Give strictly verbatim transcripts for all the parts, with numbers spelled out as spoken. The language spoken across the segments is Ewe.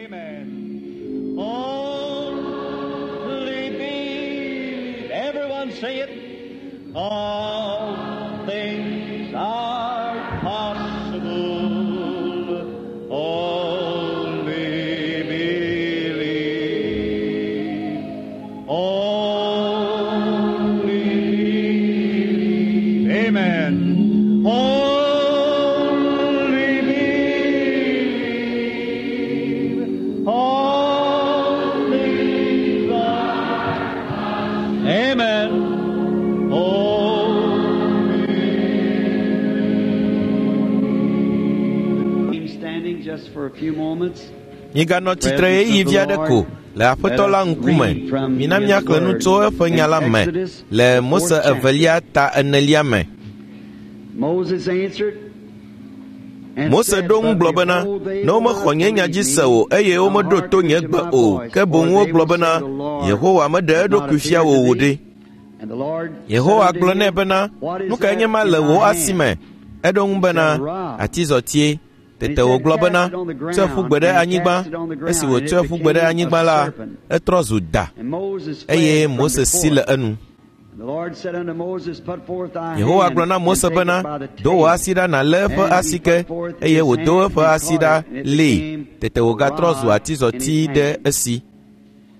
Amen. Only believe. Everyone say it. All things are possible. Only believe. Only believe. Amen. Only believe. All things are. Amen. Only Standing just for a few moments. Miganɔ tsitre ɣeyiɣi vi aɖe ko le Aƒetɔ la ŋkume. Mina míaxlẽ nu tso eƒe nya la me le Mose evelia ta enelia me. Moses answered and Mose said, ɖo ŋu "But gblɔ bena, behold, they ne will womexɔ not nye nya believe dzi me, se o eye nor womeɖo to hearken nye to gbe my o, voice, ke boŋ for they wogblɔ will bena, say, The Lord Yehowa meɖe hath not eɖokui fia appeared wò to o thee." ɖe. And the Lord Yehowa said unto gblɔ nɛ him, bena, What is nu kae that nye ma in le thy wò hand? asi me? Eɖo ŋu bena, atizɔtie. Tete wògblɔ bena, tsɔe ƒu gbe ɖe anyigba. Esi wòtsɔe ƒu gbe ɖe anyigba la, etrɔ zu da And Moses fled eye from Mose si before le it. enu. And the Lord said unto Moses, Put forth thy Yehowa hand gblɔ na and Mose take it bena, by the do wò tail. asi ɖa nàlé eƒe And he asike put forth eye his wòdo hand eƒe and asi caught ɖa it, and it lée. became Tete a wògatrɔ zu rod in atizɔti his ɖe hand, esi.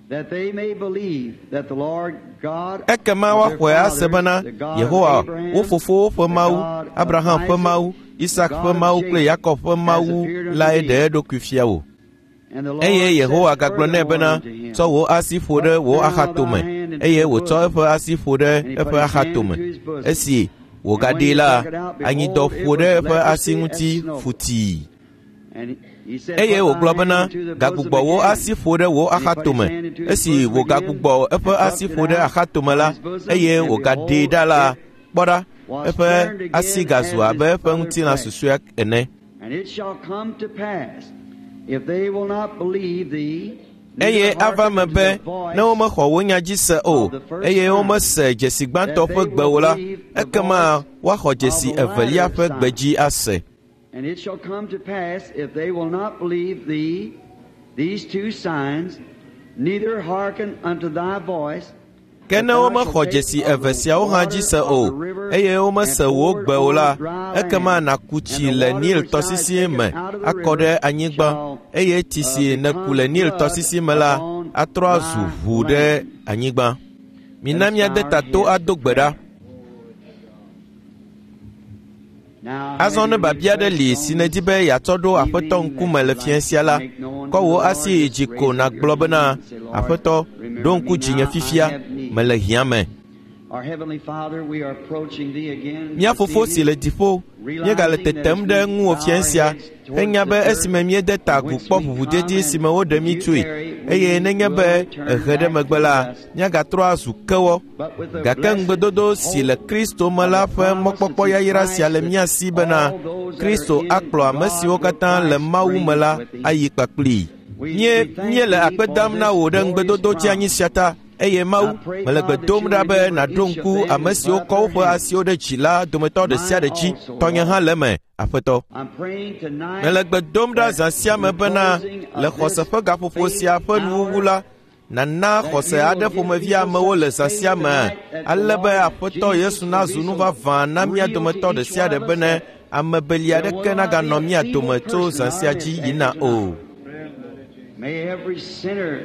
that they may believe that the Lord God Ekema of their woaxɔe ase fathers, bena the God of Yehowa, Abraham, wo fofowo ƒe the Mawu, God of Abraham ƒe Isaac, Mawu, the Isak God ƒe of Mawu kple Jacob, Yakob ƒe has Mawu appeared unto lae thee. ɖe eɖokui fia wò. And the Lord Eye said Yehowa gagblɔ nɛ furthermore bena, unto him, tsɔ wò asi ƒo ɖe Put wò now thy axatome. hand into Eye the wòtsɔ bosom. eƒe asi ƒo ɖe And he put eƒe his hand axatome. into his bosom. Esi And when wògaɖee he la, took it out, anyidɔ behold, it ƒo ɖe was eƒe asi leprosy as ŋuti snow. futii. And he said, Eye Put thy wògblɔ hand bena, into the bosom gagbugbɔ wò again. asi ƒo ɖe wò And he put his axatome. hand into his Esi bosom again, wògagbugbɔ and eƒe plucked asi it ƒo ɖe out axatome of la, his bosom, eye and wògaɖee behold, ɖa la, it kpɔ ɖa, was eƒe turned asi again gazu as abe his eƒe other ŋutilã flesh. susɔea ene. And it shall come to pass, if they will not believe thee, neither Eye ava hearken me unto be the voice ne womexɔ wò nya dzi se o of the first eye sign, womese dzesi gbãtɔ that they ƒe gbe will o la, believe the ekema voice woaxɔ of dzesi the evelia latter ƒe gbe sign. dzi ase. And it shall come to pass, if they will not believe thee, these two signs, neither hearken unto thy voice, Ke that ne thou womexɔ shalt take dzesi of eve the siawo hã dzi water se of o the river eye and womese wò pour it gbe o on la, dry ekema land, nàku and tsi the le water Nil which thou hast tɔsisi taken me out of the akɔ ɖe river anyigba shall eye tsi uh, si nèku become le Nil blood tɔsisi me la upon atrɔ azu thy ʋu ɖe land. anyigba. Let Mina us míade bow our ta to heads ado in gbe ɖa. prayer. Now, Azɔ have ne any biabia aɖe li requests si on nèdi this be yeatsɔ ɖo Aƒetɔ evening ŋkume that le you'd fiẽ like sia to la, make known kɔ to wò the Lord? asi yi Just dzi ko raise up your nàgblɔ hand bena, and say, Lord, Aƒetɔ, ɖo remember ŋku me dzinye now, I fifia, have need. mele hiã me. Our Heavenly Father, we are approaching Thee again Mía this fofo si evening, le dziƒo, míegale realizing that tetem as ɖe we ŋuwò bow fiẽ our sia, heads towards henya the be dirt esime míede ta from agu whence kpɔ we ʋuʋudedi come, si and me woɖe if mí you tsoe tarry, eye we nenye will be return ehe ɖe back megbe to la, dust. míagatrɔ azu kewɔ. But with the Gake blessed ŋugbedodo si le hope Kristo me of la the ƒe promise mɔkpɔkpɔ that's in yayra sia Christ, le that mía si bena all those that are Kristo in akplɔ ame God siwo will katã le Christ Mawu me bring la with him. ayi kpakplii. We, Míe we thank míele thee akpe for dam na this wò ɖe glorious ŋugbedodo dzeanyi promise. sia ta eye I Mawu, pray, mele gbe God, that dom you'll ɖa be remember nàɖo each of ŋku them ame and put siwo up kɔ their woƒe hands. asiwo ɖe dzi la dometɔ ɖe sia Mine ɖe dzi. also, Tɔnye hã Lord. le eme, Aƒetɔ. I'm praying tonight Mele gbe dom ɖa that zã sia in me the bena closing le of xɔse this ƒe gaƒoƒo faith sia ƒe nuwuwu hour, la, nàna that xɔse you will aɖe give ƒomevi people amewo le such zã faith sia me tonight that the ale be Lord Aƒetɔ Jesus Yesu will be nazu nu so vavã na mía real to dometɔ ɖe each sia one ɖe of us bene that ame beli there aɖeke will not be naganɔ a mía feeble dome tso person zã in sia our dzi midst yina after o. tonight. May every sinner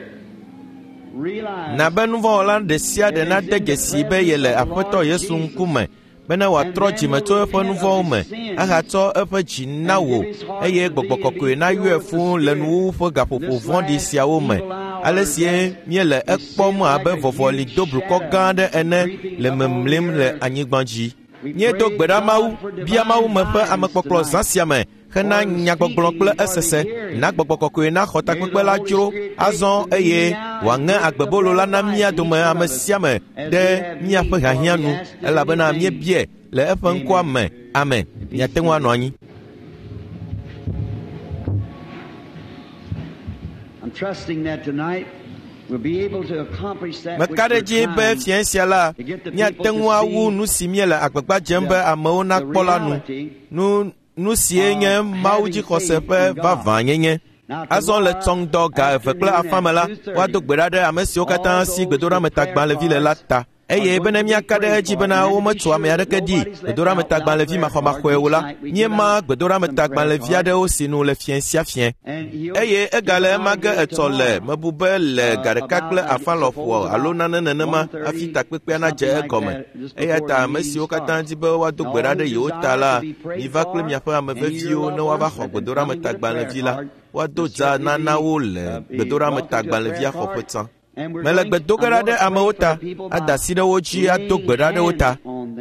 realize Na be nuvɔ̃wɔla ɖe sia ɖe that is nade in the dzesi be presence yele of the Aƒetɔ Lord Yesu Jesus, ŋkume bene and wòatrɔ then dzime will tso eƒe repent nu of vɔ̃wo his me sins ahatsɔ eƒe dzi na and wò give his heart eye to gbɔgbɔ thee and kɔkɔe be nayɔe filled with the fũu le Spirit nuwuwu ƒe in gaƒoƒo this vɔ̃ɖi last siawo me. evil hour Ale sie as míele we ekpɔm seem like abe a vɔvɔli huge do blukɔ gã shadow aɖe ene creeping le upon the memlim le earth. anyigba dzi. We Míedo pray, gbe ɖa Mawu, God, for bia Mawu divine me ƒe guidance amekpɔkplɔ zã tonight, sia me hena for the nyagbɔgblɔ speaking kple and for the esese. hearing. Na gbɔgbɔ kɔkɔe naxɔ May takpekpe the la Holy dzro Spirit take azɔ the eye meaning out and wòaŋe put the agbebolo bread la of na life mía in each dome one ame of us sia ame as ɖe we have míaƒe need, for hiahiã we nu ask it in His elabena name. míebie le eƒe ŋkɔa Amen. me. Amen. Be Miate ŋu anɔ seated. anyi. I'm trusting that tonight we'll be able to accomplish that which Meka ɖe we're edzi be trying fiẽ sia la, to get the míate people ŋu to awu see nu si míele agbagba dzem be the, amewo the nakpɔ la nu. reality Nu nu sie nye of Mawu having dzixɔse faith ƒe in God. vavãnyenye. Azɔ le tsɔŋdɔ ga eve kple afã me la, woado gbe ɖa ɖe ame siwo katã si gbedoɖametagbalẽvi le la ta. Eye bene míaka ɖe edzi bena wometso ame aɖeke ɖi gbedoɖametagbalẽvi maxɔmaxɔe o la, míema gbedoɖametagbalẽvi aɖewo sinu le fiẽ sia fiẽ. Eye egale ema ge etsɔ le mebu be le ga ɖeka kple afã lɔƒo alo nane nenema hafi takpekpea nadze egɔme. Eya ta ame siwo katã di be woado gbe ɖa ɖe yewo ta la, miva kple miaƒe ame veviwo ne woava xɔ gbedoɖametagbalẽvi la. Woado dza nana wo le gbedoɖametagbalẽvia xɔƒe tsã. Mele gbe do ge ɖa ɖe amewo ta, ada asi ɖe wo dzi ado gbe ɖa ɖe wo ta.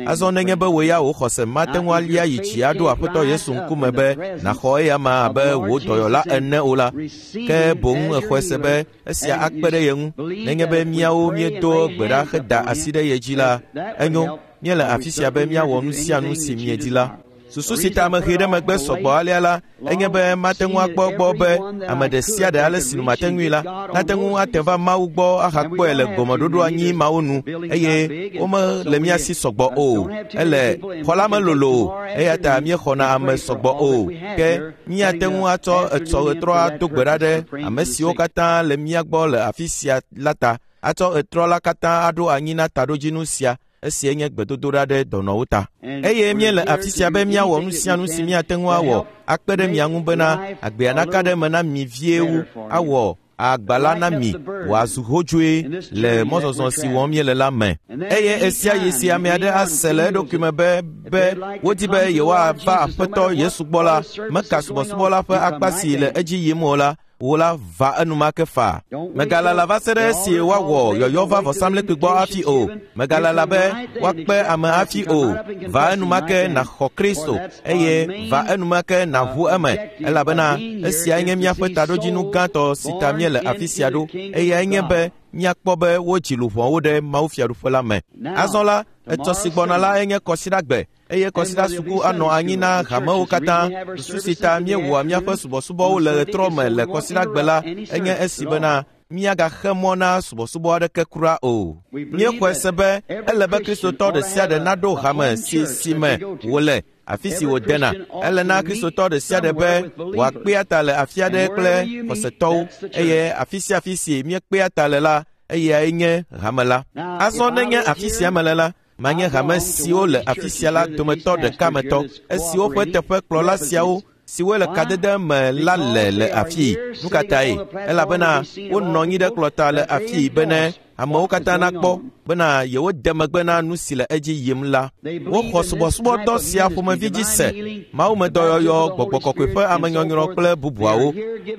Azɔ nenye be wò ya wò xɔse mate ŋu alia yi dzi aɖo Aƒetɔ Yesu ŋkume be nàxɔ eya ma abe wò dɔyɔla ene o la, ke boŋ exɔe se be esia akpe ɖe ye ŋu. Nenye be míawo míedo gbe ɖa heda asi ɖe ye dzi la, enyo, míele afi sia be míawɔ nu sia nu si miedi la. Susu si ta ame ʋee ɖe megbe sɔgbɔ alea la, enye be mate ŋu akpɔ egbɔ be ame ɖe sia ɖe ale si nu mate ŋui la, nate ŋu ate va Mawu gbɔ ahakpɔe le gɔmeɖoɖo anyi mawo nu, eye womele mía si sɔgbɔ o. Ele xɔ la melolo o, eya ta míexɔna ame sɔgbɔ o. Ke míate ŋu atsɔ etsɔ ɣetrɔ ado gbe ɖa ɖe ame siwo katã le mía gbɔ le afi sia la ta, atsɔ ɣetrɔ la katã aɖo anyi na taɖodzinu sia. Esia nye gbedodoɖa ɖe dɔnɔwo ta. Eye míele afi sia be míawɔ nu sia nu si míate ŋu awɔ akpe ɖe mia ŋu bena agbea naka ɖe eme na mi vie wu, awɔ agba la na mi wòazu hodzoe le mɔzɔzɔ si wɔm míele la me. Eye esia yi si ame aɖe ase le eɖokui me be be wodi be yewoava Aƒetɔ Yesu gbɔ la, meka subɔsubɔ la ƒe akpa si le edzi yim o la, wò la va enumake faa. Megalala va se ɖe esi woawɔ yɔyɔ va vɔsamlekpui gbɔ hafi o. Megalala be woakpe ame hafi o. Va enumake nàxɔ Kristo eye va enumake nàʋu eme, elabena esiae nye míaƒe taɖodzinu gãtɔ si ta míele afi sia ɖo. Eyae nye be míakpɔ be wodzi luʋɔwo ɖe Mawu fiaɖuƒe la me. Azɔ la, etsɔ si gbɔna la enye kɔsiɖagbe. Eye kɔsiɖa suku anɔ anyi na hamewo katã. Susu si ta míewɔa míaƒe subɔsubɔwo le ɣetrɔ me le kɔsiɖagbe la enye esi bena míagaxe mɔ na subɔsubɔ aɖeke kura o. Míexɔe se be ele be Kristotɔ ɖe sia ɖe naɖo hame si si me wòle, afi si wòdena. Ele na Kristotɔ ɖe sia ɖe be wòakpea ta le afi aɖe kple xɔsetɔwo, eye afi sia afi si míekpea ta le la, eyae nye hame la. Azɔ nenye afi sia mele la, manye hame siwo le afi sia la dometɔ ɖeka me tɔ, esiwo ƒe teƒe kplɔla siawo siwo le kadede me la le le afii. Nu ka tae? Elabena wonɔ anyi ɖe kplɔta le afii bene amewo katã nakpɔ bena yewode megbe na nu si le edzi yim la. Woxɔ subɔsubɔdɔ sia ƒomevi dzi se, mawumedɔyɔyɔ, gbɔgbɔ kɔkɔe ƒe amenyɔnyrɔ kple bubuawo.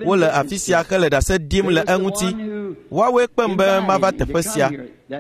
Wole afi sia hele ɖase ɖim le eŋuti. Woawoe kpem be mava teƒe sia,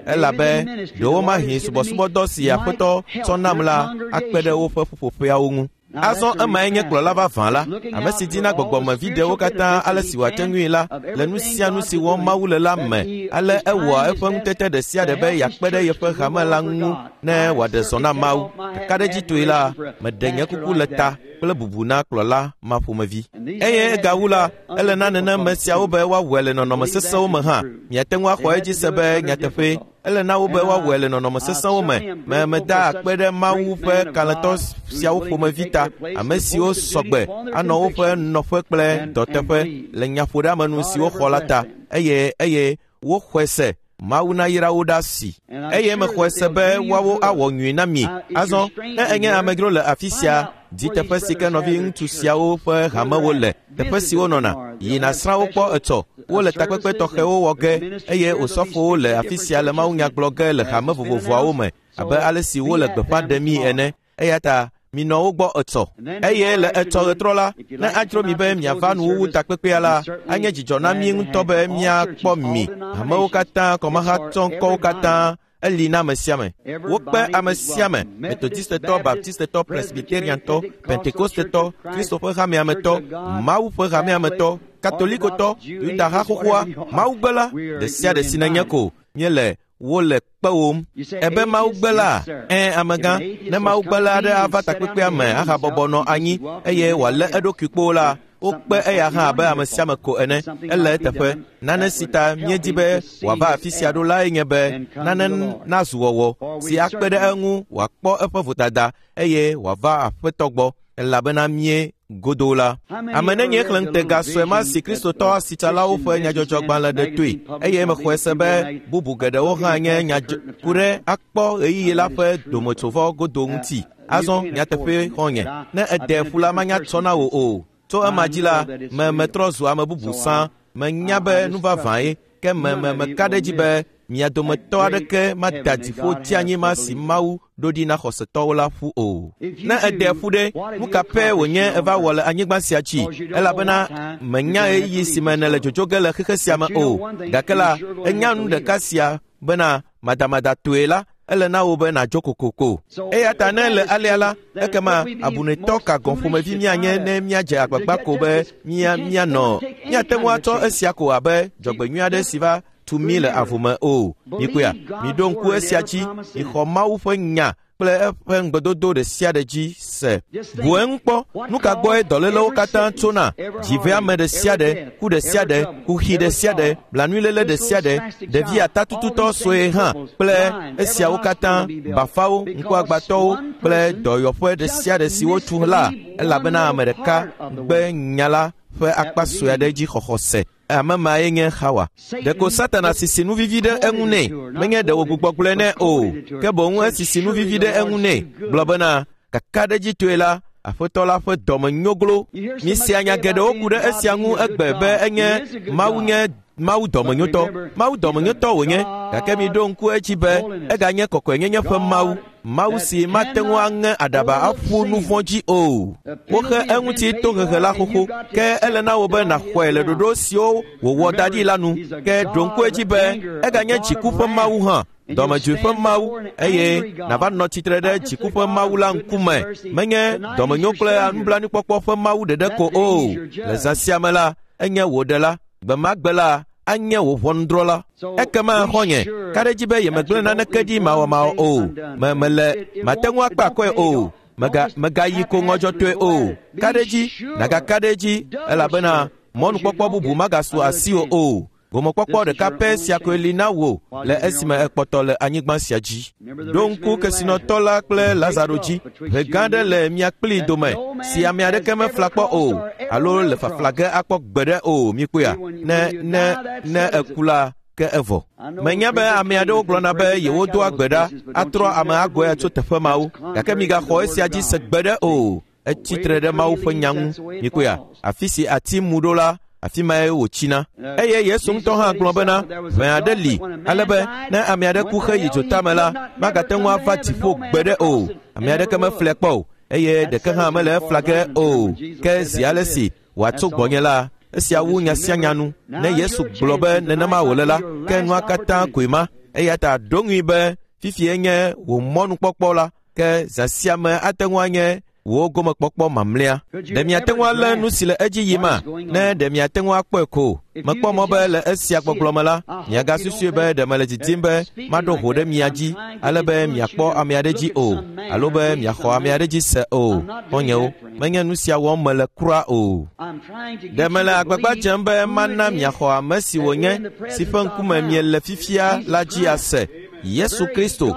elabe ɖewo mahi subɔsubɔdɔ si Aƒetɔ tsɔ nam la akpe ɖe woƒe ƒuƒoƒeawo ŋu. Azɔ emae nye kplɔla vavã la, ame si dina gbɔgbɔmeviɖewo katã ale si wòate ŋui la le nu sia nu si wɔm Mawu le la me. Ale ewɔa eƒe ŋutete ɖe sia ɖe be yeakpe ɖe yeƒe hame la ŋu ne wòaɖe zɔ na Mawu. Kakaɖedzitɔe la, meɖe nye kuku le ta kple bubu na kplɔla ma ƒomevi. Eye egawu la, ele na nenema siawo be woawɔe le nɔnɔme sesẽwo me hã. Miate ŋu axɔ edzi se be nyateƒee, ele na wo be woawɔe le nɔnɔme sesẽwo me. Me meda akpe ɖe Mawu ƒe kalẽtɔ siawo ƒomevi ta, ame siwo sɔgbe anɔ woƒe nɔƒe kple dɔteƒe le nyaƒoɖeamenu si woxɔ la ta, eye eye woxɔe se Mawu nayra wo ɖa si. Eye mexɔe se be woawo awɔ nyui na mi. Azɔ, ne enye amedzro le afi sia, di teƒe si ke nɔvi ŋutsu siawo ƒe hamewo le, teƒe si wonɔna, yi nàsrã wo kpɔ etsɔ. Wole takpekpe tɔxɛwo wɔ ge, eye osɔfowo le afi sia le mawunya gblɔ ge le hame vovovoawo me, abe ale si wole gbeƒã ɖemii ene. Eya ta minɔ wo gbɔ etsɔ. Eye le etsɔ ɣetrɔ la, ne adzro mi be miava nuwuwu takpekpea la, anye dzidzɔ na mí ŋutɔ be míakpɔ mi. Hamewo katã, kɔmahatsɔŋkɔwo katã, eli na ame sia ame. Wokpe ame sia ame, Metodistetɔ, Baptistetɔ, Presbyteriantɔ, Pentekostetɔ, Kristo ƒe hamea me tɔ, Mawu ƒe hamea me tɔ, Katolikotɔ, Yuda ha xoxoa, Mawugbela, ɖe sia ɖe si nenye ko míele wole kpewòm. Ebe Mawugbela, ɛ̃ amegã, ne Mawugbela aɖe ava takpekpea me ahabɔbɔ nɔ anyi eye wòalé eɖokui kpoo la, wokpe eya hã abe ame sia ame ko ene. Ele eteƒe. Nane si ta míedi be wòava afi sia ɖo lae nye be nane nazu wɔwɔ si akpe ɖe eŋu wòakpɔ eƒe vodada eye wòava Aƒetɔ gbɔ, Elabena mie godo la. Ame nenye xlẽ ŋutega sue ma si Kristotɔ asitsalawo ƒe nyadzɔdzɔgbalẽ ɖe toe, eye mexɔe se be bubu geɖewo hã nye nyadzɔ ku ɖe akpɔ ɣeyiɣi la ƒe dometsovɔ godo ŋuti. Azɔ nyateƒe xɔ̃nye, ne ede ƒu la manya tsɔ na wò o. Tso ema dzi la, me metrɔ zu ame bubu sã. Menya be nu vavãe, ke me me meka ɖe edzi be mia dometɔ aɖeke mada dziƒo tsi ma si Mawu ɖo ɖi na xɔsetɔwo la ƒu o. Ne ede ƒu ɖe, nu ka pɛ wònye eva wɔ le anyigba sia dzi? Elabena menya ɣeyiɣi si me nèle dzodzo ge le xexe sia me o. Gake la, enya nu ɖeka sia bena madamadatɔe la, ele na wò be nàdzo kokoko. Eya ta ne le alea la, ekema abunetɔ ka gɔ̃ ƒomevi míanye ne míadze agbagba ko be mía míanɔ. Míate ŋu atsɔ esia ko abe dzɔgbenyui aɖe si va tu mí le avome o. Mikpɔea, miɖo ŋku esia dzi, mixɔ Mawu ƒe nya kple eƒe ŋugbedodo ɖe sia ɖe dzi se. Bu eŋu kpɔ, nu ka gbɔe dɔlélewo katã tsona? Dziveame ɖe sia ɖe, ku ɖe sia ɖe, kuxi ɖe sia ɖe, blanuiléle ɖe sia ɖe, ɖevi atatututɔ sue hã kple esiawo katã, bafawo, ŋkuagbatɔwo kple dɔyɔƒe ɖe sia ɖe si wotu la, elabena ame ɖeka gbe nya la ƒe akpa sue aɖe dzi xɔxɔ se. Ame mae nye Xawa. Ɖeko Satana sisi nu vivi ɖe eŋu nɛ, menye ɖe wògbugbɔ gblɔe nɛ o, ke boŋ esisi nu vivi ɖe eŋu nɛ, gblɔ bena, kakaɖedzitɔe la, Aƒetɔ la ƒe dɔme nyoglo. Míesea nya geɖewo ku ɖe esia ŋu egbe be enye Mawu nye Mawu dɔmenyotɔ. Mawu dɔmenyotɔ wònye, gake miɖo ŋku edzi be eganye kɔkɔenyenye ƒe Mawu. Mawu si mate ŋu aŋe aɖaba aƒu nu vɔ̃ dzi o. Woxe eŋuti tohehe la xoxo, ke ele na wò be nàxɔe le ɖoɖo siwo wòwɔ da ɖi la nu. Ke ɖo ŋku edzi be eganye dziku ƒe Mawu hã, dɔmedzoe ƒe Mawu, eye nàva nɔ tsitre ɖe dziku ƒe Mawu la ŋkume. Menye dɔmenyo kple nublanuikpɔkpɔ ƒe Mawu ɖeɖe ko o. Le zã sia me la, enye wò ɖela. Gbe ma gbe la, anye wò ʋɔnudrɔ̃la. Ekema xɔ̃nye, ka ɖe edzi be yemegblẽ naneke ɖi mawɔmawɔ o. Me mele mate ŋu akpe akɔe o. Mega megayi ko ŋɔdzɔtɔe o. Ka ɖe edzi, nàgaka ɖe edzi, elabena mɔnukpɔkpɔ bubu magasu asiwò o. Gomekpɔkpɔ ɖeka pɛ sia koe li na wò le esime ekpɔtɔ le anyigba sia dzi. Ɖo ŋku kesinɔtɔ la kple Lazaro dzi. Ʋe gã aɖe le mia kplii dome si ame aɖeke mefla kpɔ o alo le fafla ge akpɔ gbeɖe o. Mikpɔea, ne ne ne eku la, ke evɔ. Menya be ame aɖewo gblɔna be yewodoa gbe ɖa atrɔ ame agɔe tso teƒe mawo, gake migaxɔ esia dzi se gbeɖe o. Etsi tre ɖe Mawu ƒe nya ŋu. Mikpɔea, afi si ati mu ɖo la, afi mae wòtsina. Eye Yesu ŋutɔ hã gblɔ bena, ʋe aɖe li, ale be ne ame aɖe ku heyi dzotame la, magate ŋu ava dziƒo gbeɖe o. Ame aɖeke meflɛ kpɔ o, eye ɖeke hã mele efla ge o. Ke zi ale si wòatso gbɔnye la, esia wu nya sia nya nu. Ne Yesu gblɔ be nenema wòle la, ke nua katã koe ma. Eya ta ɖo ŋui be fifie nye wò mɔnukpɔkpɔ la, ke zã sia me ate ŋu anye wò gomekpɔkpɔ mamlɛa. Ɖe miate ŋu alé nu si le edzi yima? Ne ɖe miate ŋu akpɔe ko. Mekpɔ mɔ be le esia gbɔgblɔ me la, miagasusui be ɖe mele didim be maɖo ho ɖe mia dzi ale be miakpɔ ame aɖe dzi o, alo be miaxɔ ame aɖe dzi se o. Xɔ̃nyewo, menye nu sia wɔm mele kura o. Ɖe mele agbagba dzem be mana miaxɔ ame si wònye, si ƒe ŋkume miele fifia la dzi ase, Yesu Kristo,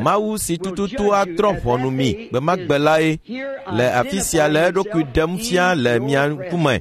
Mawu si tututu atrɔ ʋɔnu mi gbe ma gbe lae le afi sia le eɖokui ɖem fia le mia ŋkume.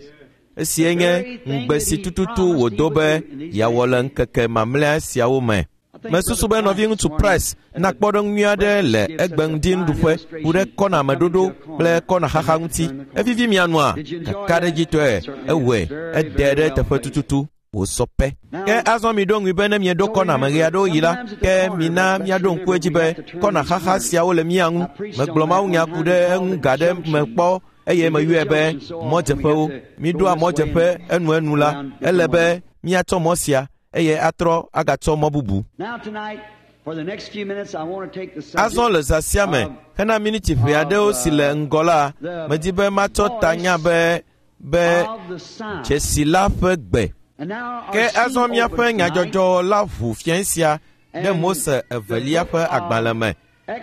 Esie nye ŋugbe si tututu wòdo be yeawɔ le ŋkeke mamlɛa siawo me. Mesusu be nɔviŋutsu Price na kpɔɖeŋu nyui aɖe le egbe ŋdi nuɖuƒe ku ɖe kɔnameɖoɖo kple kɔnaxaxa ŋuti. Evivi mia nua, kakaɖedzitɔe ewɔe, ede ɖe teƒe tututu. Wòsɔ pɛ. Ke azɔ miɖo ŋui be ne mieɖo kɔna me ɣe aɖewo yi la, ke mina míaɖo ŋku edzi be kɔnaxaxa siawo le mía ŋu. Megblɔ mawunya ku ɖe eŋu ga ɖe me kpɔ eye meyɔe be mɔdzeƒewo. Miɖoa mɔdzeƒe enuenu la, ele be míatsɔ mɔ sia eye atrɔ agatsɔ mɔ bubu. Azɔ le zã sia me, hena miniti ʋɛ aɖewo si le ŋgɔ la, medi be matsɔ tanya be be dzesi la ƒe gbe. Ke azɔ míaƒe nyadzɔdzɔ la ʋu fiẽ sia ɖe Mose evelia ƒe agbalẽ me.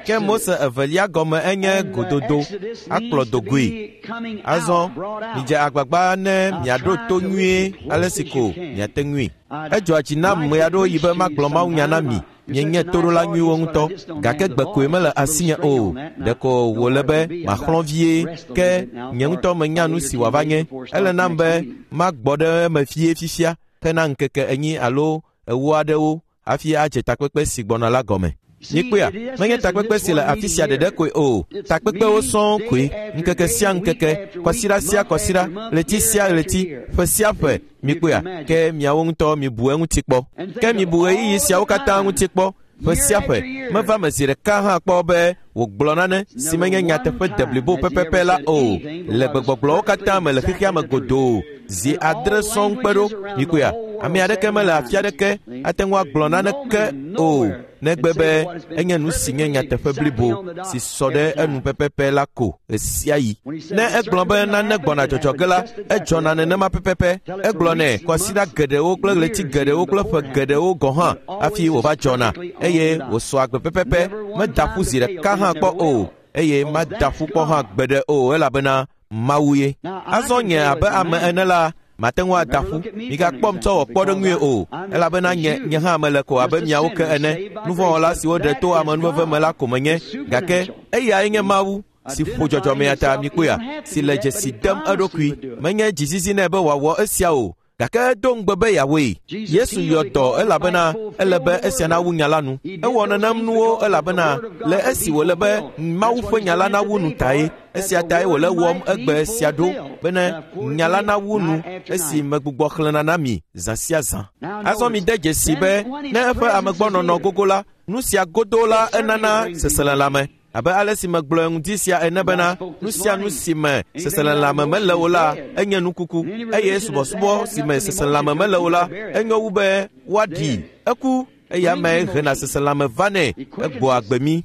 Ke Mose evelia gɔme enye gododo, akplɔ dogoe. Azɔ midze agbagba ne miaɖo to nyuie ale si ko miate ŋui. Edzɔa dzi nam ɣe aɖewo yi be magblɔ mawunya na mi. Mienye toɖola nyuiwo ŋutɔ, gake gbe koe mele asinye o. Ɖeko wòle be maxlɔ̃ vie, ke nye ŋutɔ menya nu si wòava nye. Ele nam be magbɔ ɖe eme fie fifia hena ŋkeke enyi alo ewo aɖewo hafi adze takpekpe si gbɔna la gɔme. Mikpɔea, menye takpekpe si le afi sia ɖeɖe koe o, takpekpewo sɔŋ koe, ŋkeke sia ŋkeke, kɔsiɖa sia kɔsiɖa, ɣleti sia ɣleti, ƒe sia ƒe. Mikpɔea, ke miawo ŋutɔ mibu eŋuti kpɔ. Ke mibu ɣeyiɣi siawo katã ŋuti kpɔ. Ƒe sia ƒe, meva me zi ɖeka hã kpɔ be wògblɔ nane si menye nyateƒe deblibo pɛpɛpɛ la o, le gbegbɔgblɔwo katã me le xexea me godoo, zi adre sɔŋ kpe ɖo. Mikpɔea, ame aɖeke mele afi aɖeke ate ŋu agblɔ naneke o, negbe be enye nu si nye nyateƒe blibo si sɔ ɖe enu pɛpɛpɛ la ko ɣesiaɣi. Ne egblɔ be nane gbɔna dzɔdzɔ ge la, edzɔna nenema pɛpɛpɛ. Egblɔnɛ kɔsiɖa geɖewo kple ɣleti geɖewo kple ƒe geɖewo gɔ̃ hã hafi wòva dzɔna, eye wòsɔ agbe pɛpɛpɛ. Meda ƒu zi ɖeka hã kpɔ o, eye mada ƒu kpɔ hã gbeɖe o, elabena Mawu ye. Azɔ nye abe ame ene la, mate ŋu ada ƒu. Migakpɔm tsɔ wɔ kpɔɖeŋui o, elabena nye nye hã mele ko abe miawo ke ene. Nuvɔ̃wɔla siwo ɖe to amenuveve me la ko menye, gake eyae nye Mawu si ƒo dzɔdzɔmea ta. Mikpɔea, si le dzesi dem eɖokui. Menye dzizizi nɛ be wòawɔ esia o, gake edo ŋugbe be yeawɔe. Yesu yɔ dɔ elabena ele be esia nawu nya la nu. Ewɔ nenem nuwo elabena le esi wòle be Mawu ƒe nya la nawu nu tae. Esia tae wòle wɔm egbe sia ɖo, bene nya la nawu nu esi megbugbɔ xlẽna na mi zã sia zã. Azɔ mide dzesi be ne eƒe amegbɔnɔnɔ gogo la, nu sia godo la enana seselelãme. Abe ale si megblɔ ŋdi sia ene bena nu sia nu si me seselelãme mele o la, enye nukuku, eye subɔsubɔ si me seselelãme mele o la, enyo wu be woaɖi eku, eya mee hena seselelãme vanɛ, egbɔ agbe mí.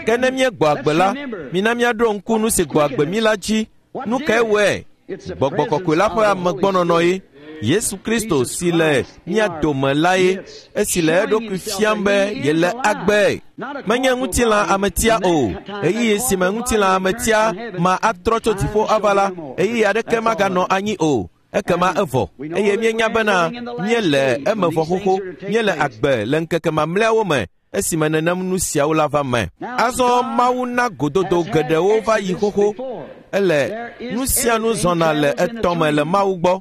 Ke ne míegbɔ agbe la, mina míaɖo ŋku nu si gbɔ agbe mí la dzi. Nu kae wɔe? Gbɔgbɔ kɔkɔe la ƒe amegbɔnɔnɔ ye. Yesu Kristo si le mía dome la ye, esi le eɖokui fiam be yele agbe. Menye ŋutilã ametia o. Ɣeyiɣi si me ŋutilã ametia ma atrɔ tso dziƒo ava la, ɣeyiɣi aɖeke maganɔ anyi o. Ekema evɔ, eye míenya bena míele eme vɔ xoxo, míele agbe le ŋkeke mamlɛawo me, esime nenem nu siawo la va me. Azɔ Mawu na gododo geɖewo va yi xoxo. Ele nu sia nu zɔna le etɔ̃ me le Mawu gbɔ.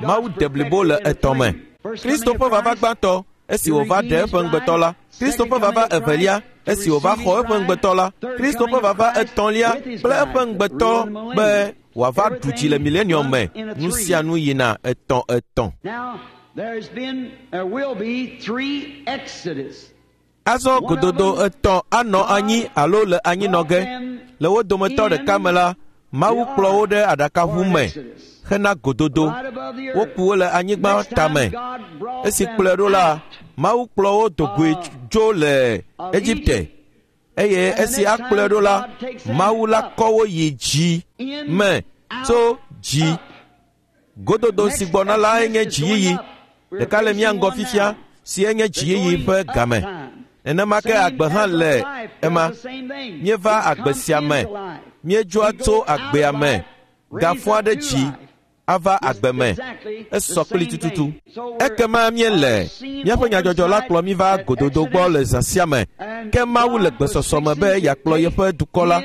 Mawu deblibo le etɔ̃ me. Kristo ƒe vava gbãtɔ, esi wòva ɖe eƒe ŋugbetɔ la. Kristo ƒe vava evelia, esi wòva xɔ eƒe ŋugbetɔ la. Kristo ƒe vava etɔ̃lia kple eƒe ŋugbetɔ be wòava ɖu dzi le milenium me. Nu sia nu yina etɔ̃ etɔ̃. Azɔ gododo etɔ̃ anɔ anyi alo le anyinɔ ge. Le wo dometɔ ɖeka me la, Mawu kplɔ wo ɖe aɖakaʋu me hena gododo. Woku wo le anyigba tame. Esi kplɔe ɖo la, Mawu kplɔ wo do goe tso le Egipte. Eye esi akplɔe ɖo la, Mawu la kɔ wo yi dzi me tso dzi. Gododo si gbɔna lae nye dziyiyi. Ɖeka le mía ŋgɔ fifia, si enye dziyiyi ƒe game. Nenema ke agbe hã le ema. Míeva agbe sia me. Míedzoa tso agbea me, gafɔa ɖe dzi, ava agbe me. Esɔ kpli tututu. Ekema míele míaƒe nyadzɔdzɔ la kplɔ mí va gododo gbɔ le zã sia me. Ke Mawu le gbesɔsɔ me be yeakplɔ yeƒe dukɔ la.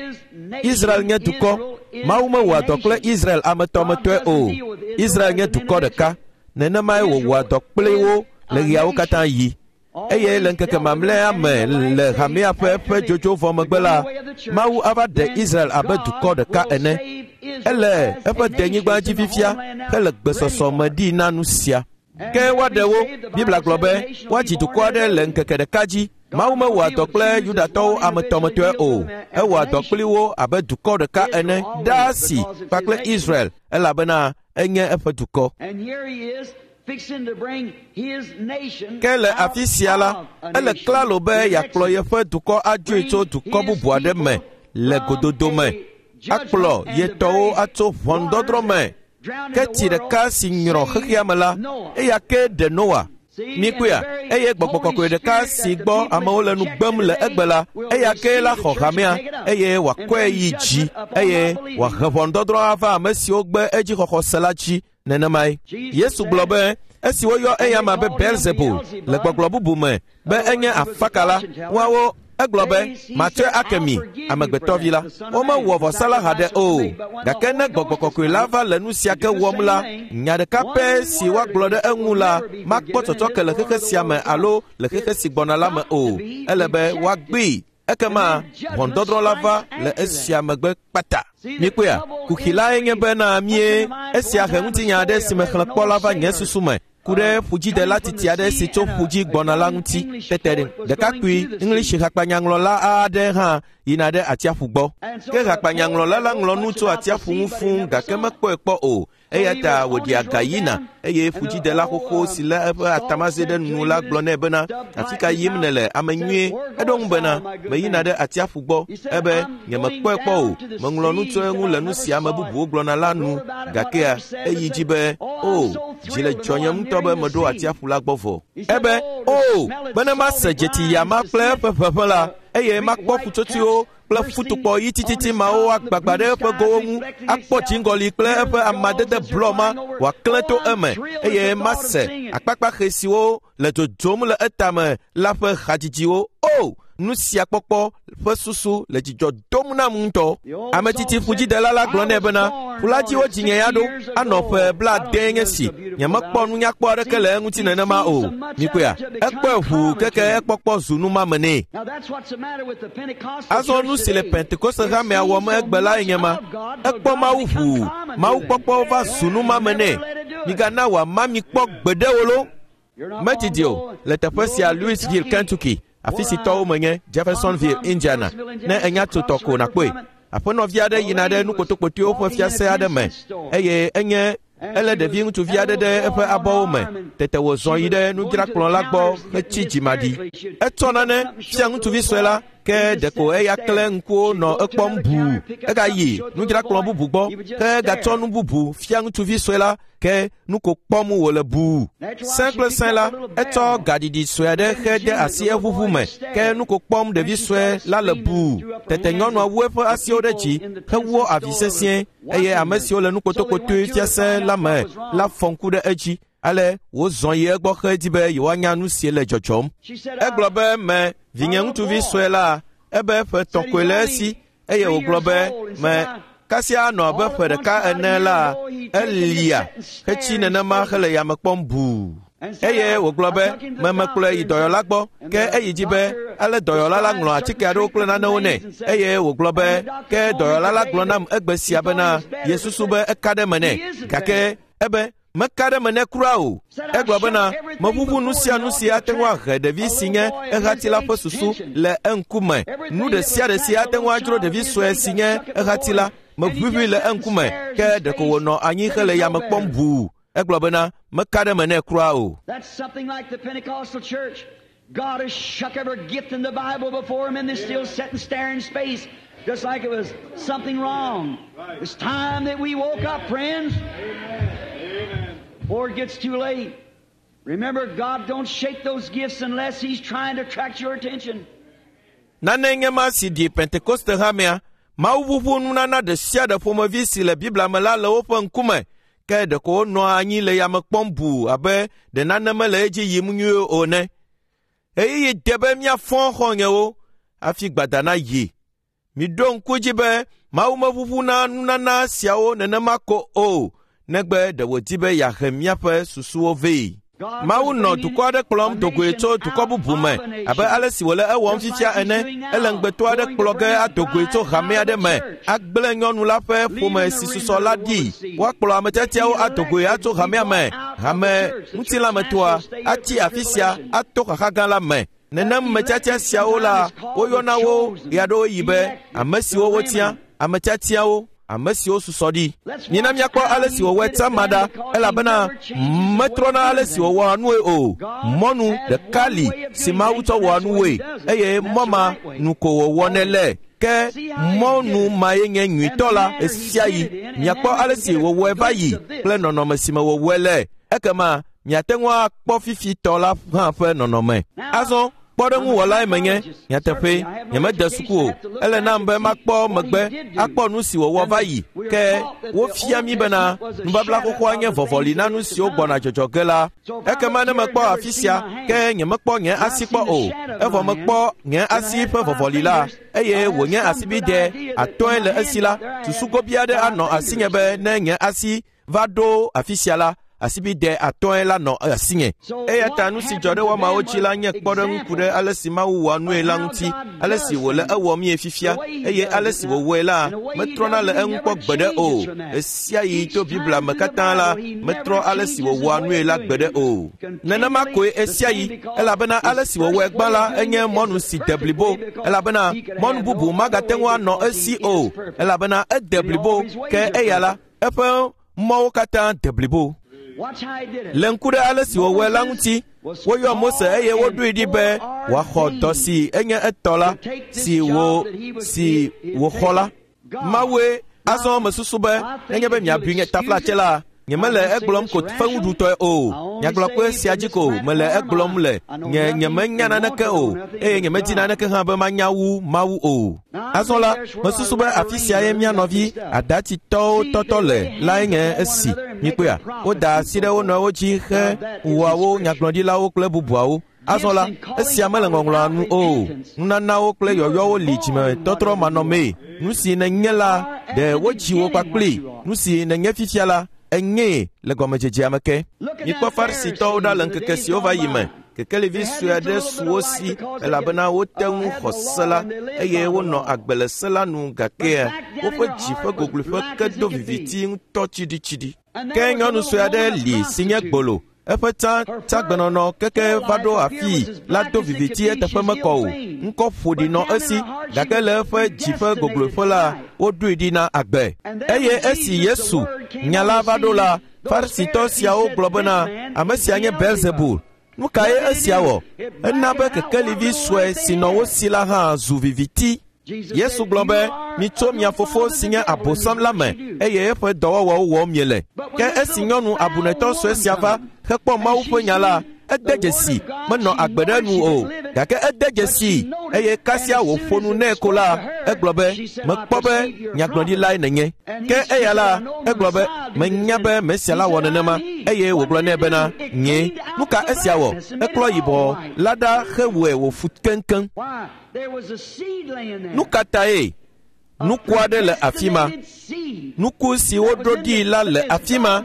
Israel nye dukɔ. Mawu mewɔa dɔ kple Israel ametɔmetɔe o. Israel nye dukɔ ɖeka. Nenemae wòwɔa dɔ kpli wo le ɣeawo katã yi. Eye le ŋkeke mamlɛa me le hamea ƒe ƒe dzodzo vɔ megbe la, Mawu ava ɖe Israel abe dukɔ ɖeka ene. Ele eƒe denyigba dzi fifia hele gbesɔsɔ me ɖi na nu sia. Ke woaɖe wo. Biblia gblɔ be woadzi dukɔ aɖe le ŋkeke ɖeka dzi. Mawu mewɔa dɔ kple Yudatɔwo ametɔmetɔe o. Ewɔa dɔ kpli wo abe dukɔ ɖeka ene ɖaa si kpakple Israel, elabena enye eƒe dukɔ. Ke le afi sia la, ele klalo be yeakplɔ yeƒe dukɔ adzoe tso dukɔ bubu aɖe me le gododo me, akplɔ ye tɔwo atso ʋɔnudɔdrɔ̃ me. Ke tsi ɖeka si nyrɔ xexea me la, eya ke ɖe Noa. Mikpɔea, eye gbɔgbɔ kɔkɔe ɖeka si gbɔ amewo le nu gbem le egbe la, eya ke la xɔ hamea, eye wòakɔe yi dzi, eye wòahe ʋɔnudɔdrɔ̃ ava ame siwo gbe edzixɔxɔ se la dzi. Nenemae. Yesu gblɔ be Esi woyɔ eyama be Belzebul le gbɔgblɔ bubu me be enye afakala, woawo egblɔ be matsɔe ake mi, amegbetɔvi la. Womewɔ vɔsala haɖe o. Gake ne gbɔgbɔ kɔkɔe la va le nu sia ke wɔm la, nya ɖeka pɛ si woagblɔ ɖe eŋu la makpɔ tsɔtsɔke le xexe sia me alo le xexe si gbɔna la me o. Ele be woagbee. Ekema ʋɔnudɔdrɔ̃ la va le esia megbe kpata. Mikpɔea, kuxi lae nye bena mie esia he ŋutinya aɖe si mexlẽ kpɔ la va nye susu me ku ɖe ƒudzidela titi aɖe si tso ƒu dzi gbɔna la ŋuti. Tete ɖekakpui English hakpanyaŋlɔla aɖe hã yina ɖe atsiaƒu gbɔ. Ke hakpanyaŋlɔla la ŋlɔ nu tso atsiaƒu ŋu fũu gake mekpɔe kpɔ o. Eya ta wòɖi aga yina eye ƒudzidela xoxo si lé eƒe atamaze ɖe nu la gblɔ nɛ bena, afi ka yim nèle, ame nyuie? Eɖo ŋu bena, meyina ɖe atsiaƒu gbɔ. Ebe, nyemekpɔe kpɔ o, meŋlɔ nu tso eŋu le nu si ame bubuwo gblɔna la nu. Gakea eyi dzi be, o, dzi le dzɔnyem ŋutɔ be meɖo atsiaƒu la gbɔ vɔ. Ebe, o, bene mase dzeti yama kple eƒe ʋeʋẽ la, eye makpɔ ƒutsotsoewo kple futukpɔ ɣi tititi mawo agbagba ɖe eƒe gowo ŋu, akpɔ dziŋgɔli kple eƒe amadede blɔ ma wòaklẽ to eme, eye mase akpakpaxe siwo le dzodzom le etame la ƒe hadzidziwo. O, nu sia kpɔkpɔ ƒe susu le dzidzɔ dom nam ŋutɔ. Ame tsitsi ƒudzidela la gblɔ nɛ bena, ƒu la dzi wodzi nye ya ɖo, anɔ ƒe blaade nye si, nyemekpɔ nunyakpɔ aɖeke le eŋuti nenema o. Mikpɔea, ekpɔe ʋuu keke ekpɔkpɔ zu numame nɛ. Azɔ nu si le Pentekoste hamea wɔm egbe lae nye ma. Ekpɔ Mawu ʋuu, Mawu kpɔkpɔ va zu numame nɛ. Migana wòama mi kpɔ gbeɖe o lo. Medidi o, le teƒe sia Louisville, Kentucky, afi si tɔwo menye Jeffersonville, Indiana. Ne enya tso tɔ ko nàkpɔe. Aƒenɔvi aɖe yina ɖe nukpotokpotoewo ƒe fiase aɖe me eye enye ele ɖevi ŋutsuvi aɖe ɖe eƒe abɔwo me. Tete wòzɔ yi ɖe nudzrakplɔ̃ la gbɔ hetsi dzimaɖi. Etsɔ nane fia ŋutsuvi sue la, ke ɖeko eya kple ŋkuwo nɔ ekpɔm buu. Egayi nudzrakplɔ̃ bubu gbɔ, ke egatsɔ nu bubu fia ŋutsuvi sue la, ke nu ko kpɔm wòle buu. Sẽ kple sẽ la, etsɔ gaɖiɖi sue aɖe xe de asi eʋuʋu me, ke nu ko kpɔm ɖevi sue la le buu. Tete nyɔnua wu eƒe asiwo ɖe dzi hewɔ avi sesĩe, eye ame siwo le nukpotokpotoe fiase la me la fɔ ŋku ɖe edzi. Ale wozɔ yi egbɔ hedi be yewoanya nu si le dzɔdzɔm. Egblɔ be, me vinye ŋutsuvi sue la, ebe ƒe etɔ̃ koe le esi, eye wògblɔ be, me kasia anɔ abe ƒe ɖeka ene la, elia hetsi nenema hele yame kpɔm buu. Eye wògblɔ be, memekplɔe yi dɔyɔla gbɔ, ke eyi dzi be, ale dɔyɔla la ŋlɔ atike aɖewo kple nanewo nɛ. Eye wògblɔ be, ke dɔyɔla la gblɔ nam egbe sia bena, yesusu be eka ɖe me nɛ. Gake ebe, meka ɖe me nɛ kura o. Egblɔ bena, meʋuʋu nu sia nu si ate ŋu ahe ɖevi si nye ehati la ƒe susu le eŋkume. Nu ɖe sia ɖe si ate ŋu adzro ɖevi sue si nye ehati la, meʋuʋui le eŋkume, ke ɖeko wònɔ anyi hele yame kpɔm buu. Egblɔ bena, meka ɖe me nɛ kura o. That's something like the Pentecostal church. God has shook every gift in the Bible before him, and they still sit and stare in space, just like it was something wrong. It's time that we woke up, friends. Before it gets too late. Remember, God don't shake those gifts unless He's trying to attract your attention. Nane nye ma si ɖi Pentekoste hamea, Mawu ʋuʋu nunana ɖe sia ɖe ƒomevi si le Biblia me la le woƒe ŋkume, ke ɖeko wonɔa anyi le yame kpɔm buu abe ɖe nane mele edzi yim nyuie o ene. Ɣeyiɣi de be míafɔ xɔ̃nyewo hafi gbada nayi. Miɖo ŋku dzi be Mawu meʋuʋuna nunana siawo nenema ko o, negbe ɖe wòdi be yeahe míaƒe susuwo vɛ. Mawu nɔ dukɔ aɖe kplɔm do goe tso dukɔ bubu me abe ale si wòle ewɔm fifia ene. Ele ŋugbeto aɖe kplɔ ge ado goe tso hame aɖe me, agblẽ nyɔnu la ƒe ƒome si susɔ la ɖi. Woakplɔ ame tiatiawo ado goe atso hamea me. Hame ŋutilãmetoa atsi afi sia ato xaxa gã la me. Nenem me tiatia siawo la, woyɔna wo ɣeaɖewoɣi be ame siwo wotia, ame tiatiawo, ame siwo susɔ ɖi. Mina míakpɔ ale si wòwɔe tsama ɖa, elabena metrɔna ale si wòwɔa nue o. Mɔnu ɖeka li si Mawu tsɔ wɔa nuwoe, eye mɔ ma nu ko wòwɔnɛ le. Ke mɔnu mae nye nyuitɔ la ɣesiaɣi. Miakpɔ ale si wòwɔe va yi kple nɔnɔme si me wòwɔe le. Ekema miate ŋu akpɔ fifitɔ la hã ƒe nɔnɔme. Azɔ Kpɔɖeŋuwɔlae menye, nyateƒe, nyemede suku o. Ele nam be makpɔ megbe akpɔ nu si wòwɔ va yi. Ke wofia mí bena nubabla xoxoa nye vɔvɔli na nu siwo gbɔna dzɔdzɔ ge la. Ekema ne mekpɔ afi sia, ke nyemekpɔ nye asi kpɔ o. Evɔ mekpɔ nye asi ƒe vɔvɔli la, eye wònye asibidɛ atɔ̃e le esi la, susu gobi aɖe anɔ asinye be ne nye asi va ɖo afi sia la, asibidɛ atɔ̃e la nɔ asinye. Eya ta nu si dzɔ ɖe woamawo dzi la nye kpɔɖeŋu ku ɖe ale si Mawu wɔa nue la ŋuti, ale si wòle ewɔm ye fifia, eye ale si wòwɔe la, metrɔna le eŋu kpɔ gbeɖe o. Ɣesiaɣi to Biblia me katã la, metrɔ ale si wòwɔa nue la gbeɖe o. Nenema koe ɣesiaɣi, elabena ale si wòwɔe gbã la enye mɔnu si de blibo, elabena mɔnu bubu magate ŋu anɔ esi o, elabena ede blibo, ke eya la, eƒe mɔwo katã de blibo. Le ŋku ɖe ale si wòwɔe la ŋuti, woyɔ Mose eye woɖoe ɖi be wòaxɔ dɔ si enye etɔ la, si wò si wòxɔ la. Mawue azɔ mesusu be nenye be miabui nye taflatse la, nyemele egblɔm ko fewuɖutɔe o. Nyagblɔkpe sia dzi ko mele egblɔm le. Nye nyemenya naneke o, eye nyemedi naneke hã be manya wu Mawu o. Azɔ la, mesusu be afi sia ye mía nɔvi adatitɔwo tɔtɔ le lae nye esi. Mikpɔea, woda asi ɖe wo nɔewo dzi he wɔa nyagblɔɖilawo kple bubuawo. Azɔ la, esia mele ŋɔŋlɔa nu o. Nunanawo kple yɔyɔwo li dzimetɔtrɔ manɔmee. Nu si nènye la, ɖe wodzi wò kpakpli. Nu si nènye fifia la, enyee le gɔmedzedzea me ke. Mikpɔ Farisitɔwo ɖa le ŋkeke siwo va yi me. Kekelivi sue aɖe su wo si elabena wote ŋu xɔ se la eye wonɔ agbe le se la nu gake woƒe dzi ƒe gogloƒe ke do viviti ŋutɔ tsiɖitsiɖi. Ke nyɔnu sue aɖe li si nye gbolo. Eƒe tsã tsãgbenɔnɔ keke va ɖo afii la do viviti eteƒe mekɔ o. Ŋkɔ ƒoɖi nɔ esi gake le eƒe dzi ƒe gogloƒe la, woɖoe ɖi na agbe. Eye esi Yesu nya la va ɖo la, Farisitɔ siawo gblɔ bena ame sia nye Belzebul. Nu kae esia wɔ? Ena be kekelivi sue si nɔ wo si la hã zu viviti. Yesu gblɔ be, mitso mia fofo si nye Abosam la me, eye eƒe dɔwɔwɔwo wɔm miele. Ke esi nyɔnu abunetɔ sue sia va hekpɔ Mawu ƒe nya la, ede dzesi, menɔ agbe ɖe nu o, gake ede dzesi, eye kasia wòƒo nu nɛ ko la, egblɔ be, mekpɔ be nyagblɔɖilae nènye. Ke eya la, egblɔ be, menya be Mesia la wɔ nenema, eye wògblɔ nɛ bena, nye. Nu ka esia wɔ? Eklɔ yibɔ la ɖa hewɔe wòfu keŋkeŋ. Nu ka tae? Nuku aɖe le afi ma. Nuku si woɖo ɖi la le afi ma.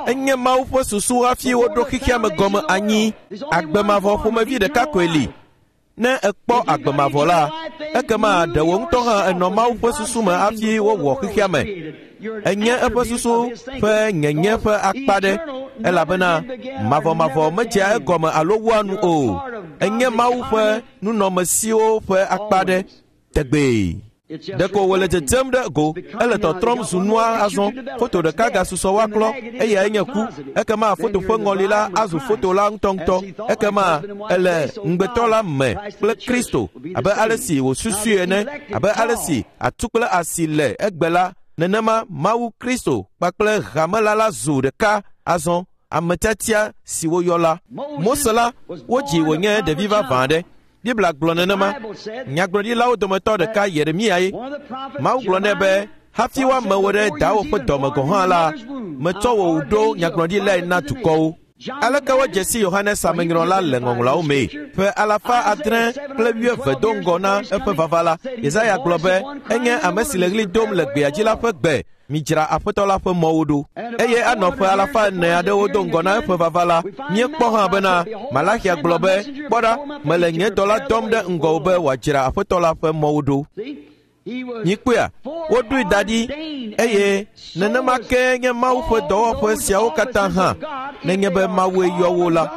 Enye Mawu ƒe susu hafi woɖo xexea me gɔme anyi. Agbe mavɔ ƒomevi ɖeka koe li. Ne èkpɔ agbe mavɔ la, ekema ɖe wò ŋutɔ hã ènɔ Mawu ƒe susu me hafi wowɔ xexea me. Enye eƒe susu ƒe nyenye ƒe akpa ɖe, elabena mavɔmavɔ medzea egɔme alo wua nu o. Enye Mawu ƒe nunɔmesiwo ƒe akpa ɖe tegbee. Ɖeko wòle dzedzem ɖe go, ele tɔtrɔm zu nua azɔ. Foto ɖeka gasusɔ woaklɔ, eyae nye ku. Ekema foto ƒe ŋɔli la azu foto la ŋutɔŋutɔ. Ekema ele ŋugbetɔ la me kple Kristo, abe ale si wòsusui ene, abe ale si atu kple asi le egbe la, nenema Mawu Kristo kpakple hame la la zu ɖeka azɔ, ame tiatia si woyɔ la. Mose la, wodzi wònye ɖevi vavã aɖe. Biblia gblɔ nenema. Nyagblɔɖilawo dometɔ ɖeka Yeremia ye. Mawu gblɔ nɛ be, hafi woame wò ɖe dawò ƒe dɔme gɔ̃ hã la, metsɔ wò ɖo nyagblɔɖilae na dukɔwo. Aleke wodze si Yohanes Amenyrɔla le ŋɔŋlɔawo mee? Ƒe alafa adre kple wuieve do ŋgɔ na eƒe vava la, Yesaya gblɔ be, enye ame si le ɣli dom le gbea dzi la ƒe gbe, midzra Aƒetɔ la ƒe mɔwo ɖo. Eye anɔ ƒe alafa ene aɖewo do ŋgɔ na eƒe vava la, míekpɔ hã bena Malaxia gblɔ be, kpɔ ɖa, mele nye dɔla dɔm ɖe ŋgɔwò be wòadzra Aƒetɔ la ƒe mɔwo ɖo. Mikpɔea, woɖoe da ɖi, eye nenema ke nye Mawu ƒe dɔwɔƒe siawo katã hã, nenye be Mawue yɔ wo la.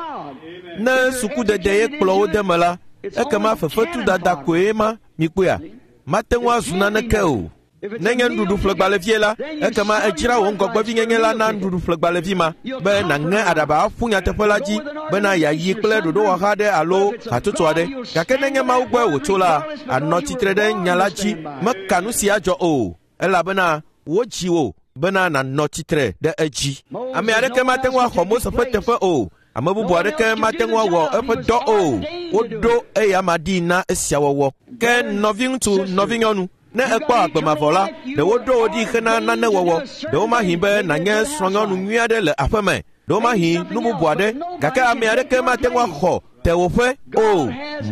Ne sukudede ye kplɔ wo de me la, ekema fefetudada koe ma, mikpɔea, mate ŋu azu naneke o. Nenye nuɖuɖuƒlegbalẽvie la, ekema edzra wò ŋgɔgbevinyenye la na nuɖuɖuƒlegbalẽvi ma be nàŋe aɖaba aƒu nyateƒe la dzi bena yeayi kple ɖoɖowɔha aɖe alo hatsotso aɖe. Gake nenye Mawu gbɔe wòtso la, ànɔ tsitre ɖe nya la dzi, meka nu si adzɔ o, elabena wodzi wò bena nànɔ tsitre ɖe edzi. Ame aɖeke mate ŋu axɔ Mose ƒe teƒe o. Ame bubu aɖeke mate ŋu awɔ eƒe dɔ o. Woɖo eyama ɖi na esia wɔwɔ. Ke nɔviŋutsu, nɔvinyɔnu, ne ekpɔ agbe mavɔ la, ɖe woɖo wò ɖi hena nane wɔwɔ. Ɖewomahi be nànye srɔ̃nyɔnu nyui aɖe le aƒeme. Ɖewomahi nu bubu aɖe, gake ame aɖeke mate ŋu axɔ tewòƒe o.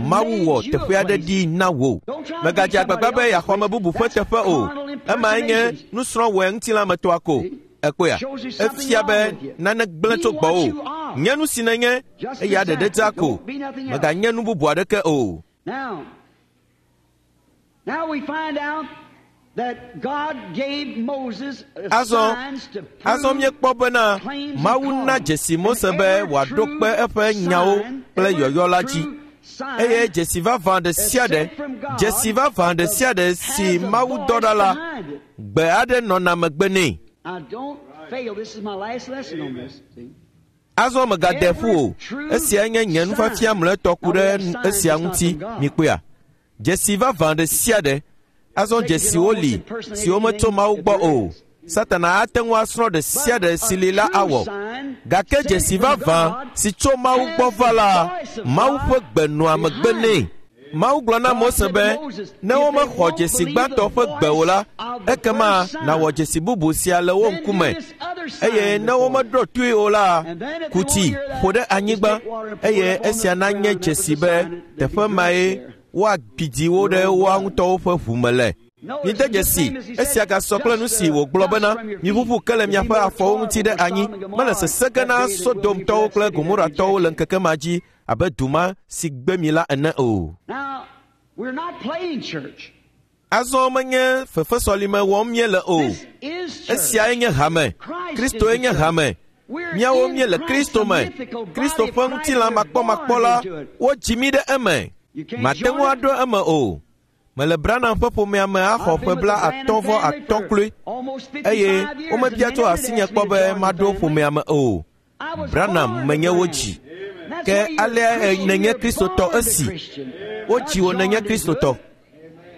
Mawu wɔ teƒe aɖe ɖi na wò. Mègadze agbagba be yeaxɔ ame bubu ƒe teƒe o. Emae nye nusrɔ̃wɔe ŋutilãmetɔa ko. Ekpɔea? Efia be nane gblẽ tso gbɔwò. Nye nu si nenye eya ɖeɖe dzaa ko. Mèganye nu bubu aɖeke o. Now, now we find out that God gave Moses Azɔ, signs to azɔ prove míekpɔ bena claims and Mawu na callings. dzesi Mose And be every wòaɖo true kpe eƒe nyawo sign, kple every yɔyɔ la dzi. true sign Eye dzesi vavã ɖe sia ɖe, dzesi vavã ɖe sia ɖe si has a Mawu voice dɔ ɖa la, behind it. gbe aɖe nɔna megbe nɛ. Now don't fail. This is my last lesson on this. See? Azɔ mègade ƒu o. Esiae nye nye nufiafia mlɔetɔ ku ɖe esia ŋuti mikpɔea. Dzesi vavã ɖe sia ɖe. Azɔ dzesiwo li siwo metso Mawu gbɔ o. Satana ate ŋu asrɔ̃ ɖe sia ɖe si li la awɔ. Gake dzesi vavã si tso Mawu gbɔ va la, Mawu ƒe gbe nɔa megbe nɛ. Mawu gblɔ na Mose be, ne womexɔ dzesi gbãtɔ ƒe gbe o la, ekema nàwɔ dzesi bubu sia le wo Then do ŋkume. this other sign Eye ne before them. womeɖo toe o la, And then if they kuti won't hear that, ƒo ɖe anyigba just take water and pour eye it up on esia the nanye ground. That was dzesi the be sign that they'd be teƒe mae drenched there. woagbidi wo ɖe woa ŋutɔwo ƒe ʋu me le. Notice Mide the dzesi same as he said, esia gasɔ kple nu dust si the wògblɔ dust bena from your feet. miʋuʋu ke le It'd be miaƒe more afɔwo ŋuti ɖe tolerable for anyi. Sodom and Mele Gomorrah sese ge that na day than it will be for Sodomtɔwo that kple city that Gomoratɔwo le rejected. ŋkeke ma dzi abe du ma si gbe mi la ene o. Now, we're not playing church. Azɔ menye fefesɔlime wɔm míele o. This is church. Esiae nye hame. Christ Kristoe is the nye church. hame. We're Míawo in míele Christ, Kristo the me. mythical body Kristo of ƒe Christ. ŋutilã We're makpɔmakpɔ born la, into it. wodzi mí ɖe eme. You can't Mate join ŋu it. aɖo eme o. Mele Branham ƒe ƒomea me axɔ I've ƒe been with bla the Branham atɔ̃ vɔ family atɔ̃ for kloe almost eye fifty-five years, and womebia they tso never did asinye ask me kpɔ to be join the maɖo family. ƒomea me o. I was Branham born a menye wo Branham. dzi. That's Ke why you're a alea Christian. nenye You're Kristotɔ born a esi. Christian. Wodzi Not wò nenye joined into Kristotɔ. it.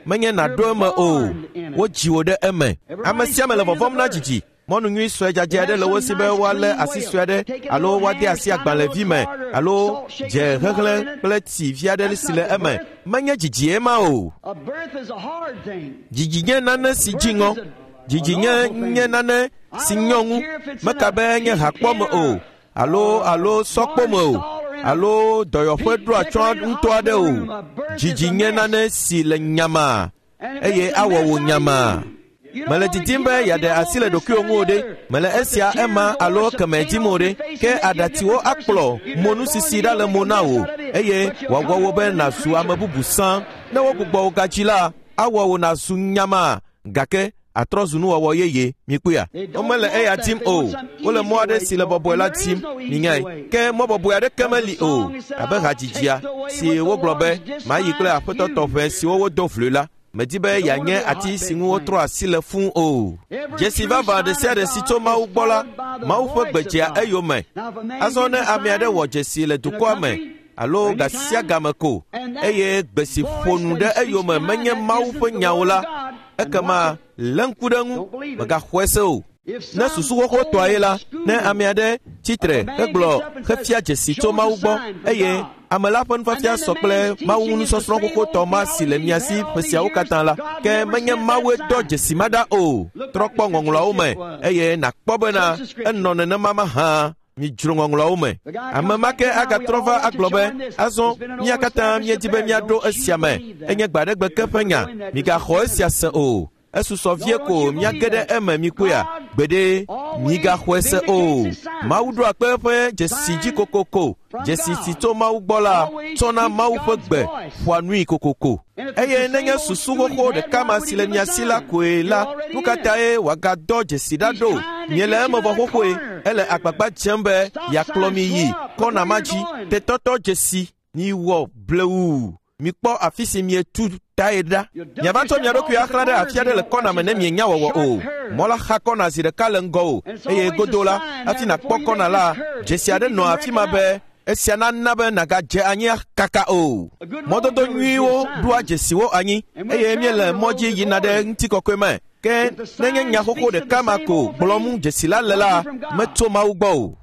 Menye nàɖo eme o. Wodzi wò ɖe eme. Ame sia ame le vɔvɔ̃m na dzidzi. Mɔnu nyui sue dzadzɛ aɖe le wo si be woalé asi sue aɖe alo woade asi agbalẽvi me alo dze hehlẽ kple tsi vi aɖe si le eme. Menye dzidzie ma o. A birth is a hard thing. Dzidzi nye nane si dzi ŋɔ. Dzidzi nye nye nane si nyɔ ŋu. Meka be nye hakpɔ me o alo alo sɔkpo me o alo dɔyɔƒe ɖo atsyɔ̃ ŋutɔ aɖe o. Dzidzi nye nane si le nyamaa And it eye makes a awɔ mess wò out of nyamaa. you. You don't Mele want to didim give be up. You yeaɖe don't asi le want this, ɖokuiwò that, ŋu o and the ɖe. other. Mele But the esia tears ema will alo wash the kemɛ paint dim off o your ɖe. face Ke and make you a aɖatsiwo different person. akplɔ You're mo born nusisi again, ɖa le make mo a na mess wò out of it. eye But you'll wòawɔ come wò home be a new nàzu ame creature. bubu sã. Ne wogbugbɔ wò gadzi la, awɔ wò nàzu nyamaa gake atrɔ zu nuwɔwɔ yeye mikpɔea. They don't Womele want eya that. dim They o. want some Wole mɔ easy aɖe way si to le go. bɔbɔe And la there is tim. no easy Minyae. way. Ke mɔ bɔbɔe aɖeke Because the meli o. song is said, Abe I'll hadzidzia take the way si with the wogblɔ be Lord's just mayi kple my aƒetɔ few. tɔƒe siwo wodo vloe la. Medi be You don't want to yeanye be a ati si hotbed ŋu wotrɔ plant. asi le fũu o. Every Dzesi true vavã ɖe sign sia of ɖe si God tso is Mawu gbɔ la, followed by the Mawu ƒe voice gbe of dzea God. eyome. Now, if a man Azɔ gives ne a ame aɖe sign wɔ dzesi le in a dukɔa me country alo or any ga sia time, game ko and that eye gbe si ƒo voice nu that ɖe he speaks eyome behind menye that Mawu isn't ƒe the nyawo word la, of God, and ekema watch it. lé ŋku ɖe eŋu, Don't believe it. mègaxɔe se o. If Ne some susu xoxotɔe la, old ne school ame aɖe tsitre of a man hegblɔ gets up and says, hefia dzesi tso shows a Mawu gbɔ sign from eye God. ame la ƒe And nufiafia then the sɔ kple man's Mawu teaching is the nusɔsrɔ̃ same xoxotɔ old ma si le theology mia he's si had all ƒe these siawo years. katã la, God ke never menye sent that Mawue dɔ sign. dzesi ma ɖa o. Look Trɔ back kpɔ and see ŋɔŋlɔawo what me it was. eye nàkpɔ bena Search the scriptures. enɔ nenema mahã. Midzro ŋɔŋlɔawo me. The guy Ame comes ma back ke now, we agatrɔ all va want to agblɔ be join this. azɔ It's been an mía old katã established míedi be affair. míaɖo Don't you esia me. believe that. Enye gbe aɖe gbe ke ƒe nya. Join that Migaxɔ just esia se o. Esusɔ No, vie don't ko you believe míage ɖe that. eme mikpɔea. God Gbeɖe always migaxɔe se o. vindicates his sign. Mawu ɖoa kpe eƒe dzesi dzi Sign kokoko. from Dzesi si God tso Mawu gbɔ la always tsɔna speaks Mawu ƒe God's gbe voice. ƒoa nui kokoko. And if it's Eye the nenye same old susu school xoxo you've had, ɖeka why ma would si he le give a mia si la sign? koe You're la, already nu ka in. tae wòagadɔ dzesi ɖa He's ɖo? trying to Miele get eme you vɔ to that xoxoe. corner. Ele agbagba dzem be Stop yeakplɔ sign, mi yi slow up. Look kɔna where ma you're dzi. going. Tetɔtɔ dzesi miwɔ blewu. Mikpɔ afi si mietu tae ɖa. You dump Miava tsɔ mia yourself ɖokui off at the axlã ɖe corners afi if aɖe you le don't kɔna watch me it. ne A mienya wɔwɔ sharp o. curve. Mɔ la xa kɔna zi ɖeka le ŋgɔ o And it's eye always a godo la sign hafi there nàkpɔ before you kɔna make la this curve. dzesi You aɖe can nɔ afi ma reckon be out. Esia nana be nàgadze anyi kaka o. Mɔdodo nyuiwo ɖoa dzesiwo anyi eye míele mɔ dzi yina ɖe ŋutikɔkɔe me. Ke nenye nya xoxo ɖeka ma ko gblɔm dzesi la le la, metso Mawu gbɔ o.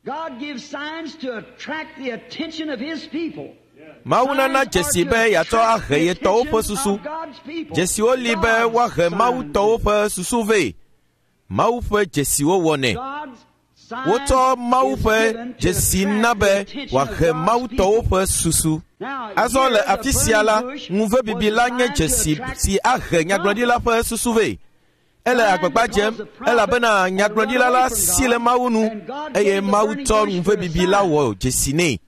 Mawu nana dzesi be yeatsɔ ahe ye tɔwo ƒe susu. Dzesiwo li be woahe Mawu tɔwo ƒe susu vɛ. Mawu ƒe dzesiwo wɔnɛ. Wotsɔ Mawu ƒe dzesi na be wòahe Mawu tɔwo ƒe susu. Azɔ le afi sia la, ŋuvebibi la nye dzesi si ahe nyagblɔɖila ƒe susu vɛ. Ele agbagba dzem elabena nyagblɔɖila la si le Mawu nu eye Mawu tsɔ ŋuvebibi la wɔ dzesi nɛ.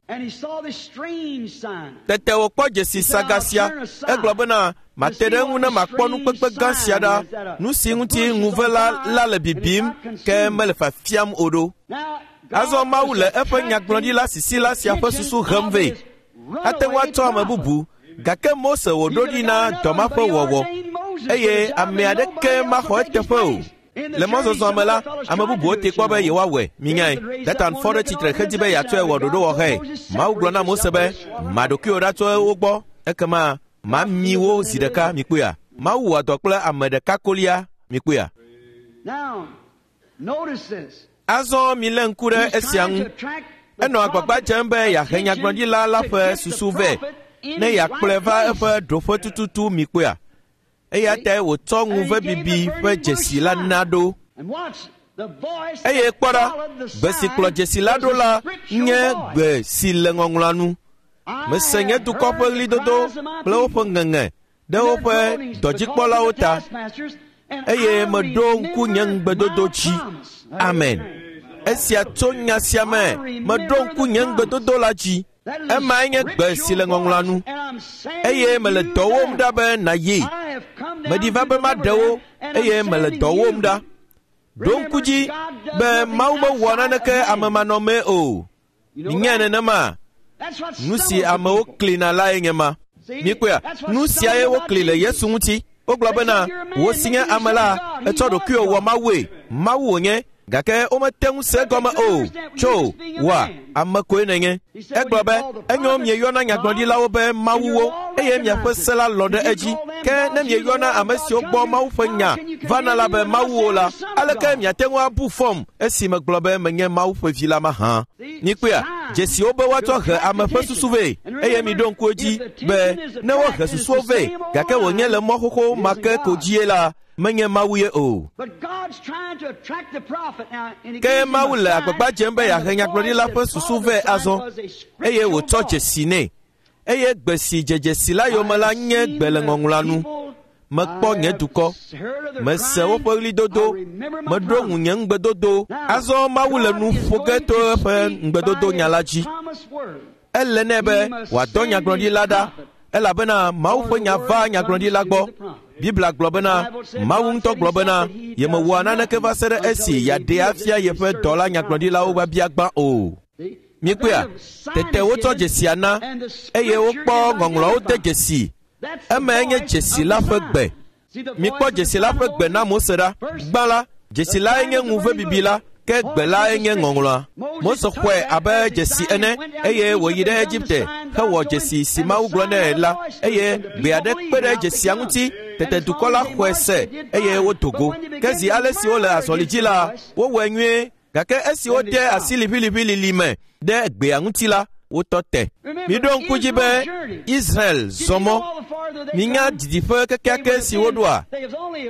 Tete wòkpɔ dzesi saga sia. Egblɔ bena, mate ɖe eŋu ne makpɔ nukpekpe gã sia ɖa, nu si ŋuti ŋuve la la le bibim ke mele fafiam o ɖo. Azɔ Mawu le eƒe nyagblɔɖila sisila sia ƒe susu hem vɛ. Ate ŋu atsɔ ame bubu, gake Mose wòɖo ɖi na dɔ ma ƒe wɔwɔ eye ame aɖeke maxɔ eteƒe o. Le mɔzɔzɔ me la, ame bubuwo te kpɔ be yewoawɔe. Minyae, Datan fɔ ɖe tsitre hedi be yeatsɔe wɔ ɖoɖowɔxɔe. Mawu gblɔ na Mose be, ma ɖokuiwò ɖa tso wo gbɔ, ekema mami wo zi ɖeka, mikpɔea. Mawu wɔ dɔ kple ame ɖeka kolia, mikpɔea. Azɔ milé ŋku ɖe esia ŋu. Enɔ agbagba dzem be yeahe nyagblɔɖila la ƒe susu vɛ ne yeakplɔe va eƒe ɖoƒe tututu, mikpɔea. Eya tae wòtsɔ ŋuvebibi ƒe dzesi la na ɖo. Eye kpɔ ɖa, gbe si kplɔ dzesi la ɖo la nye gbe si le ŋɔŋlɔa nu. Mese nye dukɔ ƒe ɣlidodo kple woƒe ŋeŋe ɖe woƒe dɔdzikpɔlawo ta eye meɖo ŋku nye ŋugbedodo dzi. Amen. Esia tso nya sia me, meɖo ŋku nye ŋugbedodo la dzi. Emae nye gbe si le ŋɔŋlɔa nu eye mele dɔ wɔm ɖa be nàyi. Meɖi va be maɖe wo eye mele dɔ wɔm ɖa. Ɖo ŋku dzi be Mawu mewɔ naneke amemanɔmee o. Minyae nenema? Nu si amewo klina lae nye ma. Mikpɔea, nu siae wokli le Yesu ŋuti. Wogblɔ bena, wò si nye ame la, etsɔ ɖokuiwò wɔ Mawue. Mawu wònye, gake womete ŋu se egɔme o. Tso, wòa, ame koe nènye. Egblɔ be, enyo mieyɔna nyagblɔɖilawo be mawuwo eye miaƒe se la lɔ̃ ɖe edzi. Ke ne mieyɔna ame siwo gbɔ Mawu ƒe nya vana la be mawuwo la, aleke miate ŋu abu fɔm esi megblɔ be menye Mawu ƒe vi la mahã? Mikpɔea, dzesiwo be woatsɔ he ame ƒe susu vɛ eye miɖo ŋku edzi be ne wohe susuwo vɛ gake wònye le mɔ xoxo ma ke ko dzie la, menye Mawu ye o. Ke Mawu le agbagba dzem be yeahe nyagblɔɖila ƒe susu vɛ azɔ eye wòtsɔ dzesi nɛ. Eye gbe si dze dzesi la yome la nye gbe le ŋɔŋlɔa nu. Mekpɔ nye dukɔ, mese woƒe ɣlidodo, meɖo ŋu nye ŋugbedodo. Azɔ Mawu le nu ƒo ge to eƒe ŋugbedodo nya la dzi. Ele nɛ be wòadɔ nyagblɔɖila ɖa elabena Mawu ƒe nya va nyagblɔɖila gbɔ. Biblia gblɔ bena, Mawu ŋutɔ gblɔ bena, yemewɔa naneke va se ɖe esi yeaɖee afia yeƒe dɔla nyagblɔɖilawo biabia gbã o. Mikpɔea, tete wotsɔ dzesia na eye wokpɔ ŋɔŋlɔawo de dzesi. Emae nye dzesi la ƒe gbe. Mikpɔ dzesi la ƒe gbe na Mose ɖa. Gbã la, dzesi lae nye ŋuvebibi la, ke gbe lae nye ŋɔŋlɔa. Mose xɔe abe dzesi ene eye wòyi ɖe Egipte hewɔ dzesi si Mawu gblɔ nɛ la eye gbe aɖe kpe ɖe dzesia ŋuti. Tete dukɔ la xɔe se eye wodo go. Ke zi ale si wole azɔli dzi la, wowɔe nyuie gake esi wode asi liʋiliʋilili me ɖe gbea ŋuti la, wotɔ te. Miɖo ŋku dzi be Israel zɔ mɔ. Minya didiƒe kekeake si woɖoa?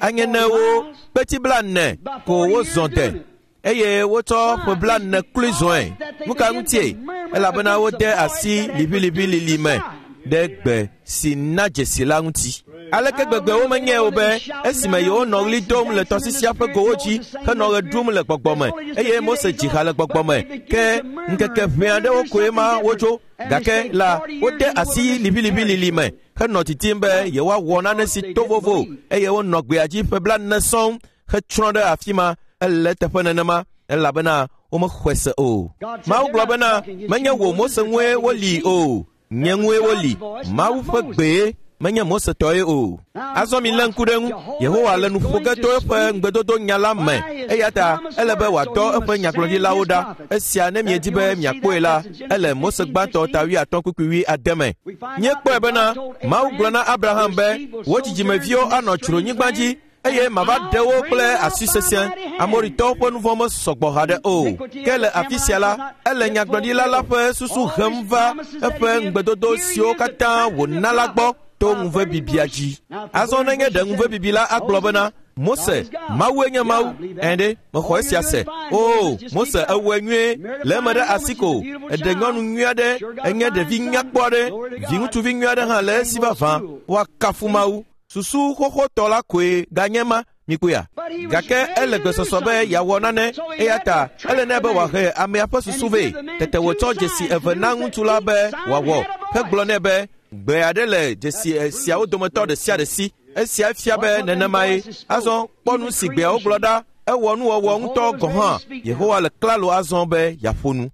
Anye ne wo kpeti blaene ko wozɔ de eye wotsɔ ƒe blaene kloe zɔe. Nu ka ŋutie? Elabena wode asi liʋiliʋilili me ɖe gbe si na dzesi la ŋuti. Aleke gbegbe womenyae o be esime yewonɔ ɣli dom le tɔsisia ƒe gowo dzi henɔ ɣe ɖum le gbɔgbɔ me eye Mose dzi ha le gbɔgbɔ me ke ŋkeke ʋɛ aɖewo koe ma wotso gake la wode asi liʋiliʋilili me henɔ titim be yewoawɔ nane si to vovo eye wonɔ gbea dzi ƒe blaene sɔŋ hetsrɔ̃ ɖe afi ma. Ele teƒe nenema elabena womexɔe se o. Mawu gblɔ bena, menye wò Mose ŋue woli o, nye ŋue woli. Mawu ƒe gbee, Menye Mose tɔe o. Azɔ mi lé ŋku ɖe ŋu. Yehowa le nu ƒo ge to eƒe ŋugbedodo nya la me. Eya ta ele be wòadɔ eƒe nyagblɔɖilawo ɖa. Esia ne miedi be miakpɔe la, ele Mose gbãtɔ ta wuiatɔ̃ kpukpui wuiade me. Míekpɔe bena Mawu gblɔ na Abraham be wò dzidzimeviwo anɔ dzronyigba dzi eye mava ɖe wo kple asi sesẽ. Amoritɔwo ƒe nu vɔ̃ mesɔgbɔ haɖe o. Ke le afi sia la, ele nyagblɔɖila la ƒe susu hem va eƒe ŋugbedodo siwo katã wòna la gbɔ to ŋuvebibia dzi. Azɔ nenye ɖe ŋuvebibi la agblɔ bena, Mose, Mawue nye Mawu. Ẽ ɖe, mexɔ esia se. O, Mose ewɔe nyuie, le eme ɖe asi ko. Eɖe nyɔnu nyui aɖe, enye ɖevi nyakpɔ aɖe, viŋutsuvi nyui aɖe hã le esi vavã. Woakafu Mawu. Susu xoxotɔ la koe ganye ma, mikpɔea? Gake ele gbesɔsɔ be yeawɔ nane, eya ta ele nɛ be wòahe amea ƒe susu vɛ. Tete wòtsɔ dzesi eve na ŋutsu la be wòawɔ, hegblɔ nɛ be gbe aɖe le dzesi siawo dometɔ ɖe sia ɖe si. Esia fia be nenemae. Azɔ kpɔ nu si gbeawo gblɔ ɖa. Ewɔ nuwɔwɔ ŋutɔ gɔ̃ hã. Yehowa le klalo azɔ be yeaƒo nu.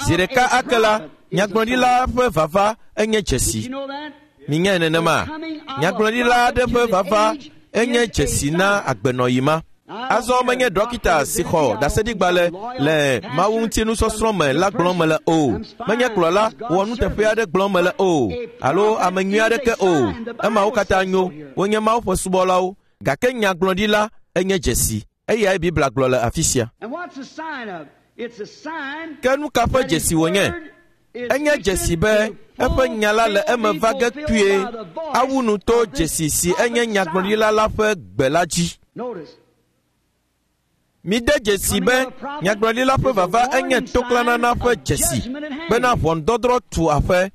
Zi ɖeka ake la, nyagblɔɖila ƒe vava enye dzesi. Minyae nenema. Nyagblɔɖila aɖe ƒe vava enye dzesi na agbenɔɣi ma. Azɔ menye dɔkita si xɔ ɖaseɖigbalẽ le Mawu ŋuti nusɔsrɔ̃ me la gblɔm mele o. Menye kplɔla wɔ nuteƒe aɖe gblɔm mele o, alo ame nyui aɖeke o. Emawo katã nyo, wonye Mawu ƒe subɔlawo. Gake nyagblɔɖila enye dzesi. Eyae Biblia gblɔ le afi sia. Ke nu ka ƒe dzesi wònye? Enye dzesi be eƒe nya la le eme va ge kpuie awu nu to dzesi si enye nyagblɔɖila la ƒe gbe la dzi. Mide dzesi be nyagblɔɖila ƒe vava enye toklãnana ƒe dzesi bena ʋɔnudɔdrɔ̃ tu aƒe.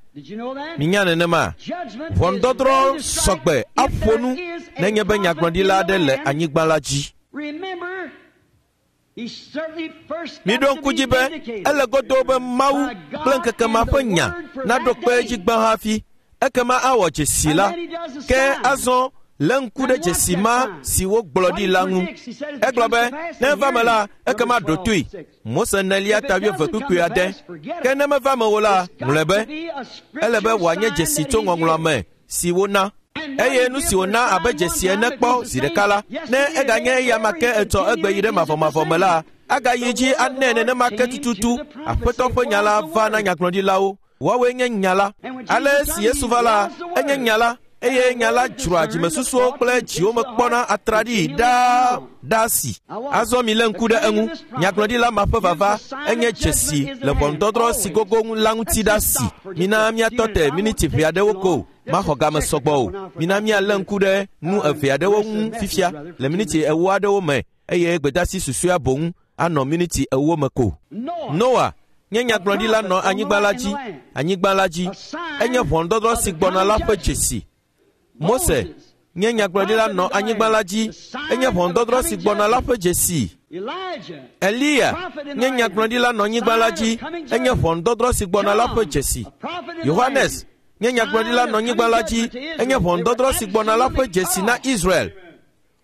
Minya nenema. Ʋɔnudɔdrɔ̃ sɔgbe aƒo nu nenye be nyagblɔɖila aɖe le anyigba la dzi. Miɖo ŋku dzi be ele godoo be Mawu kple ŋkeke ma ƒe nya naɖo kpe edzi gbã hafi ekema awɔ dzesi la. Ke azɔ lé ŋku ɖe dzesi ma si wogblɔ ɖi la ŋu. Egblɔ be ne eva me la, ekema ɖo toe. Mose nelia ta wuieve kpukpui ade. Ke ne meva me o la, ŋlɔe be ele be wòanye dzesi tso ŋɔŋlɔa me si wona. Eye nu si wòna abe dzesi ene kpɔ zi ɖeka la, ne eganye eya ma ke etsɔ egbe yi ɖe mavɔmavɔ me la, agayi dzi anɛ nenema ke tututu. Aƒetɔ ƒe nya la va na nyagblɔɖilawo. Woawoe nye nya la. Ale si Yesu va la, enye nya la. Eye nya la dzroa dzimesusuwo kple dziwo me kpɔna atraɖii ɖaa ɖaa si. Azɔ mi lé ŋku ɖe eŋu. Nyagblɔɖila ma ƒe vava enye dzesi le ʋɔnudɔdrɔ̃ si gogo ŋu la ŋuti ɖa si. Mina míatɔ te miniti ʋɛ aɖewo ko. Maxɔ game sɔgbɔ o. Mina míalé ŋku ɖe nu eve aɖewo ŋu fifia le miniti ewo aɖewo me eye gbedasi susɔea boŋ anɔ miniti ewo me ko. Noa nye nyagblɔɖila nɔ anyigba la dzi. Anyigba la dzi enye ʋɔnudɔdrɔ̃ si gbɔna la ƒe dzesi. Mose nye nyagblɔɖila nɔ anyigba la dzi. Enye ʋɔnudɔdrɔ̃ si gbɔna la ƒe dzesi. Eliya nye nyagblɔɖila nɔ anyigba la dzi. Enye ʋɔnudɔdrɔ̃ si gbɔna la ƒe dzesi. Yohanes nye nyagblɔɖila nɔ anyigba la dzi. Enye ʋɔnudɔdrɔ̃ si gbɔna la ƒe dzesi na Israel.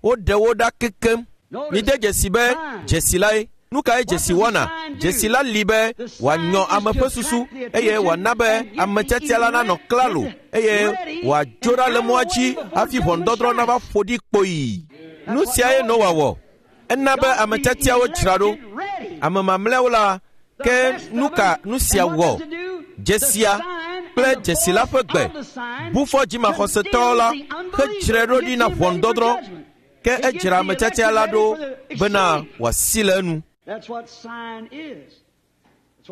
Woɖe wo ɖa kekem. Mide dzesi be dzesi lae. Nu kae dzesi wɔna? Dzesi la li be wòanyɔ ame ƒe susu eye wòana be ame tiatia la nanɔ klalo eye wòadzo ɖa le mɔa dzi hafi ʋɔnudɔdrɔ̃ nava ƒo ɖi kpoyi. Nu siae Noa wɔ. Ena be ame tiatiawo dzra ɖo. Ame mamlɛawo la, ke nu ka nu sia wɔ? Dzesia kple dzesi la ƒe gbe bu fɔ dzimaxɔsetɔwo la hedzrae ɖo ɖi na ʋɔnudɔdrɔ̃. Ke edzra ame tiatia la ɖo bena wòasi le enu.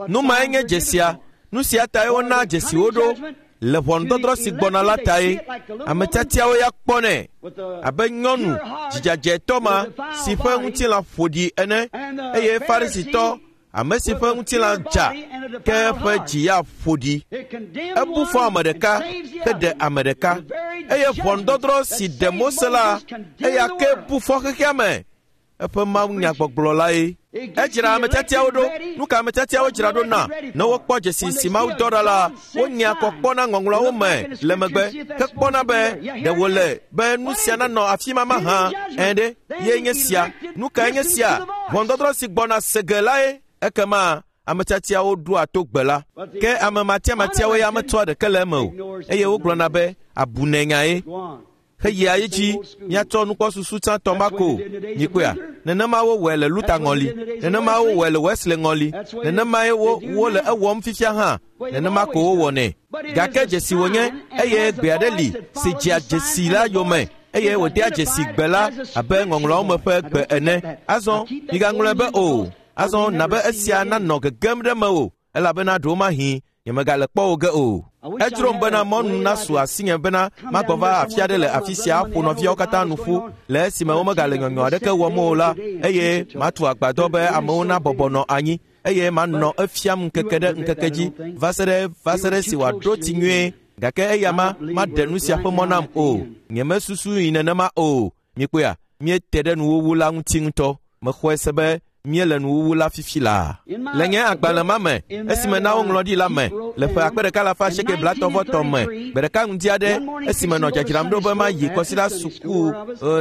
Nu mae nye dzesia. Nu sia tae wona dzesiwo ɖo le ʋɔnudɔdrɔ̃ si gbɔna la tae. Ame tiatiawo ya kpɔnɛ abe nyɔnu dzidzadzɛtɔ ma si ƒe ŋutilã ƒo ɖi ene eye Farisitɔ ame si ƒe ŋutilã dza ke eƒe dzi ya ƒo ɖi. Ebu fɔ ame ɖeka heɖe ame ɖeka. Eye ʋɔnudɔdrɔ̃ si ɖe Mose la, eya ke bu fɔ xexea me. Eƒe Mawu nyagbɔgblɔ lae. Edzra ame tiatiawo ɖo. Nu ka ame tiatiawo dzra ɖo na? Ne wokpɔ dzesi si Mawu dɔ ɖa la, wonyea kɔ kpɔna ŋɔŋlɔawo me le megbe hekpɔna be ɖe wòle be nu sia nanɔ afi ma mahã. Ẽ ɖe, ye nye sia. Nu kae nye sia? Ʋɔnudɔdrɔ̃ si gbɔna se ge lae. Ekema ame tiatiawo ɖoa to gbe la. Ke ame matiamatiawo ya metsɔa ɖeke le eme o, eye wogblɔna be abunɛnyae. Heyia edzi míatsɔ nukpɔsusu tsãtɔ ma ko. Mikpɔea, nenema wowɔe le Luther ŋɔli, nenema wowɔe le Wesley ŋɔli, nenemae wo wole ewɔm fifia hã, nenema ko wowɔnɛ. Gake dzesi wònye eye gbe aɖe li si dzea dzesi la yome eye wòdea dzesi gbe la abe ŋɔŋlɔawo me ƒe gbe ene. Azɔ migaŋlɔe be o. Azɔ na be esia nanɔ gegem ɖe mewò elabena ɖewomahi nyemegale kpɔ wò ge o. Edzrom bena mɔnu nasu asinye bena magbɔ va afi aɖe le afi sia aƒo nɔviawo katã nu ƒu le esime womegale nyɔnyɔ aɖeke wɔm o la, eye matu agbadɔ be amewo nabɔbɔ nɔ anyi eye manɔ efiam ŋkeke ɖe ŋkeke dzi va se ɖe va se ɖe si wòaɖo tsi nyuie. Gake eya ma maɖe nu sia ƒe mɔ nam o. Nyemesusu yi nenema o. Mikpɔea, míete ɖe nuwuwu la ŋuti ŋutɔ. Mexɔe se be míele nuwuwu la fifi laa. Le nye agbalẽ ma me, esime na woŋlɔ ɖi la me, le ƒe akpe ɖeka alafa asieke blaetɔ̃ vɔ etɔ̃ me, gbe ɖeka ŋdi aɖe, esime nɔ dzadzram ɖo be mayi kɔsiɖa suku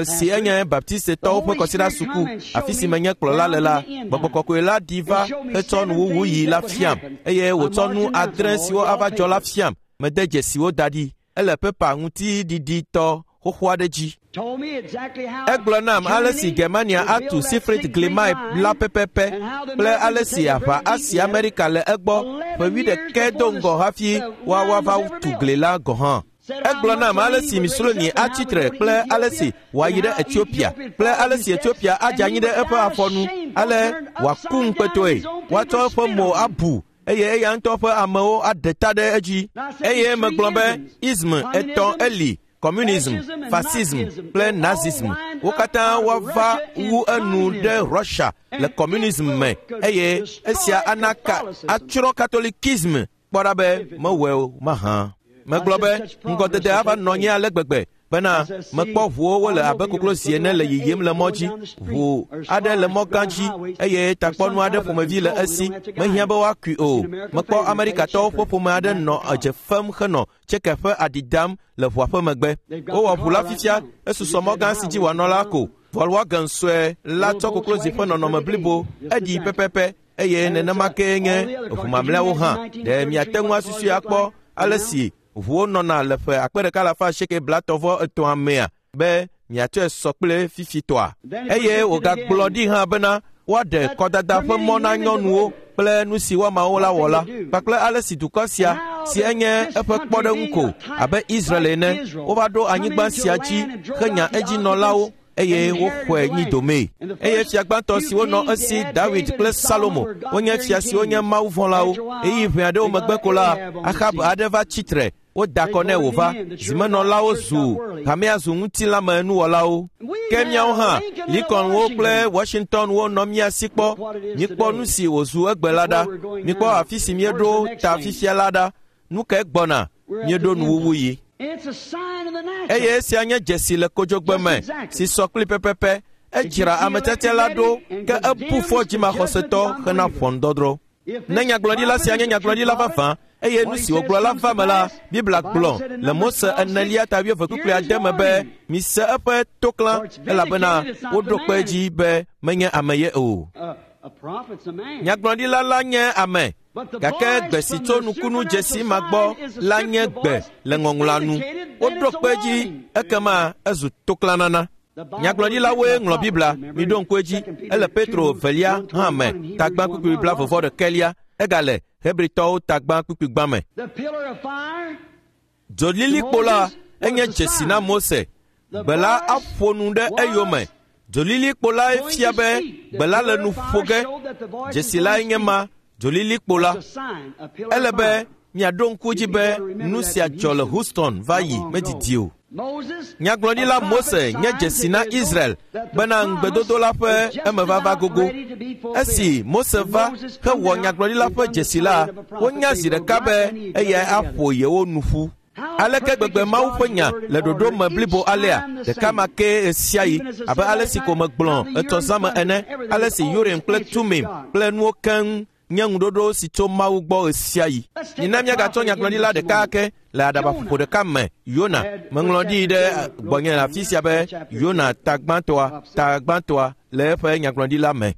si enye Baptistetɔwo ƒe kɔsiɖa suku, afi si menye kplɔla le la, Gbɔgbɔ Kɔkɔe la ɖi va hetsɔ nuwuwu yi la fiam, eye wòtsɔ nu adre siwo ava dzɔ la fiam. Mede dzesiwo da ɖi. Ele pepa ŋutiɖiɖitɔ xoxo aɖe dzi. Egblɔ nam ale si Germania atu Siegfried Glimae la pɛpɛpɛ kple ale si aʋa asi Amerika le egbɔ ƒe wuiɖekɛ do ŋgɔ hafi woawoa va tu gli la gɔ̃ hã. Egblɔ nam ale si Mussolini atsi tre kple ale si wòayi ɖe Ethiopia kple ale si Ethiopia adze anyi ɖe eƒe afɔnu ale wòaku ŋukpetɔe, woatsɔ eƒe mo abu eye eya ŋutɔ ƒe amewo aɖe ta ɖe edzi. Eye megblɔ be ism etɔ̃ eli: communism, fascism kple nazism. Wo katã woava wu enu ɖe Russia le communism me eye esia ana ka atsrɔ̃ katolikism. Kpɔ ɖa be mewɔe o mahã. Megblɔ be ŋgɔdede ava nɔ anyi ale gbegbe bena mekpɔ ʋuwo wole abe koklozi ene le yiyim le mɔ dzi. Ʋu aɖe le mɔ gã dzi eye takpɔnu aɖe ƒomevi le esi mehiã be woakui o. Mekpɔ Amerikatɔwo ƒe ƒome aɖe nɔ edze fem henɔ tseke ƒe aɖi dam le ʋua ƒe megbe. Wowɔ ʋu la fifia esusɔ mɔ gã si dzi wòanɔ la ko. Volkswagen sue la tsɔ koklozi ƒe nɔnɔme blibo eɖi pɛpɛpɛ eye nenema kee nye ʋu mamlɛawo hã. Ɖe miate ŋu asusui akpɔ ale si ʋuwo nɔna le ƒe akpe ɖeka alafa asieke blaetɔ̃ vɔ etɔ̃a mea be miatsɔe sɔ kple fifitɔa. Eye wògagblɔ ɖi hã bena woaɖe kɔdada ƒe mɔ na nyɔnuwo kple nu si woamawo la wɔ la kpakple ale si dukɔ sia si enye eƒe kpɔɖeŋu ko abe Israel ene wova ɖo anyigba sia dzi henya edzinɔlawo eye woxɔe nyi domee. Eye fia gbãtɔ siwo nɔ esi Dawid kple Salomo wonye fia siwo nye mawuvɔ̃lawo. Ɣeyiɣi ʋɛ aɖewo megbe ko la, Ahab aɖe va tsi tre. Woda akɔ nɛ wòva. Zimenɔlawo zu hamea zu ŋutilãme nuwɔlawo. Ke míawo hã, Lincolnwo kple Washingtonwo nɔ mía si kpɔ. Mikpɔ nu si wòzu egbe la ɖa. Mikpɔ afi si míeɖo ta fifia la ɖa. Nu kae gbɔna? Míeɖo nuwuwu yi. Eye esia nye dzesi le kodzogbe me si sɔ kpli pɛpɛpɛ. Edzra ame tiatia la ɖo ke ebu fɔ dzimaxɔsetɔ hena ʋɔnudɔdrɔ̃. Ne nyagblɔɖila sia nye nyagblɔɖila vavã eye nu si wògblɔ la va me la, Biblia gblɔ le Mose enelia ta wuieve kpukpui ade me be mise eƒe toklã elabena woɖo kpe edzi be menye ame ye o. Nyagblɔɖila la nye ame, gake gbe si tso nukunu dzesi ma gbɔ la nye gbe le ŋɔŋlɔa nu. Woɖo kpe edzi ekema ezu toklãnana. Nyagblɔɖilawoe ŋlɔ Biblia, miɖo ŋku edzi, ele Petro velia hã me, tagbã kpukpui blaeve vɔ ɖekɛlia, egale Hebritɔwo tagbã kpukpui gbã me. Dzolilikpo la enye dzesi na Mose. Gbe la aƒo nu ɖe eyome. Dzolilikpo lae fia be gbe la le nu ƒo ge. Dzesi lae nye ma, dzolilikpo la. Ele be miaɖo ŋku dzi be nu sia dzɔ le Houston va yi medidi o. Nyagblɔɖila Mose nye dzesi na Israel bena ŋugbedodo la ƒe emevava gogo. Esi Mose va hewɔ nyagblɔɖila ƒe dzesi la, wonya zi ɖeka be eyae aƒo yewo nu ƒu. Aleke gbegbe Mawu ƒe nya le ɖoɖo me blibo alea, ɖeka ma ke ɣesiaɣi abe ale si ko megblɔ etɔ zã me ene, ale si Urim kple Tumim kple nuwo keŋ nye ŋuɖoɖo si tso Mawu gbɔ ɣesiaɣi. Mina míagatsɔ nyagblɔɖila ɖeka ake le aɖabaƒoƒo ɖeka me, Yona. Meŋlɔ ɖi ɖe gbɔnye le afi sia be Yona ta gbãtɔa, ta gbãtɔa le eƒe nyagblɔɖila me.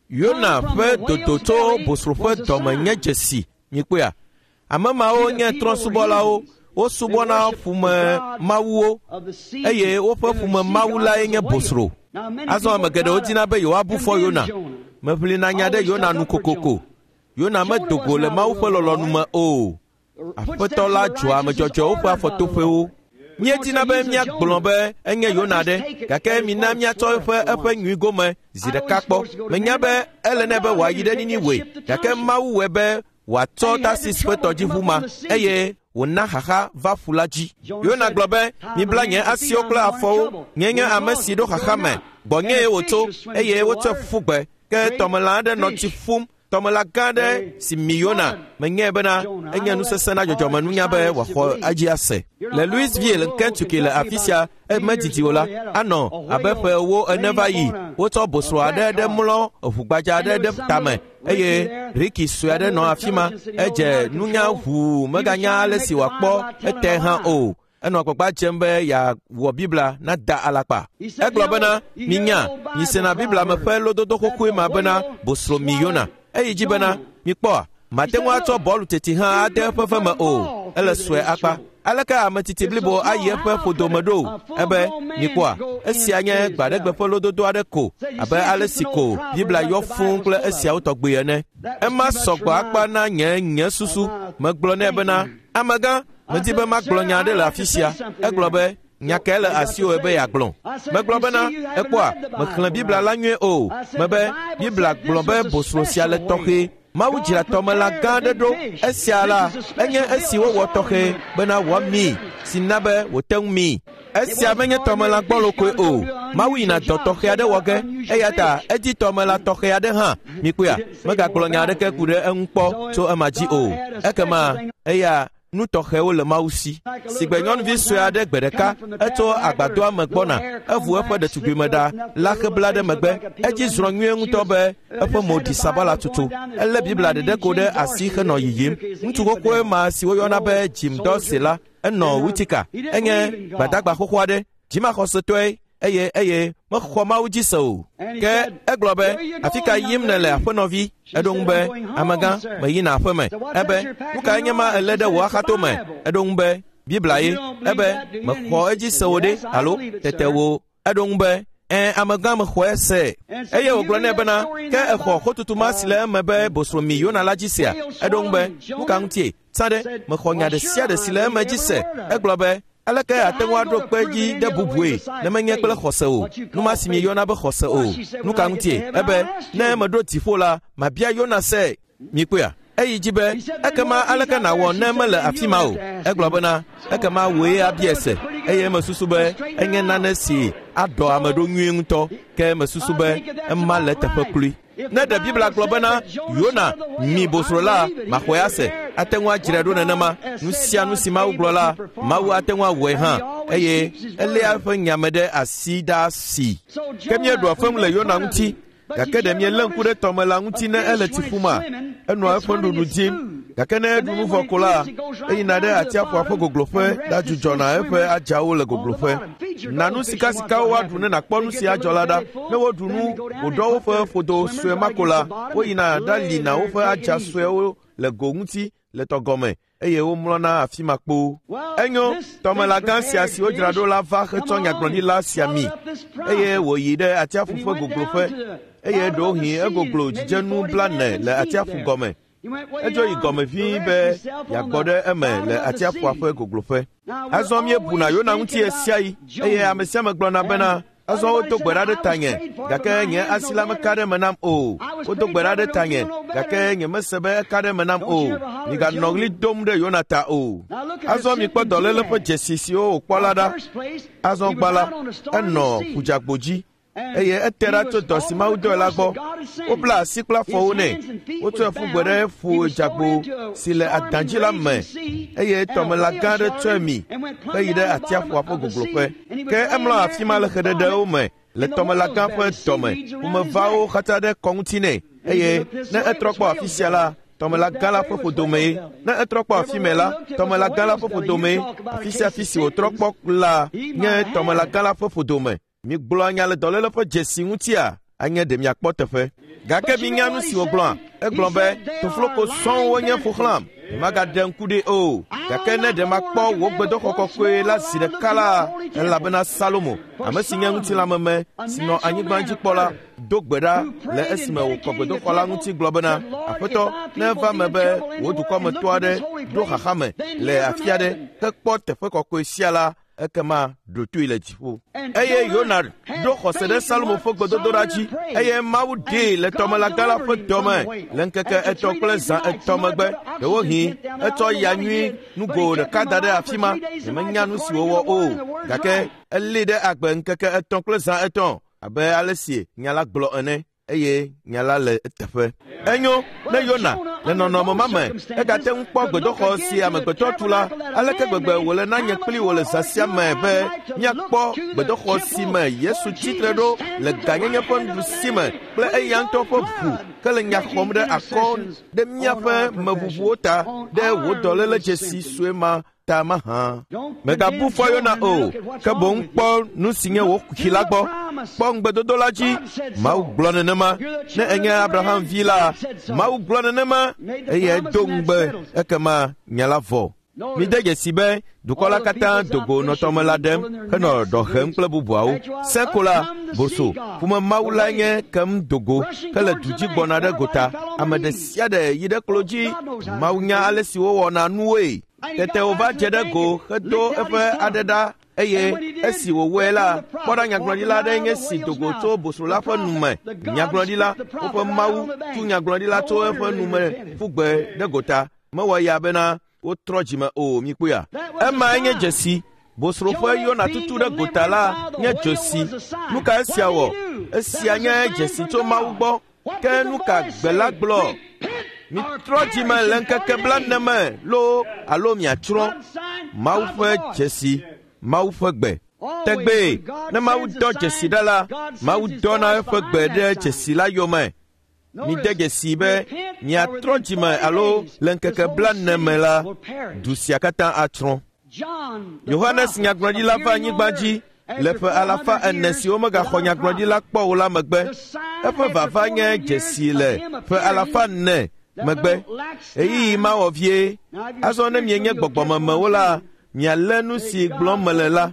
Yona ƒe dodo tso bosro ƒe dɔme nye dzesi. Mikpɔea? Ame mawo nye trɔ̃subɔlawo. Wosubɔna ƒume mawuwo eye woƒe ƒume mawu lae nye bosro. Azɔ ame geɖewo dina be yewoabu fɔ Yona. Meʋlina nya ɖe Yona nu kokoko. Yona medo go le Mawu ƒe lɔlɔ̃nu me o. Aƒetɔ la dzɔa ame dzɔdzɔewo ƒe afɔtoƒewo. Míedina be míagblɔ be enye Yona ɖe, gake mina míatsɔ eƒe eƒe nyui gome zi ɖeka kpɔ. Menya be ele nɛ be wòayi ɖe Niniwe, gake Mawu wɔe be wòatsɔ Tarsis ƒe tɔdziʋu ma eye wòna xaxa va ƒu la dzi. Yona gblɔ be, mibla nye asiwo kple afɔwo, nye nye ame si ɖo xaxa me, gbɔnyee wòtso eye wotsɔe ƒu gbe. Ke tɔmelã aɖe nɔ tsi ƒum, tɔmelã gã aɖe si mi Yona. Menyae bena enye nusesẽ na dzɔdzɔmenunya be wòaxɔ edzi ase. Le Louisville, Kentucky le afi sia emedidi o la, anɔ abe ƒe ewo ene va yi. Wotsɔ bosro aɖe ɖe mlɔ eʋugbadza aɖe ɖe tame eye Ricky sue aɖe nɔ afi ma. Edze nunya ʋuu meganya ale si wòakpɔ ete hã o. Enɔ agbagba dzem be yeawɔ Biblia nada alakpa. Egblɔ bena, minya, misena Biblia me ƒe lododo xoxoe ma bena bosro mi Yona. Eyi dzi bena, mikpɔa, mate ŋu atsɔ bɔlu teti hã ade eƒe ve me o. Ele sue akpa. Aleke ame titi blibo ayi eƒe ƒodome ɖo? Ebe, mikpɔa, esia nye gbaɖegbe ƒe lododo aɖe ko, abe ale si ko Biblia yɔ fũu kple esiawo tɔgbi ene. Ema sɔgbɔ akpa na nye nye susu. Megblɔ nɛ bena, amegã, medi be magblɔ nya aɖe le afi sia. Egblɔ be, nya kae le asiwò be yeagblɔ? Megblɔ bena, ekpɔa, mexlẽ Biblia la nyuie o. Mebe, Biblia gblɔ be bosro sia le tɔxɛ. Mawu dzra tɔmelã gã aɖe ɖo. Esia la, enye esi wowɔ tɔxɛ bena wòamii, si na be wòte ŋu mii. Esia menye tɔmelã gbɔlo koe o. Mawu yina dɔ tɔxɛ aɖe wɔ ge, eya ta edi tɔmelã tɔxɛ aɖe hã. Mikpɔea, megagblɔ nya aɖeke ku ɖe eŋu kpɔ tso ema dzi o. Ekema eya nu tɔxɛwo le Mawu si. Sigbe nyɔnuvi sue aɖe gbe ɖeka etso agbadɔa me gbɔna, evu eƒe ɖetugbuime ɖa la xebla ɖe megbe. Edzi zrɔ̃ nyuie ŋutɔ be eƒe mo ɖi sabala tutu. Elé Biblia ɖeɖe ko ɖe asi henɔ yiyim. Ŋutsu xoxoe ma si woyɔna be Jim Dorsey la, enɔ Utica. Enye gbadagba xoxo aɖe, dzimaxɔsetɔe eye eye mexɔ Mawu dzi se o. Ke egblɔ be, afi ka yim nèle aƒenɔvi? Eɖo ŋu be, amegã, meyina aƒeme. Ebe, nu kae nye ma elé ɖe wò axatome? Eɖo ŋu be, Biblia ye. Ebe, mexɔ edzi se wò ɖe, alo tete wò. Eɖo ŋu be, ẽ, amegã mexɔe se. Eye wògblɔ nɛ bena, ke exɔ xotutu ma si le eme be bosro mi Yona la dzi sea? Eɖo ŋu be, nu ka ŋutie? Tsã ɖe, mexɔ nya ɖe sia ɖe si le eme dzi se. Egblɔ be, aleke ate ŋu aɖo kpe dzi ɖe bubue ne menye kple xɔse o? Nu ma si mieyɔna be xɔse o. Nu ka ŋutie? Ebe, ne meɖo dziƒo la, mabia Yona se. Mikpɔea? Eyi dzi be, ekema aleke nàwɔ ne mele afi ma o? Egblɔ bena, ekema wòe abia se. Eye mesusu be enye nane si aɖɔ ame ɖo nyuie ŋutɔ. Ke mesusu be ema le teƒe klui. Ne ɖe Biblia gblɔ bena Yona mi bosro la, maxɔe ase. Ate ŋu adzrae ɖo nenema. Nu sia nu si Mawu gblɔ la, Mawu ate ŋu awɔe hã. Eye eléa eƒe nya me ɖe asi ɖaa si. Ke míeɖua fem le Yona ŋuti, gake ɖe míelé ŋku ɖe tɔmelã ŋuti ne ele tsi ƒuma? Enɔa eƒe nuɖuɖu dim, gake ne eɖu nu vɔ ko la, eyina ɖe atsiaƒua ƒe gogloƒe ɖadzudzɔna eƒe adzawo le gogloƒe. Na nu sikasikawo woaɖu ne nàkpɔ nu si adzɔ la ɖa. Ne woɖu nu wòɖɔ woƒe ƒodo sue ma ko la, woyina ɖalina woƒe adza suewo le go ŋuti le tɔgɔme eye womlɔna afi ma kpoo. Enyo, tɔmelã gã sia si wodzra ɖo la va hetsɔ nyagblɔɖila sia mi eye wòyi ɖe atsiaƒu ƒe gogloƒe eye ɖewohĩ egoglo dzidzenu blane le atsiaƒu gɔme. Edzo yi gɔme ʋĩi be yeagbɔ ɖe eme le atsiaƒua ƒe gogloƒe. Azɔ míebuna Yona ŋuti ɣe sia ɣi eye ame sia ame gblɔna bena, azɔ wodo gbe ɖa ɖe tanye, gake nye asi la meka ɖe eme nam o. Wodo gbe ɖa ɖe tanye, gake nyemese be eka ɖe eme nam o. Miganɔ ɣli dom ɖe Yona ta o. Azɔ mikpɔ dɔléle ƒe dzesi siwo wòkpɔ la ɖa. Azɔ gbã la, enɔ ƒudzagbo dzi eye ete ɖa tso dɔ si Mawu dɔe la gbɔ. Wobla asi kple afɔwo nɛ. Wotsɔe ƒu gbe ɖe ƒudzagbo si le adã dzi la me eye tɔmelã gã aɖe tsɔe mi heyi ɖe atsiaƒua ƒe gogloƒe. Ke emlɔ afi ma le xeɖeɖewo me le tɔmelã gã ƒe dɔme. Ƒomevawo xatsa ɖe kɔ ŋuti nɛ eye ne etrɔ kpɔ afi sia la, tɔmelã gã la ƒe ƒodomee. Ne etrɔ kpɔ afi mɛ la, tɔmelã gã la ƒe ƒodomee. Afi sia afi si wòtrɔ kpɔ la nye tɔmelã gã la ƒe ƒodome. Migblɔ nya le dɔléle ƒe dzesi ŋutia? anye ɖe miakpɔ teƒe. Gake minya nu si wògblɔa? Egblɔ be, tofloko sɔŋ wonye ƒo xlãm, nyemagaɖe ŋku ɖi o. Gake ne ɖe makpɔ wò gbedoxɔ kɔkɔe la zi ɖeka la, elabena Salomo, ame si nye ŋutilãmeme si nɔ anyigba dzi kpɔ la, do gbe ɖa le esime wòkɔ gbedoxɔ la ŋuti gblɔ bena, Aƒetɔ, ne eva me be wò dukɔmetɔ aɖe ɖo xaxa me le afi aɖe hekpɔ teƒe kɔkɔe sia la, ekema ɖo toe le dziƒo. Eye Yona ɖo xɔse ɖe Salomo ƒe gbedodoɖa dzi, eye Mawu ɖee le tɔmelãgã la ƒe dɔme le ŋkeke etɔ̃ kple zã etɔ̃ megbe. Ɖewohĩ etsɔ ya nyui nugo ɖeka da ɖe afi ma, nyemenya nu si wòwɔ o, gake elée ɖe agbe ŋkeke etɔ̃ kple zã etɔ̃ abe ale si nya la gblɔ ene, eye nya la le eteƒe. Enyo, ne Yona le nɔnɔme ma me egate ŋu kpɔ gbedoxɔ si amegbetɔ tu la, aleke gbegbe wòle na nye kpli wò le zã sia me be míakpɔ gbedoxɔ si me Yesu tsitre ɖo le gãnyenye ƒe nuɖusi me kple eya ŋutɔ ƒe ʋu ke le nya xɔm ɖe akɔ ɖe míaƒe meʋuʋuwo ta ɖe wò dɔléle dzesi sue ma ta mahã. Mègabu fɔ Yona o, ke boŋ kpɔ nu si nye wò kuxi la gbɔ. Kpɔ ŋugbedodo la dzi. Mawu gblɔ nenema. Ne enye Abraham vi la, Mawu gblɔ nenema, eye edo ŋugbe, ekema nya la vɔ. Mide dzesi be dukɔ la katã do go nɔ tɔme la ɖem henɔ ɖɔ hem kple bubuawo. Sẽko la, boso, ƒome Mawu lae nye kem do go hele du dzi gbɔna ɖe gota. Ame ɖe sia ɖe yi ɖe klo dzi. Mawu nya ale si wowɔna nuwoe. Tete wòva dze ɖe go hedo eƒe aɖe ɖa, eye esi wòwɔe la, kpɔ ɖa nyagblɔɖila aɖe nye si do go tso bosro la ƒe nu me. Nyagblɔɖila, woƒe Mawu tu nyagblɔɖila tso eƒe nu me ƒu gbe ɖe gota. Mewɔ ya bena wotrɔ dzime o, mikpɔea? Emae nye dzesi. Bosro ƒe Yona tutu ɖe gota la nye dzesi. Nu ka esia wɔ? Esia nye dzesi tso Mawu gbɔ. Ke nu ka gbe la gblɔ? Mitrɔ dzime le ŋkeke blaene me loo alo miatsrɔ̃. Mawu ƒe dzesi, Mawu ƒe gbe. Tegbee, ne Mawu dɔ dzesi ɖa la, Mawu dɔna eƒe gbe ɖe dzesi la yome. Mide dzesi be miatrɔ dzime alo le ŋkeke blaene me la, du sia katã atsrɔ̃. Yohanes nyagblɔɖila va anyigba dzi le ƒe alafa ene siwo megaxɔ nyagblɔɖila kpɔ o la megbe. Eƒe vava nye dzesi le ƒe alafa ene megbe. Ɣeyiɣi ma wɔ vie. Azɔ ne mienye gbɔgbɔmemewo la, mialé nu si gblɔm mele la.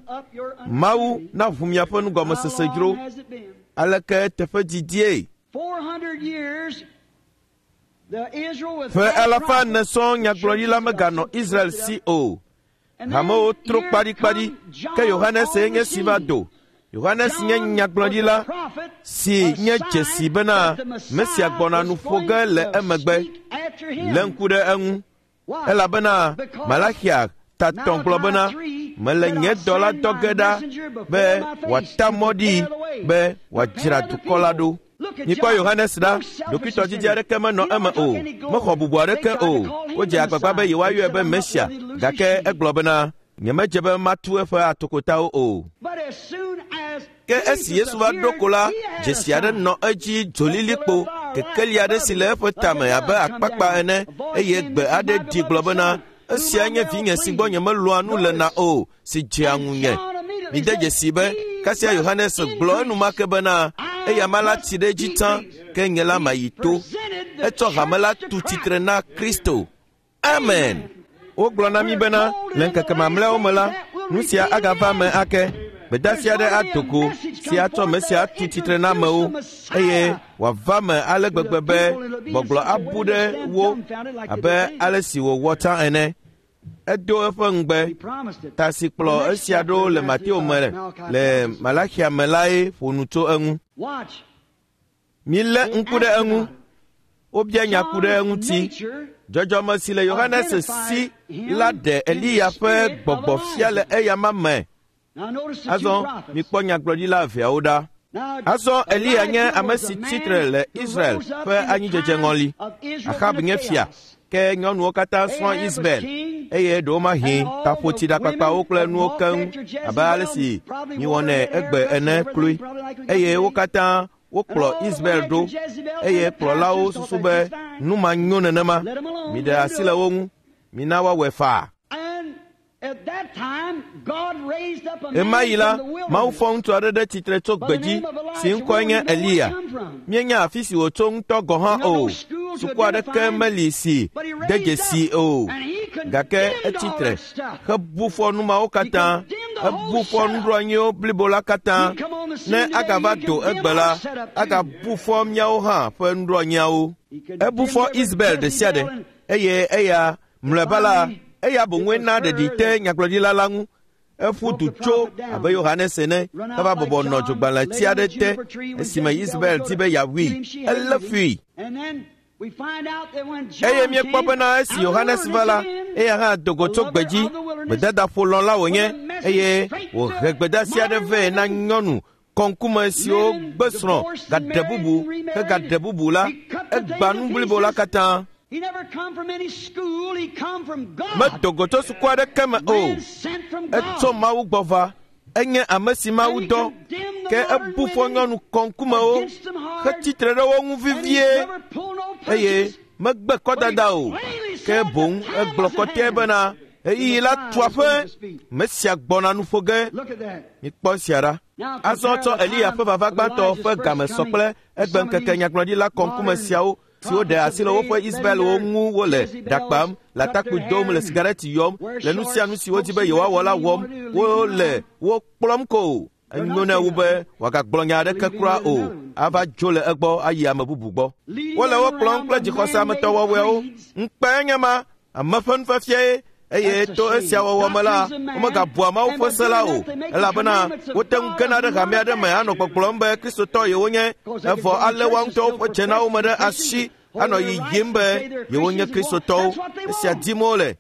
Mawu naʋu miaƒe nugɔmesese dzro. Aleke teƒe didie? Ƒe alafa ene sɔŋ nyagblɔɖila meganɔ Israel si o. Hamewo tro kpaɖikpaɖi, ke Yohanes nye si va do. Yohanes nye nyagblɔɖila si nye dzesi bena Mesia gbɔna nu ƒo ge le emegbe. Lé ŋku ɖe eŋu, elabena Malaxia tatɔ gblɔ bena, mele nye dɔla dɔ ge ɖa be wòata mɔ ɖi be wòadzra dukɔ la ɖo. Mikpɔ Yohanes ɖa, ɖokuitɔdidi aɖeke menɔ eme o, mexɔ bubu aɖeke o. Wodze agbagba be yewoayɔe be Mesia, gake egblɔ bena, nyemedze be matu eƒe atokotawo o. Ke esi Yesu va ɖo ko la, dzesi aɖe nɔ edzi dzolilikpo, kekeli aɖe si le eƒe tame abe akpakpa ene, eye gbe aɖe ɖi gblɔ bena, esia nye vinye si gbɔ nyemelɔ̃a nu lena o, si dzea ŋunye. Mide dzesi be kasia Yohanes gblɔ enumake bena, eya ma la tsi ɖe edzi tsã, ke nye la mayi to. Etsɔ hame la tu tsitre na Kristo. Amen. Wogblɔ na mí bena le ŋkeke mamlɛawo me la, nu sia agava me ake. Gbedeasi aɖe ado go si atsɔ Mesia atu tsitre na amewo, eye wòava me ale gbegbe be gbɔgblɔ abu ɖe wo abe ale si wòwɔ tsã ene. Edo eƒe ŋugbe. Ta si kplɔ esia ɖo le Mateo me le Malaxia me lae ƒo nu tso eŋu. Milé ŋku ɖe eŋu. Wobia nya ku ɖe eŋuti. Dzɔdzɔme si le Yohanes si la ɖe Eliya ƒe gbɔgbɔ fia le eyama me. Azɔ mikpɔ nyagblɔɖila eveawo ɖa. Azɔ Eliya nye ame si tsitre le Israel ƒe anyidzedze ŋɔli. Ahab nye fia, ke nyɔnuwo katã srɔ̃ Ismael, eye ɖewomahi taƒoti ɖakpakpawo kple nuwo keŋ abe ale si miwɔnɛ egbe ene kloe. Eye wo katã wokplɔ Ismael ɖo, eye kplɔlawo susu be nu ma nyo nenema. Miɖe asi le wo ŋu, mina woawɔe faa. Ɣemaɣi la, Mawu fɔ ŋutsu aɖe ɖe tsitre tso gbedzi si ŋkɔe nye Eliya. Míenya afi si wòtso ŋutɔ gɔ̃ hã o. Suku aɖeke meli si de dzesi o. Gake etsi tre hebu fɔ nu mawo katã, ebu fɔ nuɖoanyiwo blibo la katã. Ne agava do egbe la, agabu fɔ míawo hã ƒe nuɖoanyiawo. Ebu fɔ Isabel ɖe sia ɖe eye eya mlɔeba la, eya boŋue na ɖeɖi te nyagblɔɖila la ŋu. Eƒu du tso abe Yohanes ene heva bɔbɔ nɔ dzogbalẽti aɖe te esime Isabel di be yeawui. Elé fui. Eye míekpɔ bena esi Yohanes va la, eya hã do go tso gbedzi. Gbedadaƒo lɔ̃la wònye eye wòhe gbedeasi aɖe vɛ na nyɔnu kɔŋkume siwo gbe srɔ̃ gaɖe bubu hegaɖe bubu la. Egbã nu blibo la katã. Medo go tso suku aɖeke me o. Etso Mawu gbɔ va. Enye ame si Mawu dɔ. Ke ebu fɔ nyɔnu kɔŋkumewo hetsi tre ɖe wo ŋu vevie eye megbe kɔdada o. Ke boŋ egblɔ kɔtɛe bena ɣeyiɣi la tu aƒe. Mesia gbɔna nu ƒo ge. Mikpɔ esia ɖa. Azɔ tsɔ Eliya ƒe vava gbãtɔ ƒe game sɔ kple egbeŋkeke nyagblɔɖila kɔŋkume siawo siwo ɖe asi le woƒe Isabelwo ŋu wole ɖa kpam, le atakpui dom, le sigareti yɔm, le nu sia nu si wodi be yewoawɔ la wɔm, wole wo kplɔm ko. Enyo nɛ wu be wòagagblɔ nya aɖeke kura o, ava dzo le egbɔ ayi ame bubu gbɔ. Wole wo kplɔm kple dzixɔse ametɔwɔwɔewo. Ŋukpe nye ma, ame ƒe nufiafiae eye to esia wɔwɔ me la, womegabua Mawu ƒe se la o, elabena wote ŋu gena ɖe hame aɖe me anɔ gbɔgblɔm be Kristotɔ yewonye, evɔ alé woa ŋutɔwo ƒe dzenawo me ɖe asi anɔ yiyim be yewonye Kristotɔwo. Esia dim wole.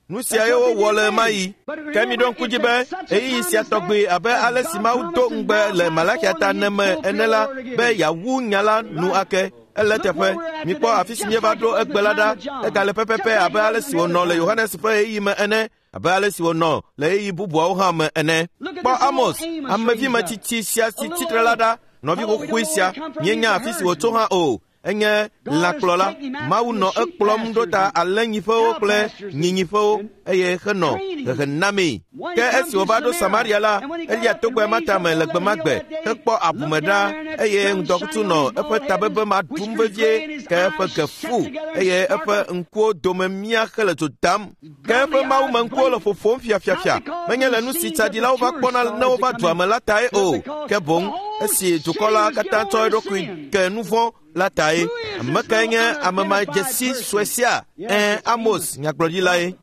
Nu siae wowɔ le ɣemaɣi. Ke miɖo ŋku dzi be ɣeyiɣi sia tɔgbi abe ale si Mawu do ŋugbe le Malakia ta ene me ene la be yeawu nya la nu ake. Ele teƒe. Mikpɔ afi si míeva ɖo egbe la ɖa. Egale pɛpɛpɛ abe ale si wònɔ le Yohanes ƒe ɣeyiɣi me ene, abe ale si wònɔ le ɣeyiɣi bubuawo hã me ene. Kpɔ Amos, amevi sia si tsitre la ɖa, nɔvi xoxoe sia, míenya afi si wòtso hã o. Enye lãkplɔla. Mawu nɔ ekplɔm ɖo ta alẽnyiƒewo kple nyinyiƒewo eye henɔ hehe namee. Ke esi wòva ɖo Samaria la, elia togbɛ ma tame le gbe ma gbe hekpɔ abume ɖa eye ŋdɔkutsu nɔ eƒe tabebe ma ɖum vevie ke eƒe ge fu eye eƒe ŋkuwo dome mia hele dzo dam. Ke eƒe mawume ŋkuwo le ƒoƒom fiafiafia. Menye le nu si tsaɖilawo va kpɔna ne wova dua me la tae o, ke boŋ esi dukɔ la katã tsɔ eɖokui ke nu vɔ̃ la tae. Ame kae nye ame ma dzesi sue sia? Ɛ̃, Amos nyagblɔɖilae.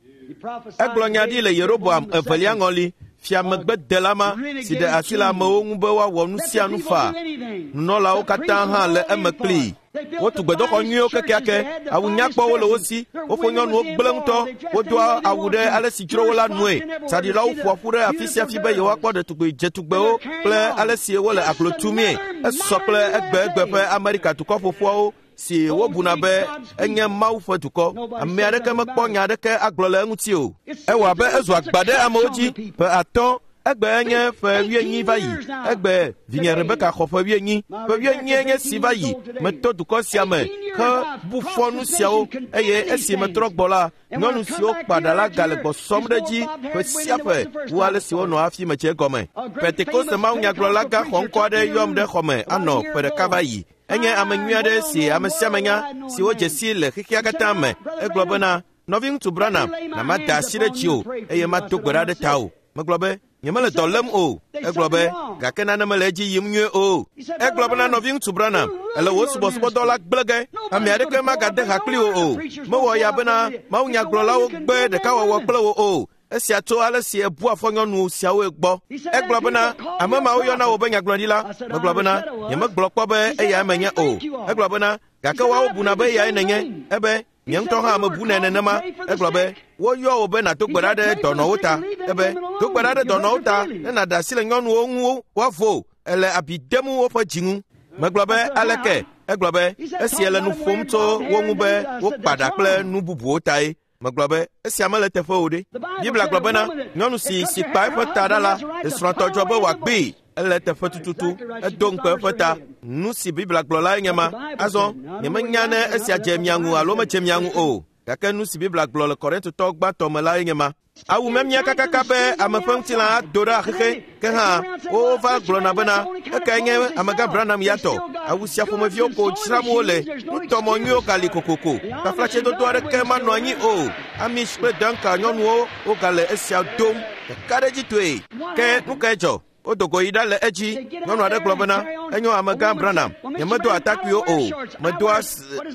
Egblɔ nya ɖi le Yeroboam evelia ŋɔli, fia megbedela ma si ɖe asi le amewo ŋu be woawɔ nu sia nu faa. Nunɔlawo katã hã le eme kplii. Wotu gbedoxɔ nyuiwo kekeake, awu nyakpɔwo le wo si, woƒe nyɔnuwo gblẽ ŋutɔ, wodoa awu ɖe ale si dzro wo la nue. Tsaɖilawo ƒoa ƒu ɖe afi sia afi be yewoakpɔ ɖetugbi dzetugbewo kple ale si wole aglo tumee. Esɔ kple egbeegbe ƒe Amerika dukɔ ƒoƒuawo si wobuna be enye Mawu ƒe dukɔ. Ame aɖeke mekpɔ nya aɖeke agblɔ le eŋuti o. Ewɔ abe ezu agba ɖe amewo dzi ƒe atɔ̃. Egbe nye ƒe wuienyi va yi. Egbe vinye Rebeka xɔ ƒe wuienyi. Ƒe wuienyi nye si va yi. Meto dukɔ sia me hebu fɔ nu siawo eye esi metrɔ gbɔ la, nyɔnu siwo kpa ɖa la gale gbɔsɔm ɖe edzi ƒe sia ƒe wu ale si wonɔ hafi medze egɔme. Pentekoste mawunyagblɔla gã xɔŋkɔ aɖe yɔm ɖe xɔme anɔ ƒe ɖeka va yi. Enye ame nyui aɖe si ame sia ame nya si wodze si le xexea katã me. Egblɔ bena, nɔviŋutsu Branham, na mada asi ɖe dziwò eye mado gbe ɖa ɖe tawò. Megblɔ be, nyemele dɔ lém o. Egblɔ be, gake nane mele edzi yim nyuie o. Egblɔ bena, nɔviŋutsu Branham, ele wò subɔsubɔdɔ la gblẽ ge. Ame aɖeke magade ha kpli wò o. Mewɔ ya bena mawunyagblɔlawo gbe ɖekawɔwɔ kple wò o. Esia tso ale si ebua fɔ nyɔnu siawoe gbɔ. Egblɔ bena, ame mawo yɔna wò be nyagblɔɖila. Megblɔ bena, nyemegblɔ kpɔ be eyae menye o. Egblɔ bena, gake woawo buna be eyae nènye. Ebe, nye ŋutɔ hã mebunɛ nenema. Egblɔ be, woyɔ wò be nàdo gbe ɖa ɖe dɔnɔwo ta. Ebe, do gbe ɖa ɖe dɔnɔwo ta ne nàɖe asi le nyɔnuwo ŋu woavo. Ele abi dem woƒe dzi ŋu. Megblɔ be, aleke? Egblɔ be, esi ele nu ƒom tso wo ŋu be wokpa ɖa kple nu bubuwo tae. Megblɔ be, esia mele teƒe o ɖe. Biblia gblɔ bena, nyɔnu si si kpa eƒe ta ɖa la, esrɔ̃tɔ dzɔ be wòagbee. Ele teƒe tututu, edo ŋukpe eƒe ta. Nu si Biblia gblɔ lae nye ma. Azɔ, nyemenya ne esia dze mia ŋu alo medze mia ŋu o. Gake nu si Biblia gblɔ le Korintotɔ gbãtɔ me lae nye ma. Awu memia kakaka be ame ƒe ŋutilã ado ɖe xexe ke hã wova gblɔna bena ekae nye amegã Branham ya tɔ. Awu sia ƒomeviwo ko dzram wole. Nutɔmɔ nyuiwo gali kokoko. Taflatsedodo aɖeke manɔ anyi o. Amish kple Danka nyɔnuwo wogale esia dom ɖekaɖedzitɔe. Ke nu kae dzɔ? Wodo go yi ɖa le edzi. Nyɔnu aɖe gblɔ bena enyo amegã Branham, nyemedo atakpuiwo o. Medoa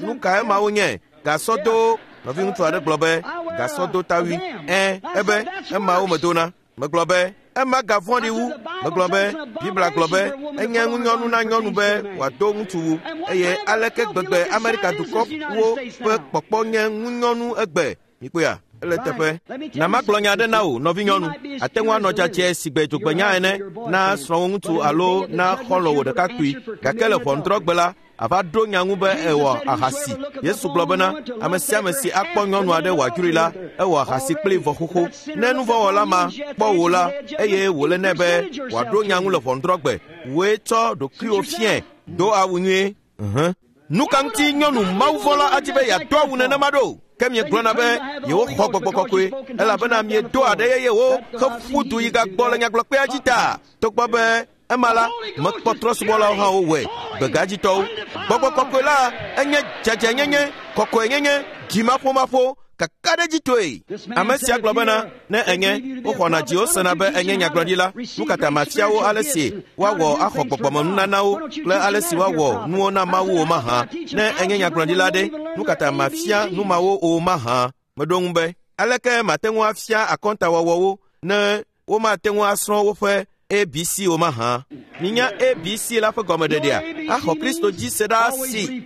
nu ka emawo nye? Gasɔdowo. Nɔviŋutsu aɖe gblɔ be gasɔdotawui. Ẽ, ebe emawo medona. Megblɔ be ema gavɔ̃ɖi wu. Megblɔ be Biblia gblɔ be enye ŋunyɔnu na nyɔnu be wòado ŋutsuwu eye aleke gbegbe Amerika dukɔwo ƒe kpɔkpɔ nye ŋunyɔnu egbe. Mikpɔea? Ele teƒe. Na magblɔ nya aɖe na wò, nɔvinyɔnu. Ate ŋu anɔ dzadzɛ si gbe dzogbenya ene na srɔ̃wò ŋutsu alo na xɔlɔ̃wò ɖekakpui. Gake le ʋɔnudrɔ̃gbe la, ava ɖo nya ŋu be ewɔ ahasi. Yesu gblɔ bena ame sia ame si akpɔ nyɔnu aɖe wòadzroe la, ewɔ ahasi kpli vɔ xoxo. Ne nuvɔ̃wɔla ma kpɔ wò la, eye wòle nɛ be wòaɖo nya ŋu le ʋɔnudrɔ̃gbe, wòe tsɔ ɖokuiwò fiae. Do awu nyuie. Ʋ. Nu ka ŋuti nyɔnu mawuvɔ̃la adi be yeado awu nenema ɖo? Ke miegblɔna be yewoxɔ gbɔgbɔ kɔkɔe elabena miedo aɖe yeyewo heƒu du yi gagbɔ le nyagblɔkpea dzi ta. Togbɔ be ema la, mekpɔ trɔ̃subɔlawo hã wowɔe, gbegadzitɔwo. Gbɔgbɔ kɔkɔe la enye dzadzɛnyenye, kɔkɔenyenye, dzimaƒomaƒo, kakaɖedzitɔe. Ame sia gblɔ bena ne enye woxɔna dziwo sena be enye nyagblɔɖila, nu katã mafia wo ale si woawɔ axɔ gbɔgbɔmenunanawo kple ale si woawɔ nuwo na Mawu o mahã. Ne enye nyagblɔɖila ɖe, nu katã mafia nu mawo o mahã. Meɖo ŋu be aleke mate ŋu afia akɔntawɔwɔwo ne womate ŋu asrɔ̃ woƒe A B C o mahã? Minya A B C la ƒe gɔmeɖeɖea? Axɔ Kristo dzi se ɖa si.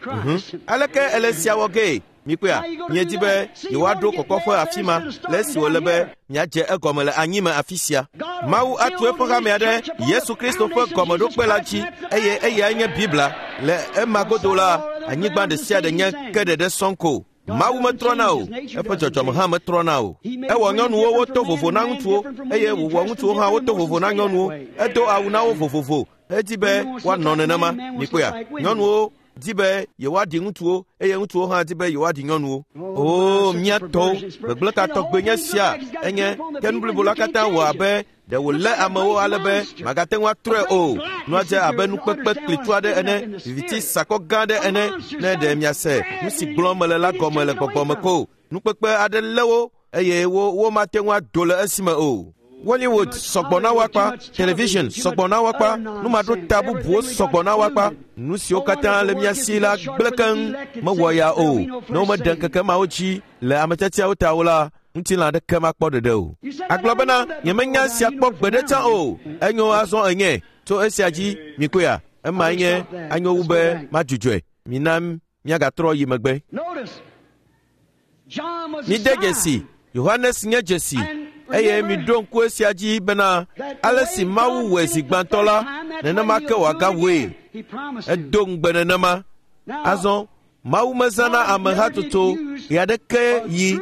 Aleke ele sia wɔ gee? Mikpɔea, miedi be yewoaɖo kɔkɔƒe afi ma le esi wòle be miadze egɔme le anyime afi sia. Mawu atu eƒe hamea ɖe Yesu Kristo ƒe gɔmeɖokpe la dzi eye eyae nye Biblia. Le ema godo la, anyigba ɖe sia ɖe nye ke ɖeɖe sɔŋ ko. Mawu metrɔna o, eƒe dzɔdzɔme hã metrɔna o. Ewɔ nyɔnuwo woto vovo na ŋutsuwo eye wòwɔ ŋutsuwo hã woto vovo na nyɔnuwo. Edo awu na wo vovovo edi be woanɔ nenema. Mikpɔea, nyɔnuwo di be yewoaɖi ŋutsuwo eye ŋutsuwo hã di be yewoaɖi nyɔnuwo. Oo, mía tɔwo, gbegblẽ ka tɔgbe nye sia enye ke nu blibo la katã wɔ abe ɖe wòlé amewo ale be magate ŋu atrɔe o. Nua dze abe nukpekpe klitsu aɖe ene, viviti sakɔ gã aɖe ene. Ne ɖe miase nu si gblɔm mele la gɔme le gbɔgbɔ me ko. Nukpekpe aɖe lé wo eye wo womate ŋu ado le esime o. Hollywood sɔgbɔ na woakpa, television sɔgbɔ na woakpa, numaɖota bubuwo sɔgbɔ na woakpa. Nu siwo katã le mía si la gblẽ keŋ mewɔ ya o. Ne womeɖe ŋkeke mawo dzi le ame tiatiawo ta o la, ŋutilã aɖeke makpɔ ɖeɖe o. Agblɔ bena nyemenya sia kpɔ gbeɖe tsã o. Enyo azɔ enye tso esia dzi mikpɔea, emae nye anyo wu be madzudzɔe. Mina míagatrɔ yi megbe. Mide dzesi, Yohanes nye dzesi. Eye miɖo ŋku esia dzi bena ale si Mawu wɔe zi gbãtɔ la, nenema ke wòagawɔe. Edo ŋugbe nenema. Azɔ Mawu mezãna amehatsotso ɣe aɖeke yi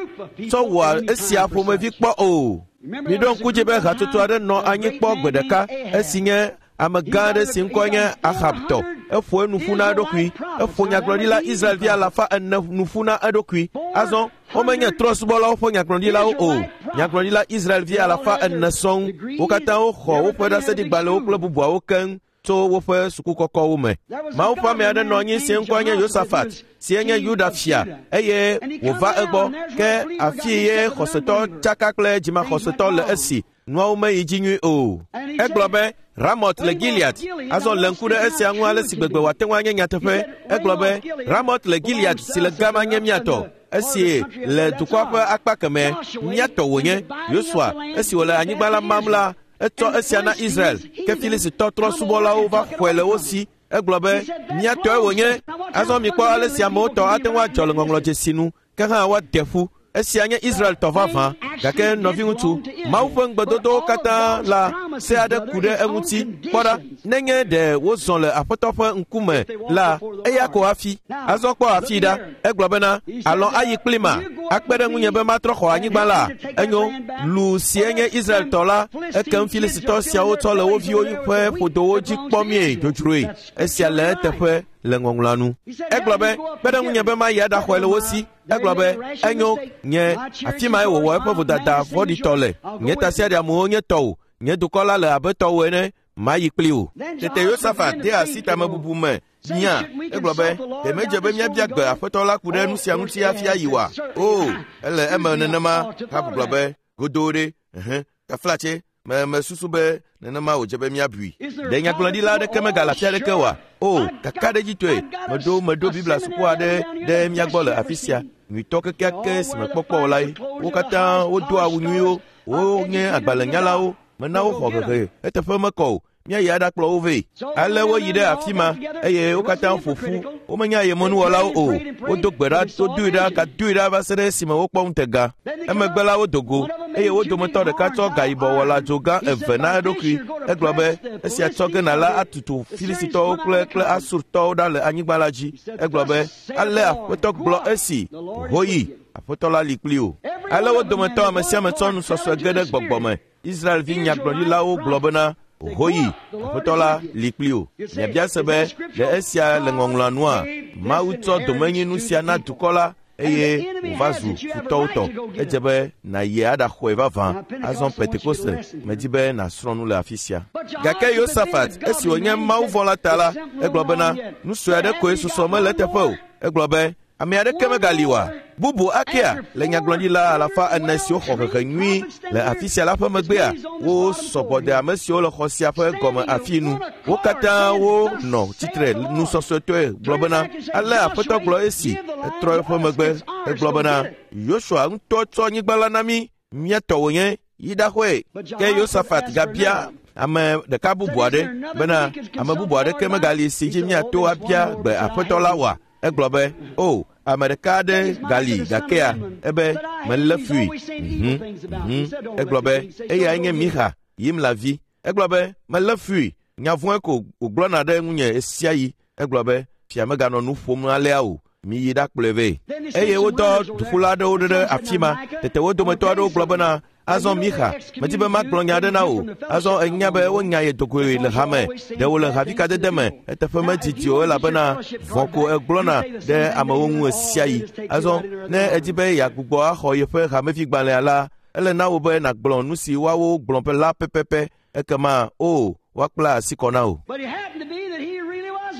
tsɔ wɔa esia ƒomevi kpɔ o. Miɖo ŋku dzi be hatsotso aɖe nɔ anyi kpɔ gbe ɖeka esi nye amegã aɖe si ŋkɔe nye Ahab tɔ. Eƒo enu ƒu na eɖokui. Eƒo nyagblɔɖila Israelvi alafa ene nu ƒu na eɖokui. Azɔ womenye trɔ̃subɔlawo ƒe nyagblɔɖilawo o. Nyagblɔɖila Israelvi alafa ene sɔŋ. Wo katã woxɔ woƒe ɖaseɖigbalẽwo kple bubuawo keŋ tso woƒe sukukɔkɔwo me. Mawu ƒe ame aɖe nɔ anyi si ŋkɔe nye Yosafat, si nye Yuda fia, eye wòva egbɔ. Ke afi ye xɔsetɔ tsaka kple dzimaxɔsetɔ le esi nuawo meyi dzi nyui o. Egblɔ be Ramot le Gilead. Azɔ lé ŋku ɖe esia ŋu ale si gbegbe wòate ŋu anye nyateƒe. Egblɔ be Ramot le Gilead si le gama nye mía tɔ. Esi le dukɔa ƒe akpa kemɛ, mía tɔ wònye. Yosua, esi wòle anyigba la mam la, etsɔ esia na Israel. Ke Filistitɔ trɔ̃subɔlawo va xɔe le wo si. Egblɔ be mía tɔe wònye. Azɔ mikpɔ ale si amewo tɔ ate ŋu adzɔ le ŋɔŋlɔdzesi nu, ke hã woade ƒu. Esia nye Israel tɔ vavã. Gake nɔviŋutsu, Mawu ƒe ŋugbedodowo katã la, se aɖe ku ɖe eŋuti. Kpɔ ɖa, nenye ɖe wozɔ le Aƒetɔ ƒe ŋkume la, eya ko hafi. Azɔ kpɔ afii ɖa. Egblɔ bena, alɔ ayi kpli ma, akpe ɖe ŋunye be matrɔ xɔ anyigba la. Enyo, lu si nye Israel tɔ la, ekem Filistitɔ siawo tsɔ le wo viwo ƒe ƒodowo dzi kpɔmie dzodzroe. Esia le eteƒe le ŋɔŋlɔa nu. Egblɔ be, kpe ɖe ŋunye be mayi aɖaxɔe le wo si. Egblɔ be, enyo, nye afi mae wòwɔ eƒe vodada vodada vɔ̃ɖitɔ le. Nye tasiaɖamuwo nye tɔwò, nye dukɔ la le abe tɔwò ene, mayi kpli wò. Tete Yosafat de asi tamebubu me nya. Egblɔ be, ɖe medze be míabia gbe Aƒetɔ la ku ɖe nu sia ŋuti hafi ayi oa? O, ele eme nenema. Ahab gblɔ be, godoo ɖe, ɛhɛ, taflatse, me mesusu be nenema wòdze be míabui. Ɖe nyagblɔɖila aɖeke megale afi aɖeke oa? O, kakaɖedzitɔe, meɖo meɖo Biblia suku aɖe ɖe mía gbɔ le afi sia. Nyuitɔ kekeake si mekpɔ kpɔ o lae. Wo katã wodo awu nyuiwo, wonye agbalẽnyalawo, mena woxɔ hehe eteƒe mekɔ o. Míayi aɖakplɔ wo vɛ. Ale woyi ɖe afi ma eye wo katã ƒo ƒu. Womenye ayemenuwɔlawo o. Wodo gbe ɖa, wodoe ɖa, gadoe ɖa va se ɖe esime wokpɔ ŋutega. Emegbe la wodo go eye wo dometɔ ɖeka tsɔ gayibɔ wɔla dzogã eve na eɖokui. Egblɔ be, esia tsɔ ge nàla atutu Filistitɔwo kple kple Asurtɔwo ɖa le anyigba la dzi. Egblɔ be, ale Aƒetɔ gblɔ esi, hoyi, Aƒetɔ la li kpli wò. Ale wo dometɔ ame sia ame tsɔ nusɔsɔe ge ɖe gbɔgbɔ me. Israelvi nyagblɔɖilawo gblɔ bena, hoyi, Aƒetɔ la li kpli wò. Miabia se be, ɖe esia le ŋɔŋlɔa nua? Mawu tsɔ domenyinu sia na dukɔ la eye wòva zu futɔwo tɔ. Edze be nàyi aɖaxɔe vavã. Azɔ Pentekoste, medi be nàsrɔ̃ nu le afi sia. Gake Yosafat, esi wònye mawuvɔ̃la ta la, egblɔ bena, nu sue aɖe koe susɔ mele eteƒe o. Egblɔ be, ame aɖeke megali oa? Bubu akea le nyagblɔɖila alafa ene siwo xɔ hehe nyui le afi sia la ƒe megbea, wo sɔgbɔ de ame siwo le xɔ sia ƒe gɔme afi nu. Wo katã wonɔ tsitre nusɔsɔetɔe gblɔ bena, ale Aƒetɔ gblɔ esi, etrɔ eƒe megbe, egblɔ bena, Yosua ŋutɔ tsɔ anyigba la na mí, mía tɔ wònye, yi ɖaxɔe. Ke Yosafat gabia ame ɖeka bubu aɖe bena, ame bubu aɖeke megali si dzi míato abia gbe Aƒetɔ la oa? Egblɔ be, o, ame ɖeka aɖe gali gakea, ebe melé fui. Mhm, mhm. Egblɔ be, eyae nye Mixa, Yimla vi. Egblɔ be, melé fui. Nya vɔ̃e ko wògblɔna ɖe ŋunye ɣe sia ɣi. Egblɔ be, fia meganɔ nu ƒom alea o. Miyi ɖakplɔe vɛ. Eye wodɔ duƒula aɖewo ɖe afi ma. Tete wo dometɔ aɖewo gblɔ bena, azɔ Mixa, medi be magblɔ nya aɖe na wò. Azɔ enya be wonya ye dogoe le hame. Ɖe wòle havikadede me. Eteƒe medidi o elabena vɔ̃ ko egblɔna ɖe amewo ŋu ɣe sia ɣi. Azɔ ne edi be yeagbugbɔ axɔ yeƒe hamevigbalẽa la, ele na wò be nàgblɔ nu si woawo gblɔ be la pɛpɛpɛ. Ekema o, woakpla asi kɔ na wò.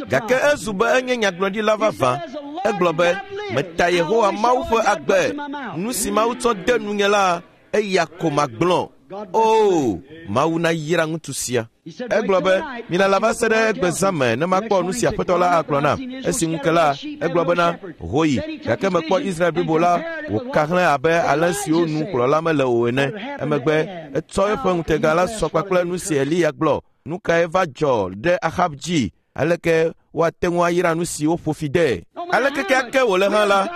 Gake ezu be enye nyagblɔɖila vavã. Egblɔ be, meta Yehowa Mawu ƒe agbe. Nu si Mawu tsɔ de nunye la, eya ko magblɔ. O, Mawu nayra ŋutsu sia. Egblɔ be, milala va se ɖe egbe zã me ne makpɔ nu si Aƒetɔ la agblɔ nam. Esi ŋu ke la, egblɔ bena, hoyi, gake mekpɔ Israel blibo la wòka hlẽ abe alẽ siwo nu kplɔla mele o ene. Emegbe etsɔ eƒe ŋutega la sɔ kpakple nu si Eliya gblɔ. Nu kae va dzɔ ɖe Ahab dzi? Aleke woate ŋu ayra nu si woƒo fi de? Aleke keake wòle hã la,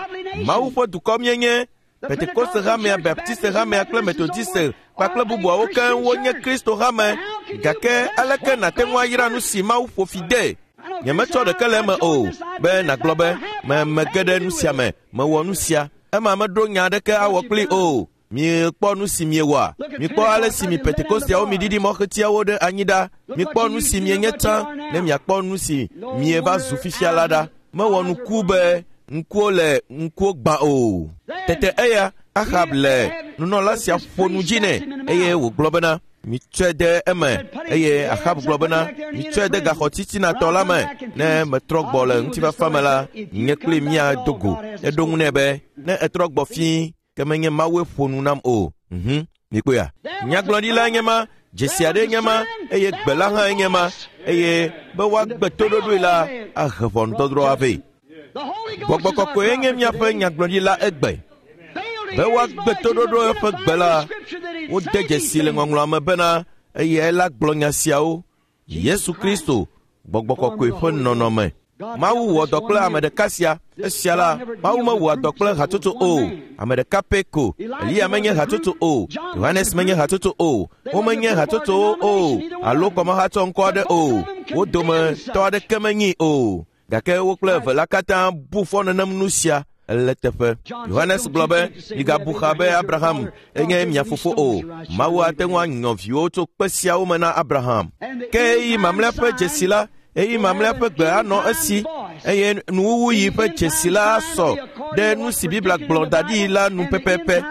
Mawu ƒe dukɔ míenye. Pentekoste hamea, Baptiste hamea kple Methodiste kpakple bubuawo keŋ wonye Kristo hame. Gake aleke nàte ŋu ayra nu si Mawu ƒo fi de? Nyemetsɔ ɖeke le eme o be nàgblɔ be, me mege ɖe nu sia me, mewɔ nu sia. Ema meɖo nya aɖeke awɔ kpli o. Miekpɔ nu si miewɔa? Mikpɔ ale si mi Pentekosteawo miɖiɖi mɔxetiawo ɖe anyi ɖa. Mikpɔ nu si mienye tsã ne miakpɔ nu si mieva zu fifia la ɖa. Mewɔ nuku be ŋkuwo le ŋkuwo gbã o. Tete eya Ahab le nunɔla sia ƒo nu dzi nɛ eye wògblɔ bena, mitsɔe de eme. Eye Ahab gblɔ bena, mitsɔe de gaxɔ titinatɔ la me. Ne metrɔ gbɔ le ŋutifafa me la, nye kpli míado go. Eɖo ŋu nɛ be, ne etrɔ gbɔ fĩi, ke menye Mawue ƒo nu nam o. Mhm, mikpɔea? Nyagblɔɖila nye ma, dzesi aɖe nye ma, eye gbe la hã nye ma, eye be woagbe toɖoɖoe la ahe ʋɔnudɔdrɔ̃ avɛ. Gbɔgbɔ kɔkɔe nye míaƒe nyagblɔɖila egbe. Be woagbe toɖoɖo eƒe gbe la, wode dzesi le ŋɔŋlɔa me bena eyae la gblɔ nya siawo. Yesu Kristo, Gbɔgbɔ kɔkɔe ƒe nɔnɔme. Mawu wɔ dɔ kple ame ɖeka sia. Esia la, Mawu mewɔa dɔ kple hatsotso o. Ame ɖeka pɛ ko. Eliya menye hatsotso o. Yohanes menye hatsotso o. Womenye hatsotsowo o. Alo kɔmehatsɔ ŋkɔ aɖe o. Wo dometɔ aɖeke menyi o. Gake wo kple eve la katã bu fɔ nenem nu sia le teƒe. Yohanes gblɔ be, migabu xa be Abraham enye mia fofo o. Mawu ate ŋu anyɔ viwo tso kpe siawo me na Abraham. Ke eyi mamlɛa ƒe dzesi la, eyi mamlɛa ƒe gbe anɔ esi, eye nuwuwuyi ƒe dzesi la asɔ ɖe nu si Biblia gblɔ da ɖi la nu pɛpɛpɛ.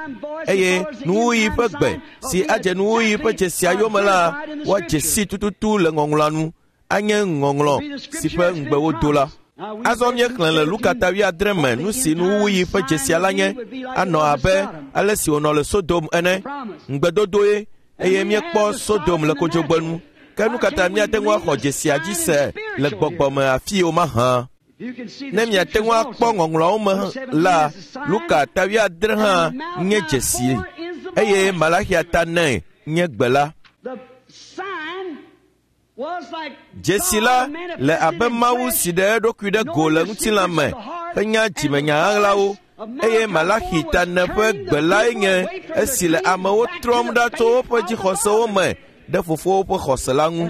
Eye nuwuɣi ƒe gbe si adze nuwuɣi ƒe dzesia yome la, woadze si tututu le ŋɔŋlɔa nu. Anye ŋɔŋlɔ si ƒe ŋugbe wodo la. Azɔ míexlẽ le Luka ta wuiadre me nu si nuwuɣi ƒe dzesia la nye anɔ abe ale si wònɔ le Sodom ene. Ŋugbedodoe eye míekpɔ Sodom le kodzogbe nu. Ke nu katã míate ŋu axɔ dzesia dzi se le gbɔgbɔ me afi o mahã. Ne miate ŋu akpɔ ŋɔŋlɔawo me la, Luka ta wuiadre hã nye dzesi eye Malaxia ta ene nye gbe la. Dzesi la le abe Mawu si ɖe eɖokui ɖe go le ŋutilã me henya dzimenya ɣaɣlawo eye Malaxi ta ene ƒe gbe lae nye esi le amewo trɔm ɖa tso woƒe dzixɔsewo me ɖe fofowo ƒe xɔse la ŋu.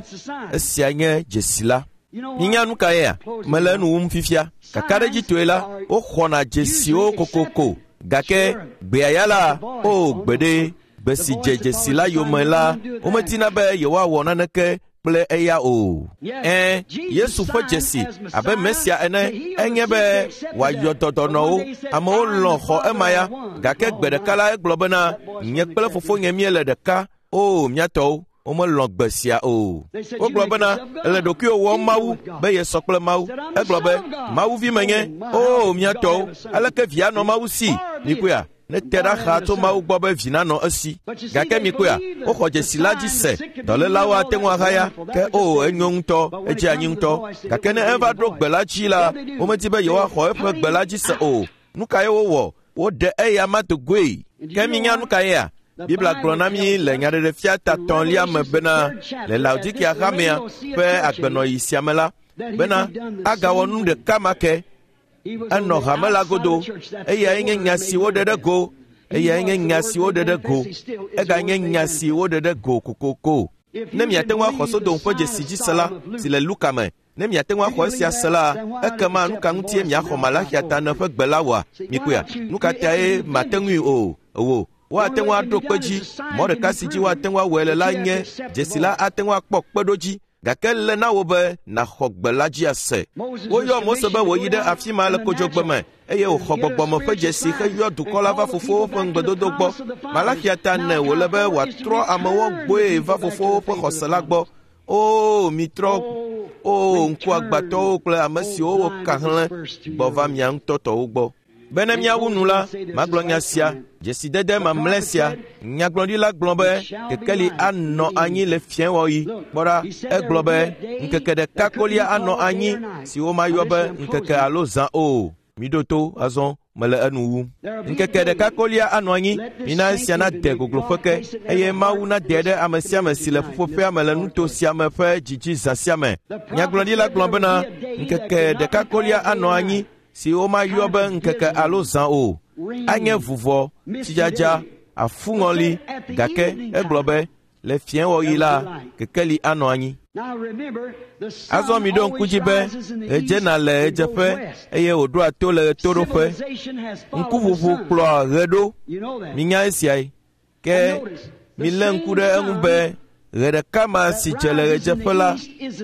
Esia nye dzesi la. Minya nu ka yea? Mele enu wum fifia. Kakaɖedzitɔe la, woxɔna dzesiwo kokoko. Gake gbea ya la, o gbeɖe, gbe si dze dzesi la yome la, womedina be yewoawɔ naneke kple eya o. Ẽ, Yesu ƒe dzesi abe Mesia ene enye be wòayɔ dɔdɔnɔwo. Amewo lɔ̃ xɔ ema ya. Gake gbe ɖeka la egblɔ bena, nye kple fofonye míele ɖeka. O, mía tɔwo, womelɔ̃ gbe sia o. Wogblɔ bena, ele ɖokuiwò wɔm Mawu be yesɔ kple Mawu. Egblɔ be, Mawu vi menye. O, mía tɔwo, aleke via nɔ Mawu si? Mikpɔea? Ne te ɖa xaa tso Mawu gbɔ be vi nanɔ esi. Gake mikpɔea, woxɔ dzesi la dzi se. Dɔlélawo ate ŋu ahaya. Ke o, enyo ŋutɔ, edze anyi ŋutɔ. Gake ne eva ɖo gbe la dzi la, womedi be yewoaxɔ eƒe gbe la dzi se o. Nu kae wowɔ? Woɖe eya ma do goe. Ke minya nu ka yea? Biblia gblɔ na mí le Nyaɖeɖefia ta tɔ̃lia me bena le Laodikia hamea ƒe agbenɔɣi sia me la, bena agawɔ nu ɖeka ma ke. Enɔ hame la godo. Eyae nye nya si woɖe ɖe go. Eyae nye nya si woɖe ɖe go. Eganye nya si woɖe ɖe go kokoko. Ne miate ŋu axɔ Sodom ƒe dzesi dzi se la, si le Luka me, ne miate ŋu axɔ esia se la, ekema nu ka ŋutie miaxɔ Malaxia ta ene ƒe gbe la wɔa? Mikpɔea? Nu ka tae mate ŋui o? Ewo. Woate ŋu aɖo kpe dzi. Mɔ ɖeka si dzi woate ŋu awɔe le la nye dzesi la ate ŋu akpɔ kpeɖodzi. Gake le na wò be nàxɔ gbe la dzi ase. Woyɔ Mose be wòyi ɖe afi ma le kodzogbe me eye wòxɔ gbɔgbɔme ƒe dzesi heyɔ dukɔ la va fofowo ƒe ŋugbedodo gbɔ. Malaxia ta ene wòle be wòatrɔ amewo gbɔe va fofowo ƒe xɔse la gbɔ. O, mitrɔ, o ŋkuagbãtɔwo kple ame siwo woka hlẽ gbɔ va mia ŋutɔ tɔwo gbɔ. Bene míawu nu la, magblɔ nya sia, dzesidede mamlɛ sia. Nyagblɔɖila gblɔ be kekeli anɔ anyi le fiẽwɔɣi. Kpɔ ɖa, egblɔ be ŋkeke ɖeka kolia anɔ anyi si womayɔ be ŋkeke alo zã o. Miɖo to azɔ, mele enu wum. Ŋkeke ɖeka kolia anɔ anyi. Mina esia nade gogloƒe ke eye Mawu nade ɖe ame sia ame si le ƒuƒoƒea me le nuto sia me ƒe dzidzi zã sia me. Nyagblɔɖila gblɔ bena ŋkeke ɖeka kolia anɔ anyi si womayɔ be ŋkeke alo zã o. Anye vuvɔ, tsidzadza, afuŋɔli. Gake egblɔ be le fiẽwɔɣi la, kekeli anɔ anyi. Azɔ miɖo ŋku dzi be ɣe dzena le ɣedzeƒe eye wòɖoa to le ɣetoɖoƒe. Ŋkuʋuʋu kplɔa ɣe ɖo. Minya esiae. Ke milé ŋku ɖe eŋu be ɣe ɖeka ma si dze le ɣedzeƒe la,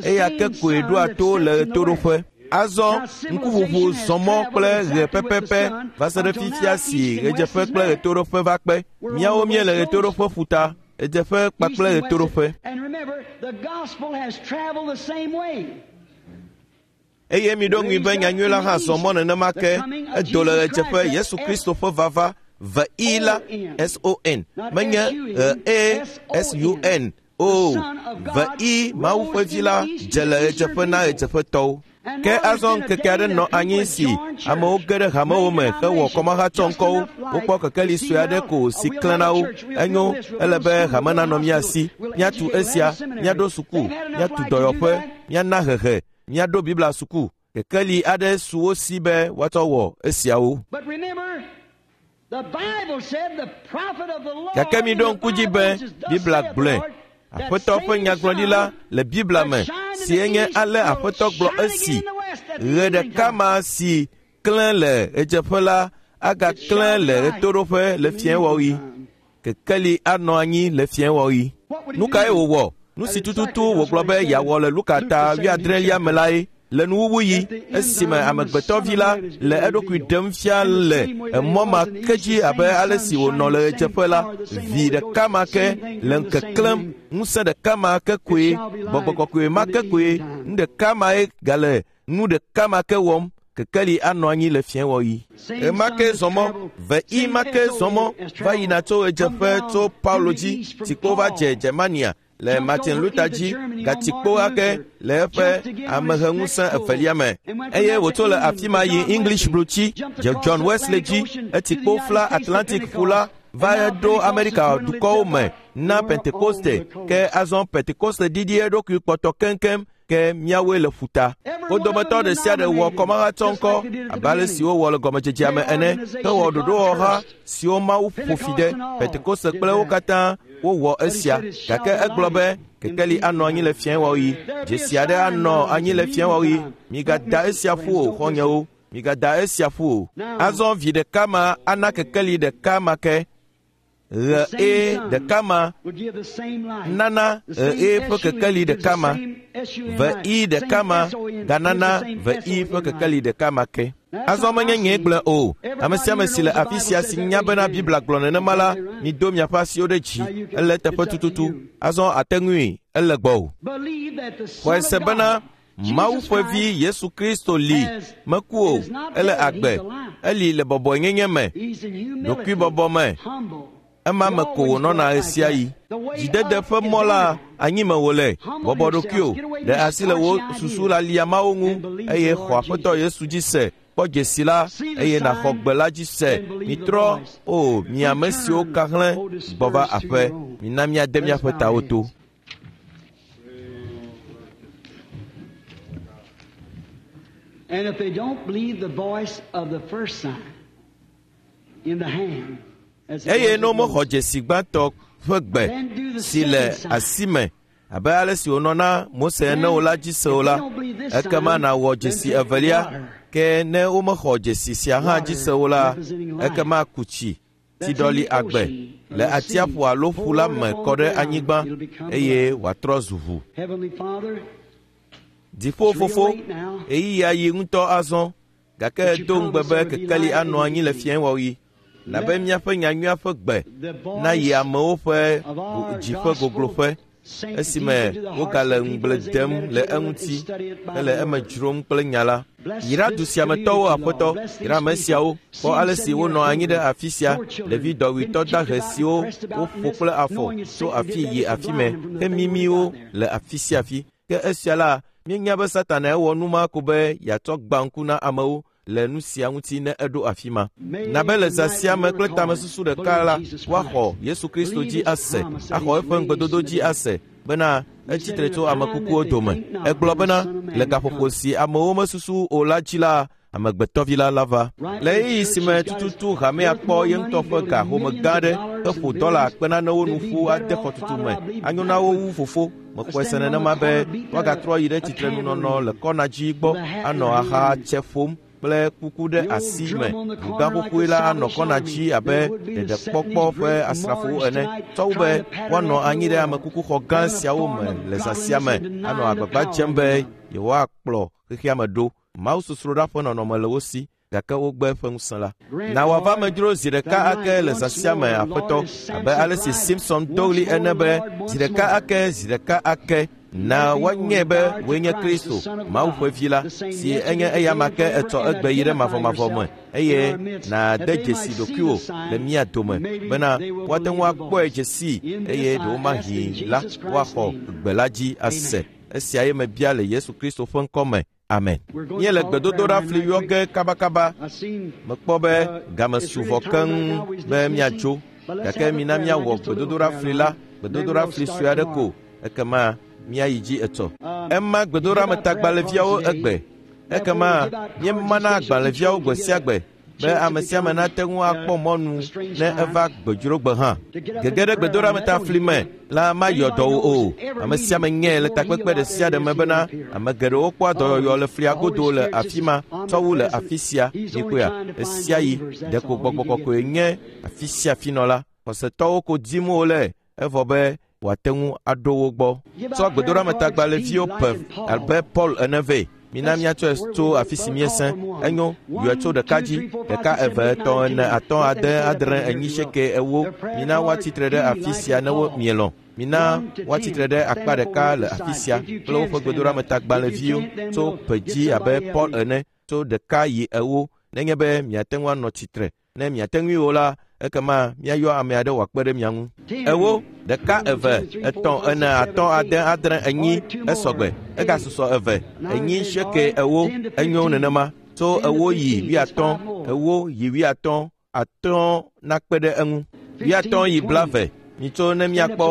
eya ke koe ɖoa to le ɣetoɖoƒe. Azɔ ŋkuʋuʋu zɔ mɔ kple ɣe pɛpɛpɛ va se ɖe fifia si ɣedzeƒe kple ɣetoɖoƒe va kpe. Míawo míele ɣetoɖoƒe ƒuta, ɣedzeƒe kpakple ɣetoɖoƒe. Eye miɖo ŋui be nyanyui la hã zɔ mɔ nenema ke. Edo le ɣedzeƒe Yesu Kristo ƒe vava V I la S O N menye E S U N o. V I Mawu ƒe vi la dze le ɣedzeƒe na ɣedzeƒetɔwo. Ke azɔ ŋkeke aɖe nɔ anyi si amewo ge ɖe hamewo me hewɔ kɔmahatsɔŋkɔwo. Wokpɔ kekeli sue aɖe ko si klẽ na wo. Enyo, ele be hame nanɔ mía si. Míatu esia, míaɖo suku, míatu dɔyɔƒe, míana hehe, míaɖo Biblia suku. Kekeli aɖe su wo si be woatsɔ wɔ esiawo. Gake miɖo ŋku dzi be Biblia gblɔe. Aƒetɔ ƒe nyagblɔɖila le Biblia me si enye ale Aƒetɔ gblɔ esi ɣe ɖeka ma si klẽ le ɣedzeƒe la agaklẽ le ɣetoɖoƒe le fiẽwɔɣi. Kekeli anɔ anyi le fiẽwɔɣi. Nu kae wòwɔ? Nu si tututu wògblɔ be yeawɔ le Luka ta wuiadrelia me lae. Le nuwuwuɣi esime amegbetɔvi la le eɖokui ɖem fia le emɔ ma ke dzi abe ale si wònɔ le ɣedzeƒe la, vi ɖeka ma ke le ŋkeklẽm, ŋusẽ ɖeka ma ke koe, gbɔgbɔ kɔkɔe ma ke koe, nu ɖeka mae gale nu ɖeka ma ke wɔm. Kekeli anɔ anyi le fiẽwɔɣi. Ema ke zɔmɔ, ve i ma ke zɔmɔ va yina tso ɣedzeƒe tso Paulo dzi, tsikpo va dze Germania le Martin Luther dzi, gatsikpo ake le eƒe ameheŋusẽ evelia me. Eye wòtso le afi ma yi English blutsi dze John Wesley dzi, etsikpo fla Atlantic ƒu la va ɖo Amerika dukɔwo me na Pentekoste, ke azɔ Pentekoste ɖiɖi eɖokui kpɔtɔ keŋkeŋ ke míawoe le ƒuta. Wo dometɔ ɖe sia ɖe wɔ kɔmahatsɔŋkɔ abe ale si wowɔ le gɔmedzedzea me ene, hewɔ ɖoɖowɔha siwo Mawu ƒo fi ɖe. Pentekoste kple wo katã wowɔ esia, gake egblɔ be kekeli anɔ anyi le fiẽwɔɣi, dzesi aɖe anɔ anyi le fiẽwɔɣi. Migada esia ƒu o, xɔ̃nyewo, migada esia ƒu o. Azɔ vi ɖeka ma ana kekeli ɖeka ma ke. Ɣe e ɖeka ma nana ɣe e ƒe kekeli ɖeka ma, ve i ɖeka ma ganana ve i ƒe kekeli ɖeka ma ke. Azɔ menye nyee gblɔe o. Ame sia ame si le afi sia si nya bena Biblia gblɔ nenema la, mido miaƒe asiwo ɖe dzi. Ele teƒe tututu. Azɔ ate ŋui, ele gbɔwò. Xɔe se bena Mawu ƒe vi Yesu Kristo li, meku o, ele agbe, eli le bɔbɔenyenye me, ɖokuibɔbɔ me. Ema me ko wònɔna ɣe sia ɣi. Dzidede ƒe mɔ la anyi me wòle, bɔbɔ ɖokuiwò, ɖe asi le wò susu lalia mawo ŋu, eye xɔ Aƒetɔ Yesu dzi se, kpɔ dzesi la, eye nàxɔ gbe la dzi se. Mitrɔ, o mi ame siwo ka hlẽ gbɔ va aƒe, mina míade míaƒe tawo to. And if they don't believe the voice of the first sign in the hand, eye ne womexɔ dzesi gbãtɔ ƒe gbe si le asi me abe ale si wònɔ na Mose ene o la dzi se o la, ekema nàwɔ dzesi evelia. Ke ne womexɔ dzesi sia hã dzi se o la, ekema ku tsi tsiɖɔli agbe le atsiaƒu alo ƒu la me kɔ ɖe anyigba eye wòatrɔ zu ʋu. Dziƒo fofo, ɣeyiɣia yi ŋutɔ azɔ, gake do ŋugbe be kekeli anɔ anyi le fiẽwɔɣi. Nabe míaƒe nyanyuia ƒe gbe nayi amewo ƒe dzi ƒe gogloƒe esime wogale ŋugble dem le eŋuti hele eme dzrom kple nya la. Yra du sia me tɔwo, Aƒetɔ, yra ame siawo. Kpɔ ale si wonɔ anyi ɖe afi sia, ɖevi dɔwuitɔ dahe siwo woƒo kple afɔ tso afi yi afi me, hemimi wo le afi sia afi. Ke esia la, míenya be Satana ewɔ nu ma ko be yeatsɔ gbã ŋku na amewo le nu sia ŋuti ne eɖo afi ma. Nabe le zã sia me kple tamesusu ɖeka la, woaxɔ Yesu Kristo dzi ase, axɔ eƒe ŋugbedodo dzi ase bena etsi tre tso ame kukuwo dome. Egblɔ bena le gaƒoƒo si amewo mesusu o la dzi la, amegbetɔvi la lava. Le ɣeyiɣi si me tututu hamea kpɔ ye ŋutɔ ƒe ga home gã aɖe heƒo dɔla akpe nanewo nu ƒu ade xɔtutu me, anyo na wo wu fofo. Mexɔe se nenema be woagatrɔ yi ɖe tsitrenunɔnɔ le kɔna dzi gbɔ anɔ aha tse ƒom kple kuku ɖe asi me. Ʋugã xoxoe la anɔ kɔna dzi abe ɖeɖekpɔkpɔ ƒe asrafowo ene, tsɔ wu be woanɔ anyi ɖe amekukuxɔ gã siawo me le zã sia me anɔ agbagba dzem be yewoakplɔ xexea me ɖo. Mawu sosroɖa ƒe nɔnɔme le wo si, gake wogbe eƒe ŋusẽ la. Na wòava medzro zi ɖeka ake le zã sia me, Aƒetɔ, abe ale si Simpson do ɣli ene be zi ɖeka ake, zi ɖeka ake. Na woanyae be wòe nye Kristo, Mawu ƒe vi la, si enye eyama ke etsɔ egbe yi ɖe mavɔmavɔ me, eye nàde dzesi ɖokuiwò le mía dome bena woate ŋu akpɔe dzesi eye ɖewomahi la woaxɔ gbe la dzi ase. Esia ye mebia le Yesu Kristo ƒe ŋkɔ me. Amen. Míele gbedodoɖa fli yɔ ge kabakaba. Mekpɔ be game su vɔ keŋ be míatso, gake mina míawɔ gbedodoɖa fli la, gbedodoɖa fli sue aɖe ko, ekema míayi dzi etsɔ. Ema gbedoɖametagbalẽviawo egbe. Ekema míemana agbalẽviawo gbe sia gbe be ame sia ame nate ŋu akpɔ mɔnu ne eva gbedzrogbe hã. Gege ɖe gbedoɖametafli me la mayɔ dɔ wò o. Ame sia ame nyae le takpekpe ɖe sia ɖe me bena ame geɖewo kpɔa dɔyɔyɔ le flia godo le afi ma tsɔ wu le afi sia. Mikpɔea, esia yi ɖeko gbɔgbɔ kɔkɔe nye afi sia afi nɔla. Xɔsetɔwo ko dim wole evɔ be wòate ŋu aɖo wo gbɔ. Tsɔ gbedoɖametagbalẽviwo pe abe Paul ene vɛ. Mina míatsɔe tso afi si míesẽ. Enyo, yɔe tso ɖeka dzi, ɖeka eve etɔ̃ ene atɔ̃ ade adre enyi seeke ewo. Mina woatsitre ɖe afi sia ne wo mielɔ̃. Mina woatsitre ɖe akpa ɖeka le afi sia kple woƒe gbedoɖametagbalẽviwo tso ƒe dzi abe Paul ene tso ɖeka yi ewo. Nenye be miate ŋu anɔ tsitre. Ne miate ŋui o la, ekema míayɔ ame aɖe wòakpe ɖe mia ŋu. Ewo, ɖeka eve, etɔ̃ ene atɔ̃ ade adre enyi esɔgbe. Egasusɔ eve, enyi seeke ewo, enyo nenema. Tso ewo yi wuiatɔ̃, ewo yi wuiatɔ̃, atɔ̃ nakpe ɖe eŋu. Wuiatɔ̃ yi blave. Mitso ne míakpɔ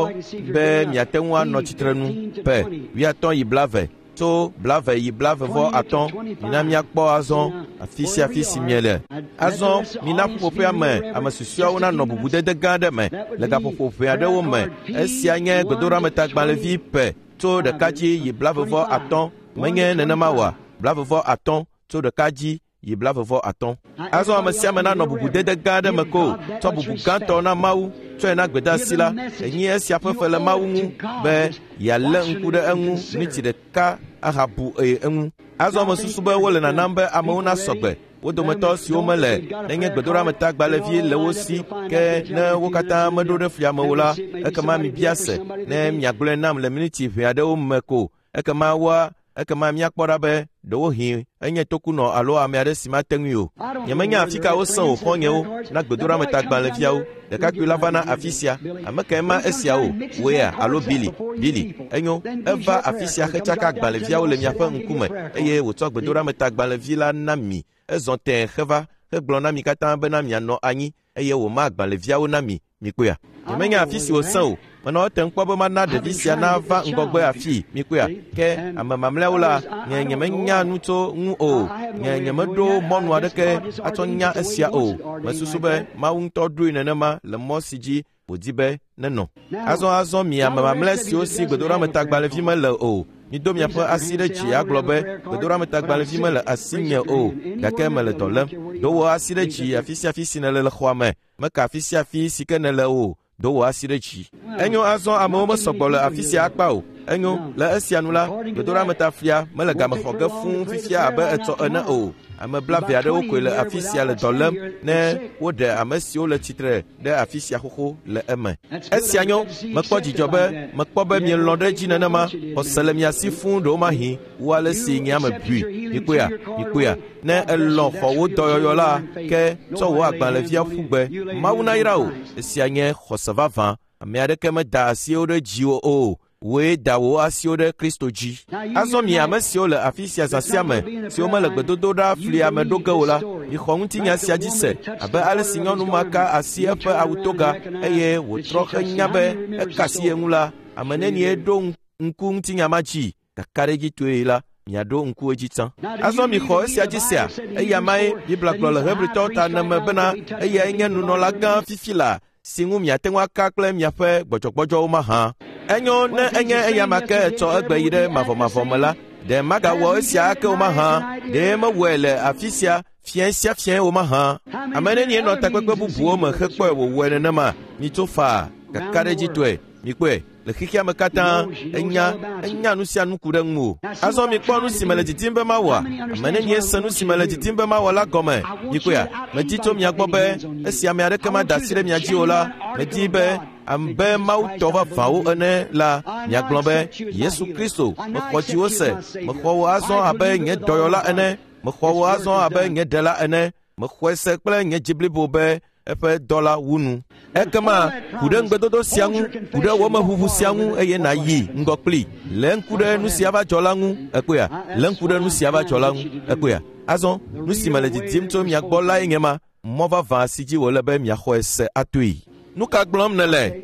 be miate ŋu anɔ tsitre nu. Pe, wuiatɔ̃ yi blave. Tso blave yi blave vɔ atɔ̃. Mina míakpɔ azɔ afi sia afi si miele. Azɔ mina ƒuƒoƒea me ame susɔeawo nanɔ bubudede gã aɖe me le gaƒoƒo ʋɛ aɖewo me. Esia nye gbedoɖametagbalẽvi pe tso ɖeka dzi yi blave vɔ atɔ̃. Menye nenema oa? Blave vɔ atɔ̃ tso ɖeka dzi yi blave vɔ atɔ̃. Azɔ ame sia ame nanɔ bubudede gã aɖe me ko. Tsɔ bubu gãtɔ na Mawu. Tsɔe na gbedeasi la. Enyi esia ƒe fe le Mawu ŋu be yealé ŋku ɖe eŋu miniti ɖeka ahabu eye eŋu. Azɔ mesusu be wole nanam be amewo nasɔ gbe. Wo dometɔ siwo mele nenye gbedoɖametagbalẽvi le wo si ke ne wo katã meɖo ɖe flia me o la, ekema mibia se ne miagblɔe nam le miniti ʋɛ aɖewo me ko. Ekema woa ekema míakpɔ ɖa be ɖewohĩ enye tokunɔ alo ame aɖe si mate ŋui o. Nyemenya afi ka wosẽ o xɔ̃nyewo na gbedoɖametagbalẽviawo. Ɖekakpui la va na afi sia. Ame kae ma esia o? Wòea alo Bili? Bili, enyo, eva afi sia hetsaka agbalẽviawo le miaƒe ŋkume eye wòtsɔ gbedoɖametagbalẽvi la na mi. Ezɔ tẽe heva hegblɔ na mi katã bena mianɔ anyi eye wòma agbalẽviawo na mi. Mikpɔea? Nyemenya afi si wòsẽ o. Menɔ etem kpɔ be mana ɖevi sia nava ŋgɔgbe afii. Mikpɔea? Ke ame mamlɛawo la, nye nyemenya nu tso ŋu o. Nye nyemeɖo mɔnu aɖeke atsɔ nya esia o. Mesusu be Mawu ŋutɔ ɖoe nenema le mɔ si dzi wòdi be nenɔ. Azɔ azɔ mi ame mamlɛ siwo si gbedoɖametagbalẽvi mele o, mido miaƒe asi ɖe dzi agblɔ be gbedoɖametagbalẽvi mele asinye o, gake mele dɔ lém. Do wò asi ɖe dzi afi sia afi si nèle le xɔa me. Meka afi sia afi si ke nèle o. Do wò asi ɖe dzi. Enyo azɔ amewo mesɔgbɔ le afi sia akpa o. Enyo, le esia nu la, gbedoɖametaflia mele game xɔ ge fũu fifia abe etsɔ ene o. Ame blave aɖewo koe le afi sia le dɔ lém ne woɖe ame siwo le tsitre ɖe afi sia xoxo le eme. Esia nyo, mekpɔ dzidzɔ be mekpɔ be mielɔ̃ ɖe edzi nenema. Xɔse le mia si fũu ɖewomahi wu ale si nye ame bui. Mikpɔea? Mikpɔea? Ne elɔ̃ xɔ wò dɔyɔyɔ la, ke tsɔ wò agbalẽvia ƒu gbe. Mawu nayra wò. Esia nye xɔse vavã. Ame aɖeke meda asiwo ɖe dziwò o. Wòe da wò asiwo ɖe Kristo dzi. Azɔ mi ame siwo le afi sia zã sia me, siwo mele gbedodoɖa flia me ɖo ge o la, mixɔ ŋutinya sia dzi se abe ale si nyɔnu ma ka asi eƒe awutoga eye wòtrɔ henya be eka asi ye ŋu la, ame nenie ɖo ŋku ŋutinya ma dzi? Kakaɖedzitɔe la, miaɖo ŋku edzi tsã. Azɔ mixɔ esia dzi sea, eya mae Biblia gblɔ le Hebritɔwo ta ene me bena eyae nye nunɔla gã fifi la si ŋu miate ŋu aka kple miaƒe gbɔdzɔgbɔdzɔwo mahã. Enyo ne enye eya ma ke etsɔ egbe yi ɖe mavɔmavɔ me la, ɖe magawɔ esia ake o mahã? Ɖe mewɔe le afi sia fiẽ sia fiẽ o mahã? Ame nenie nɔ takpekpe bubuwo me hekpɔe wòwɔe nenema? Mitso faa, kakaɖedzitɔe. Mikpɔe le xexea me katã, enya enya nu sia nu ku ɖe ŋu o. Azɔ mikpɔ nu si mele didim be mawɔa? Ame nenie se nu si mele didim be mawɔ la gɔme? Mikpɔea? Medi tso mia gbɔ be esi ame aɖeke mada asi ɖe mia dzi o la, medi be abe Mawu tɔ vavãwo ene la, miagblɔ be Yesu Kristo, mexɔ dziwò se, mexɔ wò azɔ abe nye dɔyɔla ene, mexɔ wò azɔ abe nye ɖela ene, mexɔe se kple nye dzi blibo be eƒe dɔ la wu nu. Ekema ku ɖe ŋugbedodo sia ŋu, ku ɖe wɔmeʋuʋu sia ŋu eye nàyi ŋgɔ kpli. Lé ŋku ɖe nu sia va dzɔ la ŋu, ekpɔea? Lé ŋku ɖe nu sia va dzɔ la ŋu, ekpɔea? Azɔ nu si mele didim tso mia gbɔ lae nye ma, mɔ vavã si dzi wòle be miaxɔe se atoe. Nu ka gblɔm nèle?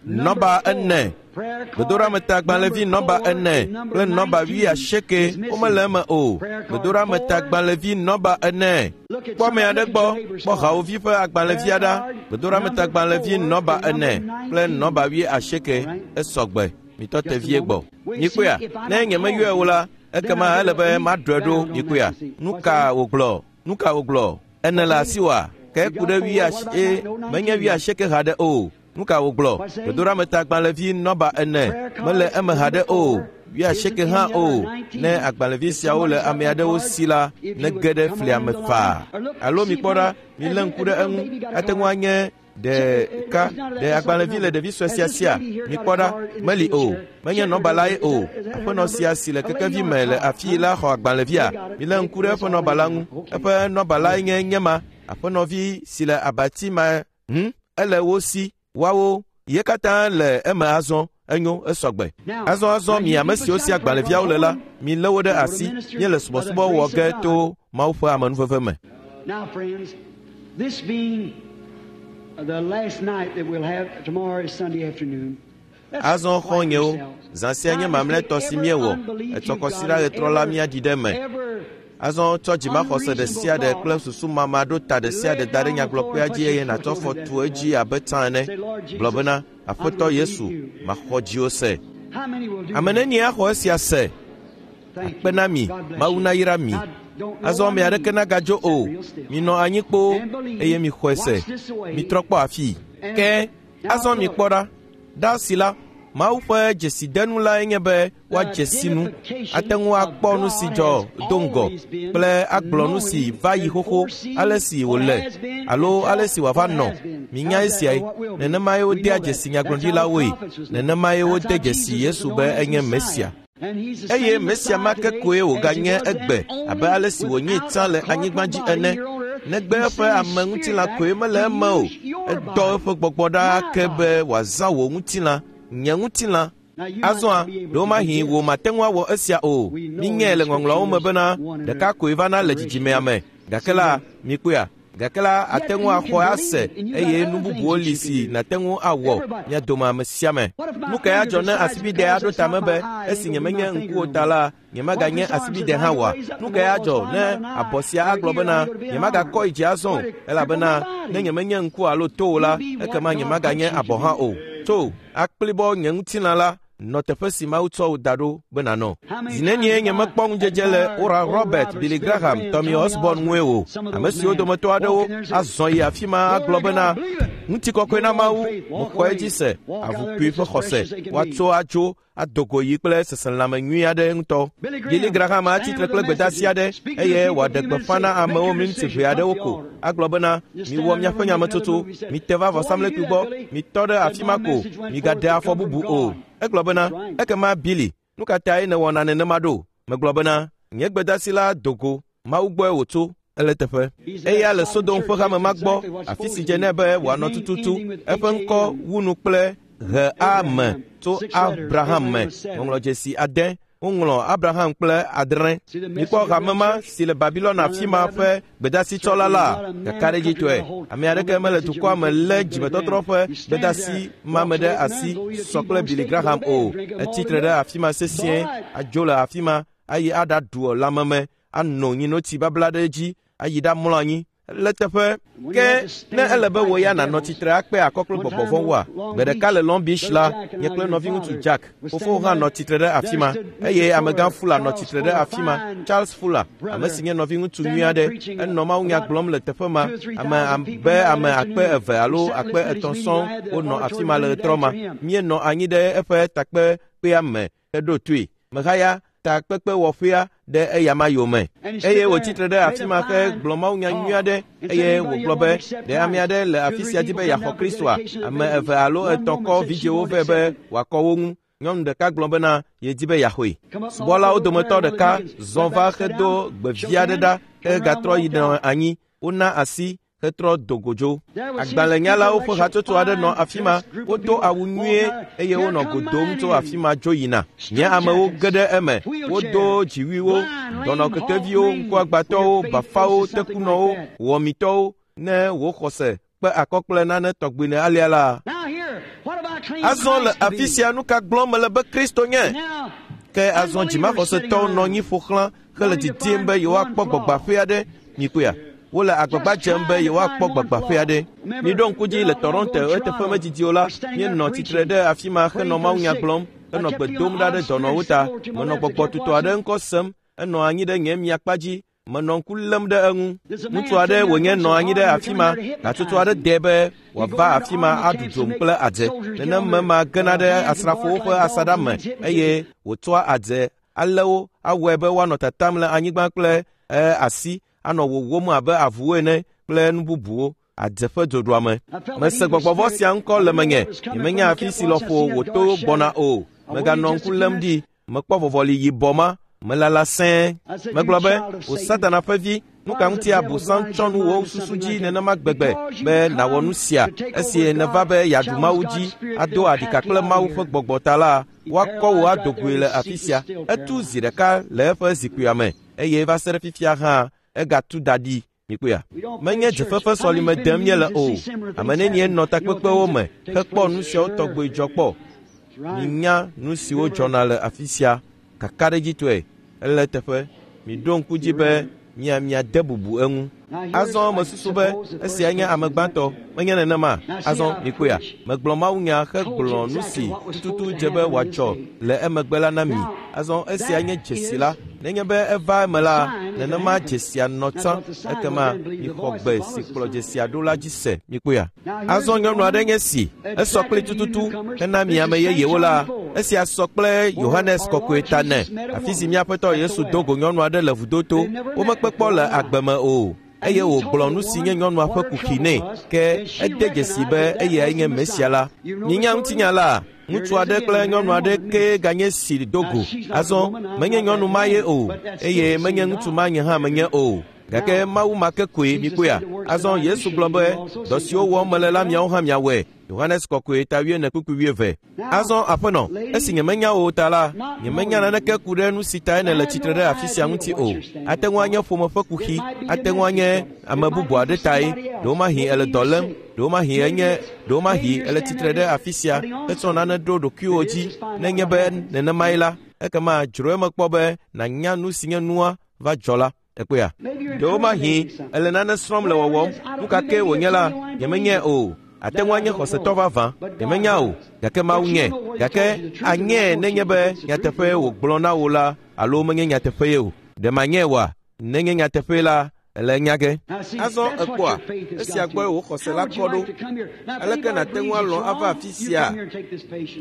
Nɔba ene, gbedoɖametagbalẽvi nɔba ene kple nɔba wuiasieke womele eme o. Gbedoɖametagbalẽvi nɔba ene. Kpɔ ame aɖe gbɔ, kpɔ hawòvi ƒe agbalẽvia ɖa. Gbedoɖametagbalẽvi nɔba ene kple nɔba wuiasieke esɔgbe. Mitɔ te vie gbɔ. Mikpɔea? Ne nyemeyɔe o la, ekema ele be maɖɔe ɖo. Mikpɔea? Nu ka wògblɔ? Nu ka wògblɔ? Ene le asiwòa? Ke ku ɖe wuiasie, menye wuiasieke haɖe o. Nu ka wògblɔ? Gbedoɖametagbalẽvi nɔba ene mele eme haɖe o. Wuiasieke hã o. Ne agbalẽvi siawo le ame aɖewo si la, nege ɖe flia me faa. Alo mikpɔ ɖa, milé ŋku ɖe eŋu. Ate ŋu anye ɖeka ɖe agbalẽvi le ɖevi sue sia sia. Mikpɔ ɖa, meli o. Menye nɔbalae o. Aƒenɔ sia si le kekevi me le afii la xɔ agbalẽvia. Milé ŋku ɖe eƒe nɔbala ŋu. Eƒe nɔbalae nye nye ma. Aƒenɔvi si le abati ma hm ele wo si. Woawo ye katã le eme azɔ. Enyo esɔgbe. Azɔ azɔ mi ame siwo si agbalẽviawo le la, milé wo ɖe asi. Míele subɔsubɔ wɔ ge to Mawu ƒe amenuveve me. Now, friends, this being the last night that we'll have, tomorrow is Sunday afternoon. Azɔ xɔ̃nyewo, zã sia nye mamlɛtɔ si míewɔ. Etsɔ kɔsiɖa ɣetrɔ la míaɖi ɖe eme. Azɔ tsɔ dzimaxɔse ɖe sia ɖe kple susu mama ɖo ta ɖe sia ɖe da ɖe nyagblɔkpea dzi eye nàtsɔ fɔ tu edzi abe tsã ene. Gblɔ bena, Aƒetɔ Yesu, maxɔ dziwò se. Ame nenie axɔ esia se? Akpe na mi, Mawu nayra mi. Azɔ ame aɖeke nagadzo o. Minɔ anyi kpoo eye mixɔe se. Mitrɔ kpɔ afii. Ke azɔ mikpɔ ɖa. Ɖa si la, Mawu ƒe dzesidenu lae nye be woadze si nu, ate ŋu akpɔ nu si dzɔ do ŋgɔ kple agblɔ nu si va yi xoxo, ale si wòle alo ale si wòava nɔ. Minya esiae. Nenemae wodea dzesi nyagblɔɖilawoe. Nenemae wode dzesi Yesu be enye Mesia. Eye Mesia ma ke koe wòganye egbe abe ale si wònye tsã le anyigba dzi ene. Negbe eƒe ame ŋutilã koe mele eme o. Edɔ eƒe gbɔgbɔ ɖa ke be wòazã wò ŋutilã, nye ŋutilã. Azɔa, ɖewomahi wò mate ŋu awɔ esia o. Mínyae le ŋɔŋlɔawo me bena ɖeka koe vana le dzidzimea me. Gake la, mikpɔea? Gake la, ate ŋu axɔe ase eye nu bubuwo li si nàte ŋu awɔ mia dome ame sia ame. Nu kae adzɔ ne asibide aɖo tame be esi nyemenye ŋkuwò ta la, nyemaganye asibide hã oa? Nu kae adzɔ ne abɔ sia agblɔ bena nyemagakɔ yi dzi azɔ o, elabena ne nyemenye ŋku alo to o la, ekema nyemaganye abɔ hã o. Tso, akplibɔ nye ŋutilã la nɔ teƒe si Mawu tsɔ wò da ɖo be nànɔ. Zi nenie nyemekpɔ ŋudzedze le Oral Robert, Billy Graham, Tommy Osborne ŋue o. Ame siwo dometɔ aɖewo azɔ yi afi ma agblɔ bena ŋutikɔkɔe na Mawu, mexɔ edzi se, avukui ƒe xɔse, woatso adzo ado go yi kple seselãme nyui aɖe ŋutɔ. Billy Graham atsitre kple gbedeasi aɖe eye wòaɖe gbeƒã na amewo miniti ʋɛ aɖewo ko. Agblɔ bena, miwɔ miaƒe nyametsotso, mite va vɔsamlekpui gbɔ, mitɔ ɖe afi ma ko, migaɖe afɔ bubu o. Egblɔ bena, ekema Billy, nu ka tae nèwɔna nenema ɖo? Megblɔ bena, nye gbedeasi la do go, Mawu gbɔe wòtso, ele teƒe. Eya le Sodom ƒe hame ma gbɔ, afi si dze nɛ be wòanɔ tututu. Eƒe ŋkɔ wu nu kple he a me tso Abraham me. Ŋɔŋlɔdzesi ade woŋlɔ Abraham kple adre. Mikpɔ hame ma si le Babilon afi ma ƒe gbedasitsɔla la kakaɖedzitɔe. Ame aɖeke mele dukɔa me lé dzimetɔtrɔ ƒe gbedasi ma me ɖe asi sɔ kple Billy Graham o. Etsitre ɖe afi ma sesĩe, adzo le afi ma ayi aɖaɖu lãmeme, anɔ nyinotsi babla ɖe edzi, ayi ɖamlɔ anyi. Le teƒe ke ne ele be wò ya nànɔ tsitre akpe akɔ kple gbɔgbɔ vɔ̃woa, gbe ɖeka le Long Beach la, nye kple nɔviŋutsu Jack, fofo hã nɔ tsitre ɖe afi ma eye amegã Fuller nɔ tsitre ɖe afi ma. Charles Fuller, ame si nye nɔviŋutsu nyui aɖe, enɔ mawunya gblɔm le teƒe ma. Ame abe ame akpe eve alo akpe etɔ̃ sɔŋ wonɔ afi ma le ɣetrɔ ma. Míenɔ anyi ɖe eƒe takpekpea me heɖo toe. Mehaya takpekpewɔƒea ɖe eyama yome. Eye wòtsitre ɖe afi ma hegblɔ mawunya nyui aɖe eye wògblɔ be ɖe ame aɖe le afi sia di be yeaxɔ Kristoa? Ame eve alo etɔ̃ kɔ vidzĩwo vɛ be wòakɔ wo ŋu. Nyɔnu ɖeka gblɔ bena yedi be yeaxɔe. Subɔlawo dometɔ ɖeka zɔ va hedo gbe vi aɖe ɖa hegatrɔ yi nɔ anyi. Wona asi hetrɔ do go dzo. Agbalẽnyalawo ƒe hatsotso aɖe nɔ afi ma. Wodo awu nyuie eye wonɔ go dom tso afi ma dzo yina. Nye amewo ge ɖe eme. Wodo dziwuiwo, dɔnɔkekeviwo, ŋkuagbãtɔwo, bafawo, tekunɔwo, wɔmitɔwo. Ne wò xɔse kpe akɔ kple nane tɔgbi ne alea la. Azɔ le afi sia nu ka gblɔm mele be Kristo nye? Ke azɔ dzimaxɔsetɔwo nɔ anyi ƒo xlã hele didim be yewoakpɔ gbɔgbaƒe aɖe. Mikpɔea? Wole agbagba dzem be yewoakpɔ gbagbaƒe aɖe. Miɖo ŋku dzi le Toronto eteƒe medidi o la, míenɔ tsitre ɖe afi ma henɔ mawunya gblɔm, henɔ gbe dom ɖa ɖe dɔnɔwo ta. Menɔ gbɔgbɔ tutɔ aɖe ŋkɔ sem, enɔ anyi ɖe nye miakpa dzi. Menɔ ŋku lém ɖe eŋu. Ŋutsu aɖe wònye nɔ anyi ɖe afi ma. Hatsotso aɖe dee be wòava afi ma aɖu dzom kple adze. Nenem ma gena ɖe asrafowo ƒe asaɖa me eye wòtsɔa adze alé wo awɔe be woanɔ tatam le anyigba kple asi anɔ wowóm abe avuwo ene kple nu bubuwo. Adze ƒe dzoɖuame. Mese gbɔgbɔvɔ sia ŋkɔ le menye. Nyemenya afi si lɔƒo wòto gbɔna o. Meganɔ ŋku lém ɖi. Mekpɔ vɔvɔli yibɔ ma. Melala sẽe. Megblɔ be, wò Satana ƒe vi, nu ka ŋuti Abosam tsɔ nu wò susu dzi nenema gbegbe be nàwɔ nu sia? Esi nèva be yeaɖu Mawu dzi, ado aɖika kple Mawu ƒe gbɔgbɔ ta la, woakɔ wò ado goe le afi sia. Etu zi ɖeka le eƒe zikpuia me eye va se ɖe fifia hã egatu da ɖi. Mikpɔea? Menye dzefefe sɔlime dem míele o. Ame nenie nɔ takpekpewo me hekpɔ nu siawo tɔgbe dzɔ kpɔ. Minya nu siwo dzɔna le afi sia kakaɖedzitɔe. Ele teƒe. Miɖo ŋku dzi be mia miade bubu eŋu. Azɔ mesusu be esia nye ame gbãtɔ. Menye nenema. Azɔ mikpɔea? Megblɔ mawunya hegblɔ nu si tututu dze be wòadzɔ le emegbe la na mi. Azɔ esia nye dzesi la. Nenye be eva eme la, nenema dzesia nɔ tsã. Ekema mixɔ gbe si kplɔ dzesia ɖo la dzi se. Mikpɔea? Azɔ nyɔnu aɖe nye si. Esɔ kple tututu hena mi ame yeyewo la. Esia sɔ kple Yohanes kɔkɔe ta ne. Afi si míaƒetɔ Yesu do go nyɔnu aɖe le vudoto. Womekpe kpɔ le agbe me o. Eye wògblɔ nu si nye nyɔnua ƒe kuxi nɛ. Ke ede dzesi be eyae nye Mesia la. Minya ŋutinya la. Ŋutsu aɖe kple nyɔnu aɖe ke ganye si do go. Azɔ menye nyɔnu ma ye o, eye menye ŋutsu ma nye hã menye o. Gake Mawu ma ke koe mikpɔea. Azɔ Yesu gblɔ be, dɔ siwo wɔm mele la miawo hã miawɔe. Yohanes kɔkɔe ta wuiene kpukpui wuieve. Azɔ aƒenɔ, esi nyemenya wò ta la, nyemenya naneke ku ɖe nu si tae nèle tsitre ɖe afi sia ŋuti o. Ate ŋu anye ƒome ƒe kuxi, ate ŋu anye ame bubu aɖe tae. Ɖewomahi ele dɔ lém, ɖewomahi enye, ɖewomahi ele tsitre ɖe afi sia hetsɔ nane ɖo ɖokuiwò dzi. Nenye be nenemae la, ekema dzro eme kpɔ be nànya nu si nye nua va dzɔ la. Ekpɔea? Ɖewomahi ele nane srɔ̃m le wɔwɔm. Nu ka ke wònye la, nyemenyae o. Ate ŋu anye xɔsetɔ vavã. Nyemenya o, gake Mawu nyae. Gake anyae nenye be nyateƒee wògblɔ na wò la alo menye nyateƒee o. Ɖe manyae oa? Nenye nyateƒee la, ele nya ge. Azɔ ekpɔa, esia gbɔe wò xɔse la kɔ ɖo. Aleke nàte ŋu alɔ̃ ava afi sia?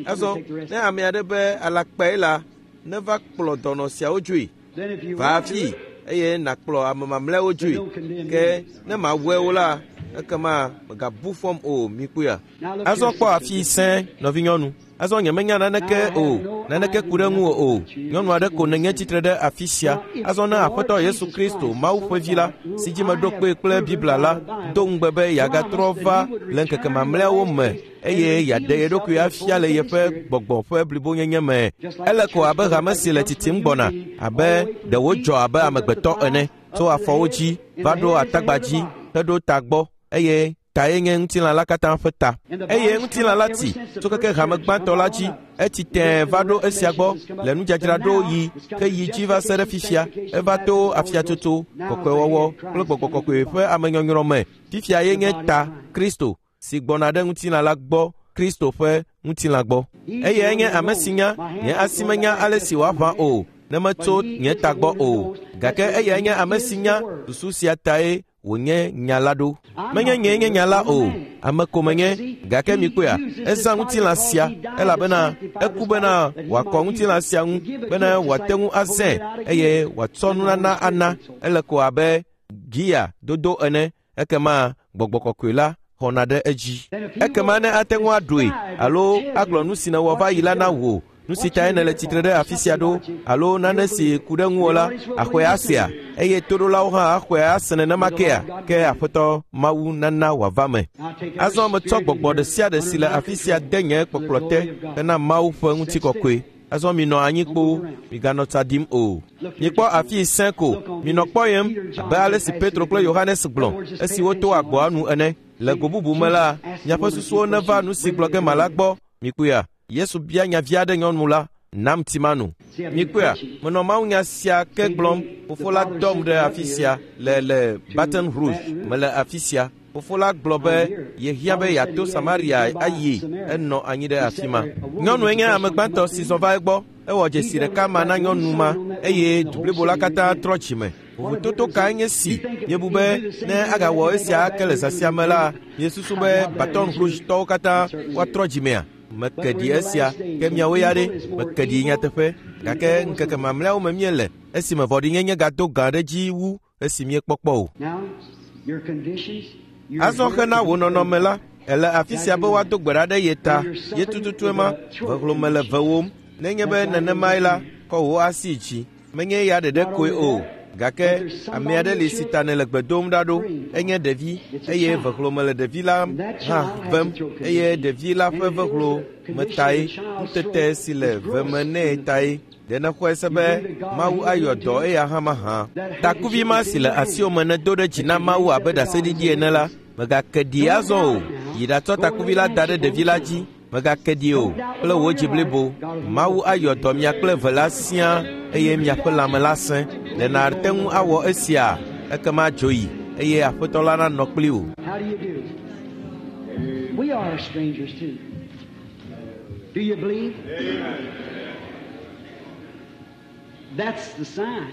Azɔ, ne ame aɖe be alakpae la, neva kplɔ dɔnɔ siawo dzoe. Va afi eye nàkplɔ ame mamlɛawo dzoe. Ke ne mawɔe o la, ekema megabu fɔm o. Mikpɔea? Azɔ kpɔ afi sẽ, nɔvinyɔnu. Azɔ nyemenya naneke o, naneke ku ɖe ŋuwò o. Nyɔnu aɖe ko nènye tsitre ɖe afi sia. Azɔ ne Aƒetɔ Yesu Kristo, Mawu ƒe vi la, si dzi meɖo kpee kple Biblia la, do ŋugbe be yeagatrɔ va le ŋkeke mamlɛawo me eye yeaɖe ye ɖokui afia le yeƒe gbɔgbɔ ƒe blibonyenye me. Ele ko abe hame si le tsitsim gbɔna, abe ɖe wodzɔ abe amegbetɔ ene, tso afɔwo dzi va ɖo atagba dzi heɖo ta gbɔ, eye tae nye ŋutilã la katã ƒe ta. Eye ŋutilã la ti tso keke hame gbãtɔ la dzi, etsi tẽe va ɖo esia gbɔ le nudzadzraɖo yi ke yi dzi va se ɖe fifia. Eva to afiatsotso, kɔkɔewɔwɔ kple gbɔgbɔ kɔkɔe ƒe amenyɔnyrɔ me. Fifia ye nye ta, Kristo, si gbɔna ɖe ŋutilã la gbɔ, Kristo ƒe ŋutilã gbɔ. Eyae nye ame si nya, nye asi menya ale si wòaʋã o, ne metso nye ta gbɔ o. Gake eyae nye ame si nya, susu sia tae wònye nya la ɖo. Menye nyee nye nya la o, ame ko menye. Gake mikpɔea, ezã ŋutilã sia, elabena eku bena wòakɔ ŋutilã sia ŋu, bena wòate ŋu azãe eye wòatsɔ nunana ana. Ele ko abe gia dodo ene. Ekema gbɔgbɔ kɔkɔe la xɔna ɖe edzi. Ekema ne ate ŋu aɖoe alo agblɔ nu si nèwɔ va yi la na wò, nu si tae nèle tsitre ɖe afi sia ɖo, alo nane si ku ɖe ŋuwò la, axɔe asea, eye toɖolawo hã axɔe ase nenema kea, ke Aƒetɔ Mawu nana wòava me. Azɔ metsɔ gbɔgbɔ ɖe sia ɖe si le afi sia de nye kpɔkplɔ te hena Mawu ƒe ŋutikɔkɔe. Azɔ minɔ anyi kpoo, miganɔ tsa ɖim o. Mikpɔ afi sẽ ko, minɔ kpɔyem abe ale si Petro kple Yohanes gblɔ esi woto agboa nu ene. Le go bubu me la, miaƒe susuwo neva nu si gblɔ ge mala gbɔ. Mikpɔea? Yesu bia nya vi aɖe nyɔnu la, nam tsimanu. Mikpɔea? Menɔ mawunya sia ke gblɔm. Fofo la dɔm ɖe afi sia le le Baton Rouge. Mele afi sia. Fofo la gblɔ be yehiã be yeato Samaria ayi. Enɔ anyi ɖe afi ma. Nyɔnue nye ame gbãtɔ si zɔ va egbɔ. Ewɔ dzesi ɖeka ma na nyɔnu ma eye du blibo la katã trɔ dzime. Vovototo kae nye si miebu be ne agawɔ esia ake le zã sia me la, miesusu be Baton Rouge-tɔwo katã woatrɔ dzimea? Meke ɖi esia, ke miawo ya ɖe, meke ɖi nyateƒe. Gake ŋkeke mamlɛawo me míele esime vɔ̃ɖinyenye gado gã ɖe dzi wu esi míekpɔkpɔ o. Azɔ hena wò nɔnɔme la, ele afi sia be woado gbe ɖa ɖe ye ta. Ye tututue ma, vehlome le vewòm. Nenye be nenemae la, kɔ wò asi dzi. Menye ya ɖeɖe koe o, gake ame aɖe li si ta nèle gbe dom ɖa ɖo. Enye ɖevi eye vehlome le ɖevi la hã vem eye ɖevi la ƒe vehlo me tae, nutete si le veme nɛ tae. Ɖe nèxɔe se be Mawu ayɔ dɔ eya hã mahã? Takuvi ma si le asiwò me nèdo ɖe dzi na Mawu abe ɖaseɖiɖi ene la, mègake ɖi azɔ o. Yi ɖatsɔ takuvi la da ɖe ɖevi la dzi. Mègake ɖi o kple wò dzi blibo. Mawu ayɔ dɔ mia kple eve la siaa eye miaƒe lãme la sẽ. Ɖe nàte ŋu awɔ esia? Ekema dzo yi eye Aƒetɔ la nanɔ kpli wò. How do you do? We are strangers too. Do you believe? That's the sign.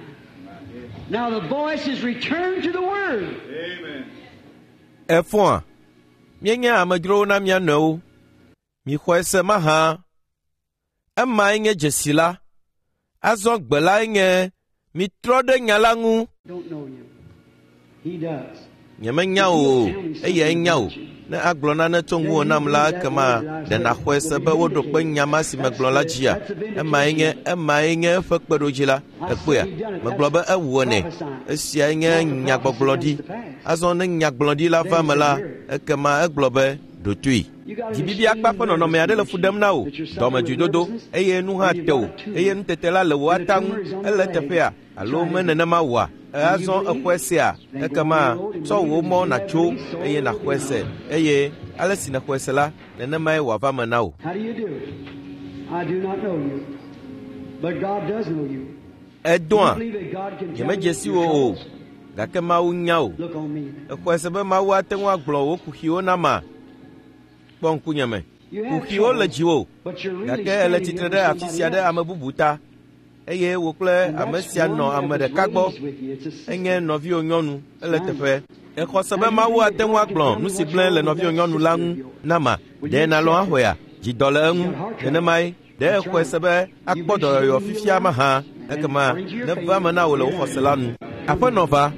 Now the voice is returned to the Word. Efɔa, míenye amedzrowo na mía nɔewo. Mixɔe se mahã. Emae nye dzesi la. Azɔ gbe lae nye mitrɔ ɖe nya la ŋu. Don't know you. He does. Nyemenya wò o, eyae nya wò. Ne agblɔ nane tso ŋuwò nam la, ekema ɖe nàxɔe se be woɖo kpe nya ma si megblɔ la dzia? Emae nye emae nye eƒe kpeɖodzi la. Ekpɔea? Megblɔ be ewɔnɛ. Esiae nye nyagbɔgblɔɖi. Azɔ ne nyagblɔɖi la va me la, ekema egblɔ be ɖo toe. Dzibibi akpa ƒe nɔnɔme aɖe le fu ɖem na wò, dɔmedzoedodo, eye nu hã te wò, eye nutete la le wò ata ŋu, ele teƒea alo me nenema wòa? Azɔ exɔe sea, ekema tsɔ wò mɔ nàtso eye nàxɔe se, eye ale si nèxɔe se la, nenemae wòava me na wò. How do you do? I do not know you, but God does know you. Edoa, You believe that God can tell me nyemedze si your wò o, troubles? gake Mawu nya wò. Look on me. Exɔe se be Mawu ate ŋu agblɔ wò kuxiwo nama? Kpɔ ŋkunyeme. You have Kuxiwo le troubles, dziwò, but you're really gake ele standing tsitre here ɖe for afi somebody sia ɖe else. ame bubu ta eye wò kple And ame that's sia one nɔ that ame was ɖeka gbɔ. raised with you. It's a sister. Enye nɔviwò nyɔnu, ele teƒe. Exɔ se be Mawu ate ŋu agblɔ nu si gblẽ le nɔviwò nyɔnu la ŋu nama. Ɖe nàlɔ̃ axɔea? Dzi dɔ le eŋu. Nenemae. Ɖe exɔe se be akpɔ dɔyɔyɔ fifia mahã? Ekema neva eme na wò le wò xɔse la nu. Aƒenɔ va,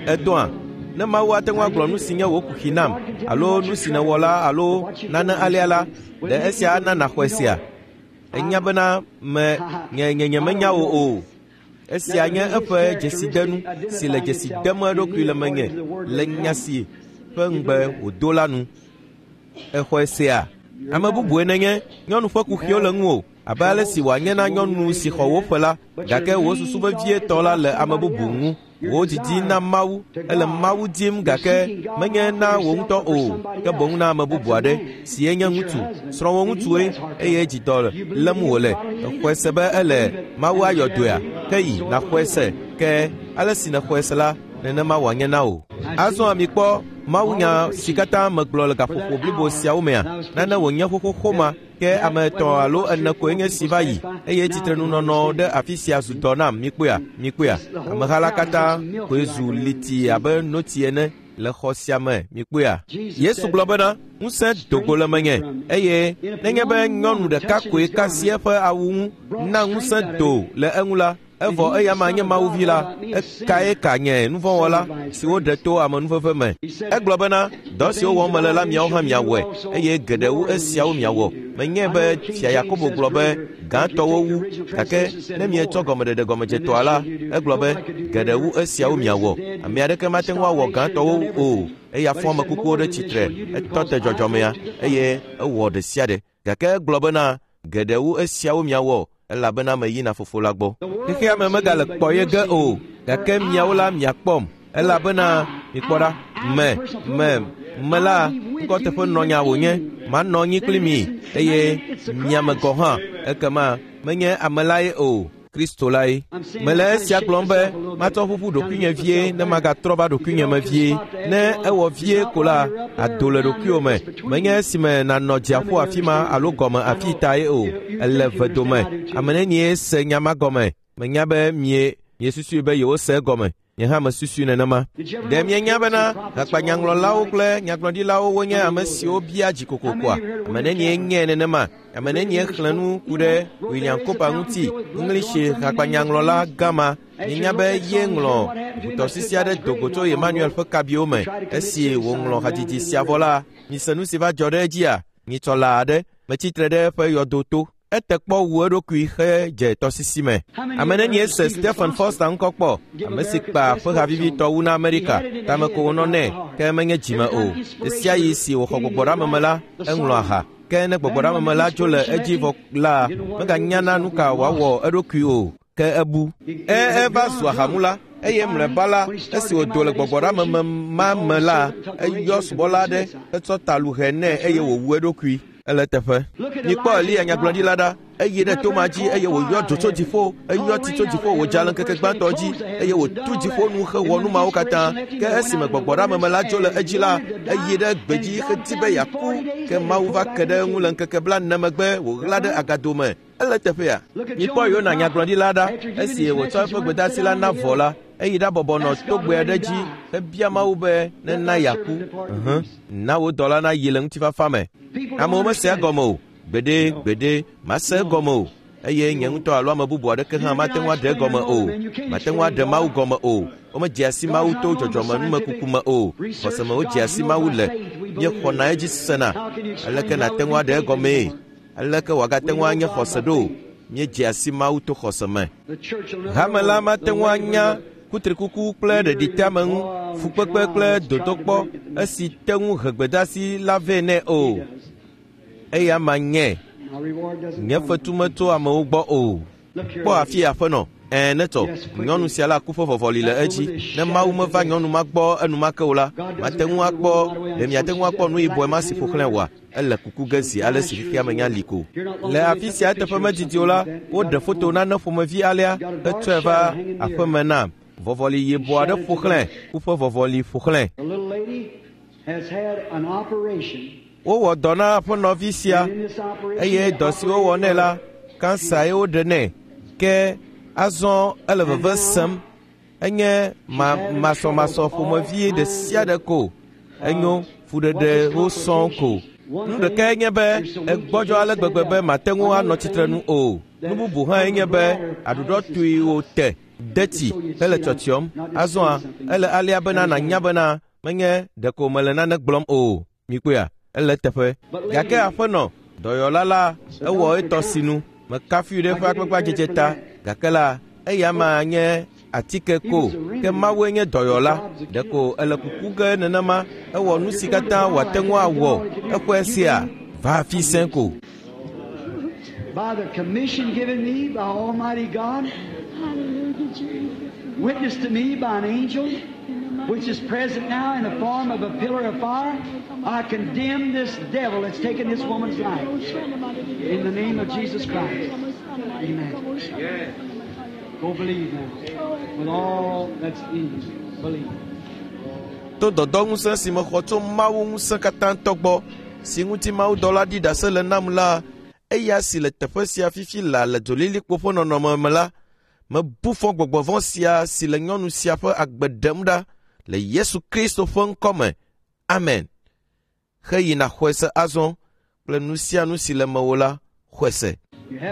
edoa. Ne Mawu ate ŋu agblɔ nu si nye wò kuxi nam alo nu si nèwɔ la alo nane alea la, ɖe esia ana nàxɔe sea? Enya bena me nye nye nyemenya wò o. Esia nye eƒe dzesidenu si le dzesi dem eɖokui le menye le nya si ƒe ŋugbe wòdo la nu. Exɔe sea? Ame bubue nenye, nyɔnu ƒe kuxiwo le ŋuwò abe ale si wòanye na nyɔnu si xɔ wò ƒe la, gake wò susu vevietɔ la le ame bubu ŋu. Wò didi na Mawu, ele Mawu dim gake menye na wò ŋutɔ o, ke boŋ na ame bubu aɖe si enye ŋutsu. Srɔ̃wò ŋutsue eye dzidɔ lém wòle. Exɔe se be ele Mawu ayɔ dɔea? Ke yi nàxɔe se. Ke ale si nèxɔe se la, nenema wòanye na wò. Azɔ mikpɔ mawunya si katã megblɔ le gaƒoƒo blibo siawo mea, nane wònye xoxoxo ma, ke ame etɔ̃ alo ene koe nye si va yi eye tsitrenunɔnɔ ɖe afi sia zu dɔ nam. Mikpɔea? Mikpɔea? Ameha la katã koe zu liti abe notsi ene le xɔ sia me. Mikpɔea? Yesu gblɔ bena, ŋusẽ do go le menye eye nenye be nyɔnu ɖeka koe ka asi eƒe awu ŋu na ŋusẽ do le eŋu la, evɔ eya ma nye Mawu vi la, ekae ka nye nuvɔ̃wɔla si woɖe to amenuveve me. Egblɔ bena, dɔ siwo wɔm mele la miawo hã miawɔe eye geɖe wu esiawo miawɔ. Menyae be Fia Yakobo gblɔ be gãtɔwo wu, gake ne mietsɔ gɔmeɖeɖe gɔmedzetɔa la, egblɔ be geɖe wu esiawo miawɔ. Ame aɖeke mate ŋu awɔ gãtɔwo o. Eya fɔ ame kukuwo ɖe tsitre, etɔ te dzɔdzɔmea eye ewɔ ɖe sia ɖe. Gake egblɔ bena geɖe wu esiawo miawɔ elabena meyina fofo la gbɔ. Xexea me megale kpɔ ye ge o, gake miawo la miakpɔm elabena mikpɔ ɖa, me, me, me la ŋkɔteƒenɔnya wònye, manɔ anyi kpli mi eye miame gɔ̃ hã. Ekema menye ame lae o, Kristo lae. Mele esia gblɔm be matsɔ ƒuƒu ɖokuinye vie ne magatrɔ va ɖokuinye me vie. Ne ewɔ vie ko la, ado le ɖokuiwò me. Menye esime nànɔ dziaƒo afi ma alo gɔme afi tae o. Ele vedome. Ame nenie se nya ma gɔme? Menya be mie miesusui be yewose egɔme. Nye hã mesusui nenema. Ɖe mienya bena hakpanyaŋlɔlawo kple nyagblɔɖilawo wonye ame siwo bia dzi kokokoa? Ame nenie nye nenema? Ame nenie xlẽ nu ku ɖe William Cooper ŋuti, English hakpanyaŋlɔla gã ma? Mienya be ye ŋlɔ ʋutɔsisi aɖe do go tso Emmanuel ƒe kabiwo me esi wòŋlɔ hadzidzi sia vɔ la. Mise nu si va dzɔ ɖe edzia? Nyitsɔla aɖe metsitre ɖe eƒe yɔdo to. Ete kpɔ wu eɖokui hedze tɔsisi me. Ame nenie se Stephen Foster ŋkɔ kpɔ, ame si kpa ƒe havivitɔ wu na Amerika, tame ko wònɔ nɛ, ke menye dzime o. Ɣe sia ɣi si wòxɔ gbɔgbɔɖeameme la, eŋlɔ aha. Ke ne gbɔgbɔɖeameme la dzo le edzi vɔ la, meganyana nu ka wòawɔ eɖokui o, ke ebu. E eva zu ahamula, eye mlɔeba la, esi wòdo le gbɔgbɔɖeameme ma me la, eyɔ subɔla aɖe hetsɔ taluhe nɛ eye wòwu eɖokui. Ele teƒe. Mikpɔ Eliya nyagblɔɖila ɖa. Eyi ɖe toma dzi eye wòyɔ dzo tso dziƒo, eyɔ tsi tso dziƒo wòdza le ŋkeke gbãtɔ dzi eye wòtu dziƒo nu hewɔ nu mawo katã. Ke esime gbɔgbɔɖeameme la dzo le edzi la, eyi ɖe gbedzi hedi be yeaku. Ke Mawu va ke ɖe eŋu le ŋkeke blaene megbe wòɣla ɖe agado me. Ele teƒea. Mikpɔ Yona nyagblɔɖila ɖa. Esi wòtsɔ eƒe gbedeasi la na vɔ la, eyi ɖabɔbɔ nɔ togbe aɖe dzi hebia Mawu be nena yeaku. Ʋ, na wò dɔla nayi le ŋutifafa me. Amewo mesea gɔme o. Gbeɖe, gbeɖe, mase egɔme o. Eye nye ŋutɔ alo ame bubu aɖeke hã mate ŋu aɖe egɔme o. Mate ŋu aɖe Mawu gɔme o. Womedzea si Mawu to dzɔdzɔmenumekuku me o. Xɔseme wodzea si Mawu le. Míexɔna edzi sena. Aleke nàte ŋu aɖe egɔmee? Aleke wòagate ŋu anye xɔse ɖo? Míedzea si Mawu to xɔse me. Hame la mate ŋu anya kutrikuku kple ɖeɖiteame ŋu, fukpekpe kple dodokpɔ esi te ŋu he gbedeasi la vɛ nɛ o. Eya ma nye. Nye fetu metso amewo gbɔ o. Kpɔ afi aƒenɔ. Ɛ̃, netɔ. Nyɔnu sia la ku ƒe vɔvɔli le edzi. Ne Mawu meva nyɔnu ma gbɔ enumake o la, mate ŋu akpɔ, ɖe miate ŋu akpɔ nu yibɔe ma si ƒo xlãe oa? Ele kuku ge zi ale si xexea me nya li ko. Le afi sia eteƒe medidi o la, woɖe foto nane ƒomevi alea hetsɔe va aƒeme nam. Vɔvɔli yibɔ aɖe ƒo xlãe, ku ƒe vɔvɔli ƒo xlãe. Wowɔ dɔ na aƒenɔvi sia eye dɔ si wowɔ nɛ la, kansa ye woɖe nɛ. Ke azɔ ele veve sem. Enye ma masɔmasɔ ƒomevi ɖe sia ɖe ko. Enyo fuɖeɖewo sɔŋ ko. Nu ɖekae nye be egbɔdzɔ ale gbegbe be mate ŋu anɔ tsitre nu o. Nu bubu hãe nye be aɖuɖɔ tui wòte deti hele tsyɔtsyɔm. Azɔa ele alea bena nànya bena menye ɖeko mele nane gblɔm o. Mikpɔea? Ele teƒe. Gake aƒenɔ dɔyɔla la ewɔ etɔ sinu. Mekafui ɖe eƒe agbagba ta. Gake la eya ma nye atike ko. Ke Mawue nye dɔyɔla. Ɖeko ele kuku ge nenema. Ewɔ nu si katã wòate ŋu awɔ. Exɔe sia va afi sẽ ko. By the commission given me by Almighty God, witnessed to me by an angel, which is present now in the form of a pillar of fire, I condemn this devil that's taken this woman's life. In the name of Jesus Christ. Amen. Go believe now. With all that's in you. Believe. To dɔdɔŋusẽ si mexɔ tso Mawu ŋusẽ katã tɔ gbɔ, si ŋuti Mawudɔla ɖi ɖase le nam la, eya si le teƒe sia fifi la le dzolilikpo ƒe nɔnɔme me la, mebu fɔ gbɔgbɔ vɔ̃ sia si le nyɔnu sia ƒe agbe ɖem ɖa le Yesu Kristo ƒe ŋkɔ me. Amen. Xeyina xɔe se azɔ kple nu sia nu si le mewò la, xɔe se.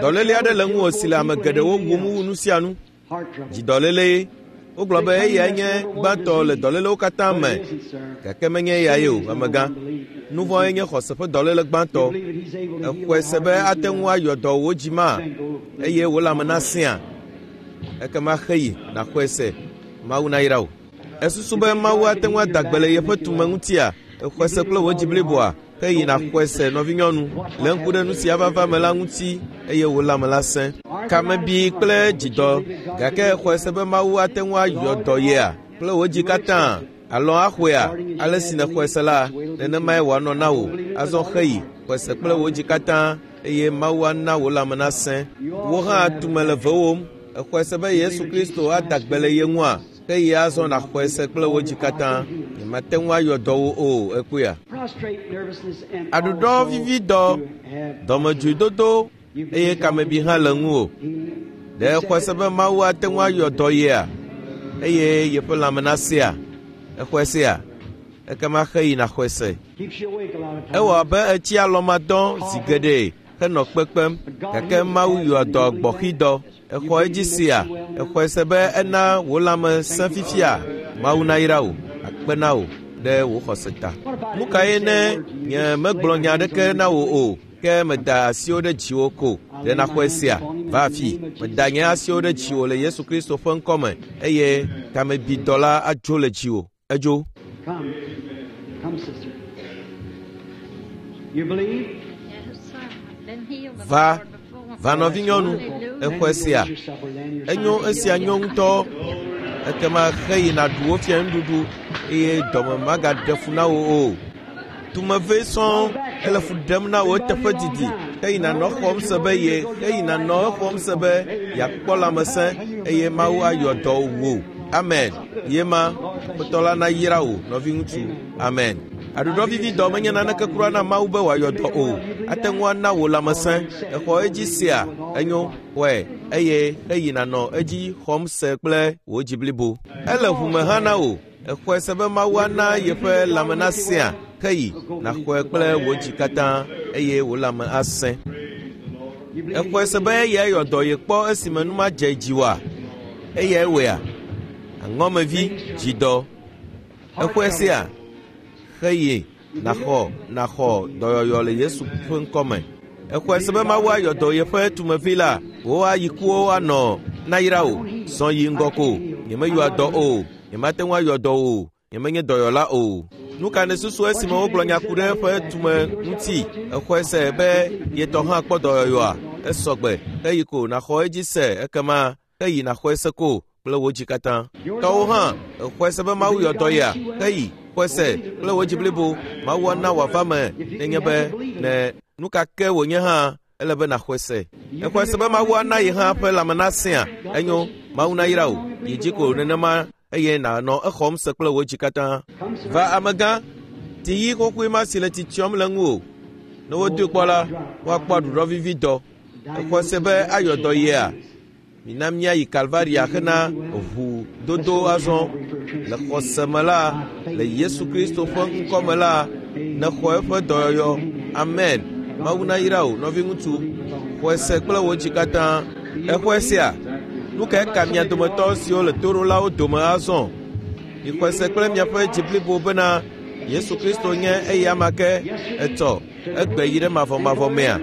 Dɔléle aɖe le ŋuwò si le ame geɖewo wum wu nu sia nu. Dzidɔléle. Wogblɔ be eyae nye gbãtɔ le dɔlélewo katã me. Gake menye eyae o, amegã. Nu vɔ̃e nye xɔse ƒe dɔléle gbãtɔ. Exɔe se be ate ŋu ayɔ dɔ wò dzi ma eye wò lãme nasẽa. Ekema xeyi nàxɔe se. Mawu nayra wò. Esusu be Mawu ate ŋu ada gbe le yeƒe tume ŋutia? Exɔe se kple wò dzi bliboa. Xeyi nàxɔe se, nɔvinyɔnu, le ŋku ɖe nu sia vava me la ŋuti eye wò lãme la sẽ. Kamebi kple dzidɔ, gake exɔe se be Mawu ate ŋu ayɔ dɔ yea kple wò dzi katã. Alɔ axɔea, ale si nèxɔe se la, nenemae wòanɔ na wò. Azɔ xeyi, xɔe se kple wò dzi katã eye Mawu ana wò lãme nasẽ. Wò hã tume le vewòm. Exɔe se be Yesu Kristo ada gbe le ye ŋua? Xeyi azɔ nàxɔe se kple wò dzi katã. Nyemate ŋu ayɔ dɔ wò o, ekpɔea? Aɖuɖɔ vivi dɔ, dɔmedzoedodo eye kamebi hã le ŋuwò. Ɖe exɔe se be Mawu ate ŋu ayɔ dɔ yea? eye yeƒe lãme nasea? Exɔe sea? Ekema xeyi nàxɔe se. Keeps you awake a lot of times. Ewɔ abe etsi alɔmadɔ zi geɖe henɔ kpekpem gake Mawu yɔ dɔ gbɔxidɔ. Exɔ edzi sea? Exɔe se be ena wò lãme sẽ fifia? Mawu nayra wò, akpe na wò ɖe wò xɔse ta. Nu kae ne nye megblɔ nya aɖeke na wò o ke meda asiwo ɖe dziwò ko ɖe nàxɔe sea? Va afi, meda nye asiwo ɖe dziwò le Yesu Kristo ƒe ŋkɔme eye kamebidɔ la adzo le dziwò. Edzo. Come. Come, sister. You believe? Yes, sir. I've been healed of Va, the Lord before. va nɔvinyɔnu, exɔe sea? Then you go eat your supper, then your Enyo esia nyo ŋutɔ. Ekema xeyi nàɖu wo fia nuɖuɖu eye dɔme magaɖe fu na wò o. Tumeve sɔŋ ele fu ɖem na wò eteƒe didi. Xeyi nànɔ xɔm se be ye xeyi nànɔ exɔm se be yeakpɔ lãmesẽ eye Mawu ayɔ dɔ wò. Amen. Ye ma, Aƒetɔ la nayra wò, nɔviŋutsu. Amen. Aɖuɖɔvividɔ menye naneke kura na Mawu be wòayɔ dɔ o. Ate ŋu ana wò lãmesẽ. Exɔ edzi sea? Enyo, xɔe eye xeyi nànɔ edzi xɔm se kple wò dzi blibo. Ele ʋume hã na wò. Exɔe se be Mawu ana yeƒe lãme nasẽa? Xeyi nàxɔe kple wò dzi katã eye wò lãme asẽ. Exɔe se be eyae yɔ dɔ ye kpɔ esime nu madze dzi oa? Eyae wɔea? Aŋɔmevi dzidɔ. Exɔe sea? Xeyi nàxɔ nàxɔ dɔyɔyɔ le Yesu ƒe ŋkɔme. Exɔe se be Mawu ayɔ dɔ yeƒe tumevi la, wò ayikuwo anɔ nayra wò. Zɔ yi ŋgɔ ko. Nyemeyɔa dɔ o. Nyemate ŋu ayɔ dɔ o. Nyemenye dɔyɔla o. Nu ka nèsusu esime wogblɔ nya ku ɖe eƒe tume ŋuti? Exɔe se be yetɔ hã kpɔ dɔyɔyɔa? Esɔgbe. Xeyi ko nàxɔ edzi se ekema xeyi nàxɔe se ko kple wò dzi katã. Tɔwo hã, exɔe se be Mawu yɔ dɔ yea? Xeyi, xɔe se kple wò dzi blibo. Mawu ana wòava me nenye be ne nu ka ke wònye hã ele be nàxɔe se. Exɔe se be Mawu ana ye hã ƒe lãme nasẽa? Enyo, Mawu nayra wò. Yi dzi ko nenema eye nànɔ exɔm se kple wò dzi katã. Va amegã, tiyi xoxoe ma si le tsitsiɔm le ŋuwò. Ne wodoe kpɔ la, woakpɔ aɖuɖɔvividɔ. Exɔe se be ayɔ dɔ yea? Mina míayi Kalvaria hena ʋu dodo azɔ. Le xɔse me la, le Yesu Kristo ƒe ŋkɔme la, nexɔ eƒe dɔyɔyɔ. Amen. Mawu nayra wò, nɔviŋutsu. Xɔe se kple wò dzi katã. Exɔe sea? Nu kae ka mia dometɔ siwo le toɖolawo dome azɔ? Mixɔe se kple miaƒe dzi blibo bena Yesu Kristo nye eya ma ke etsɔ egbe yi ɖe mavɔmavɔ mea?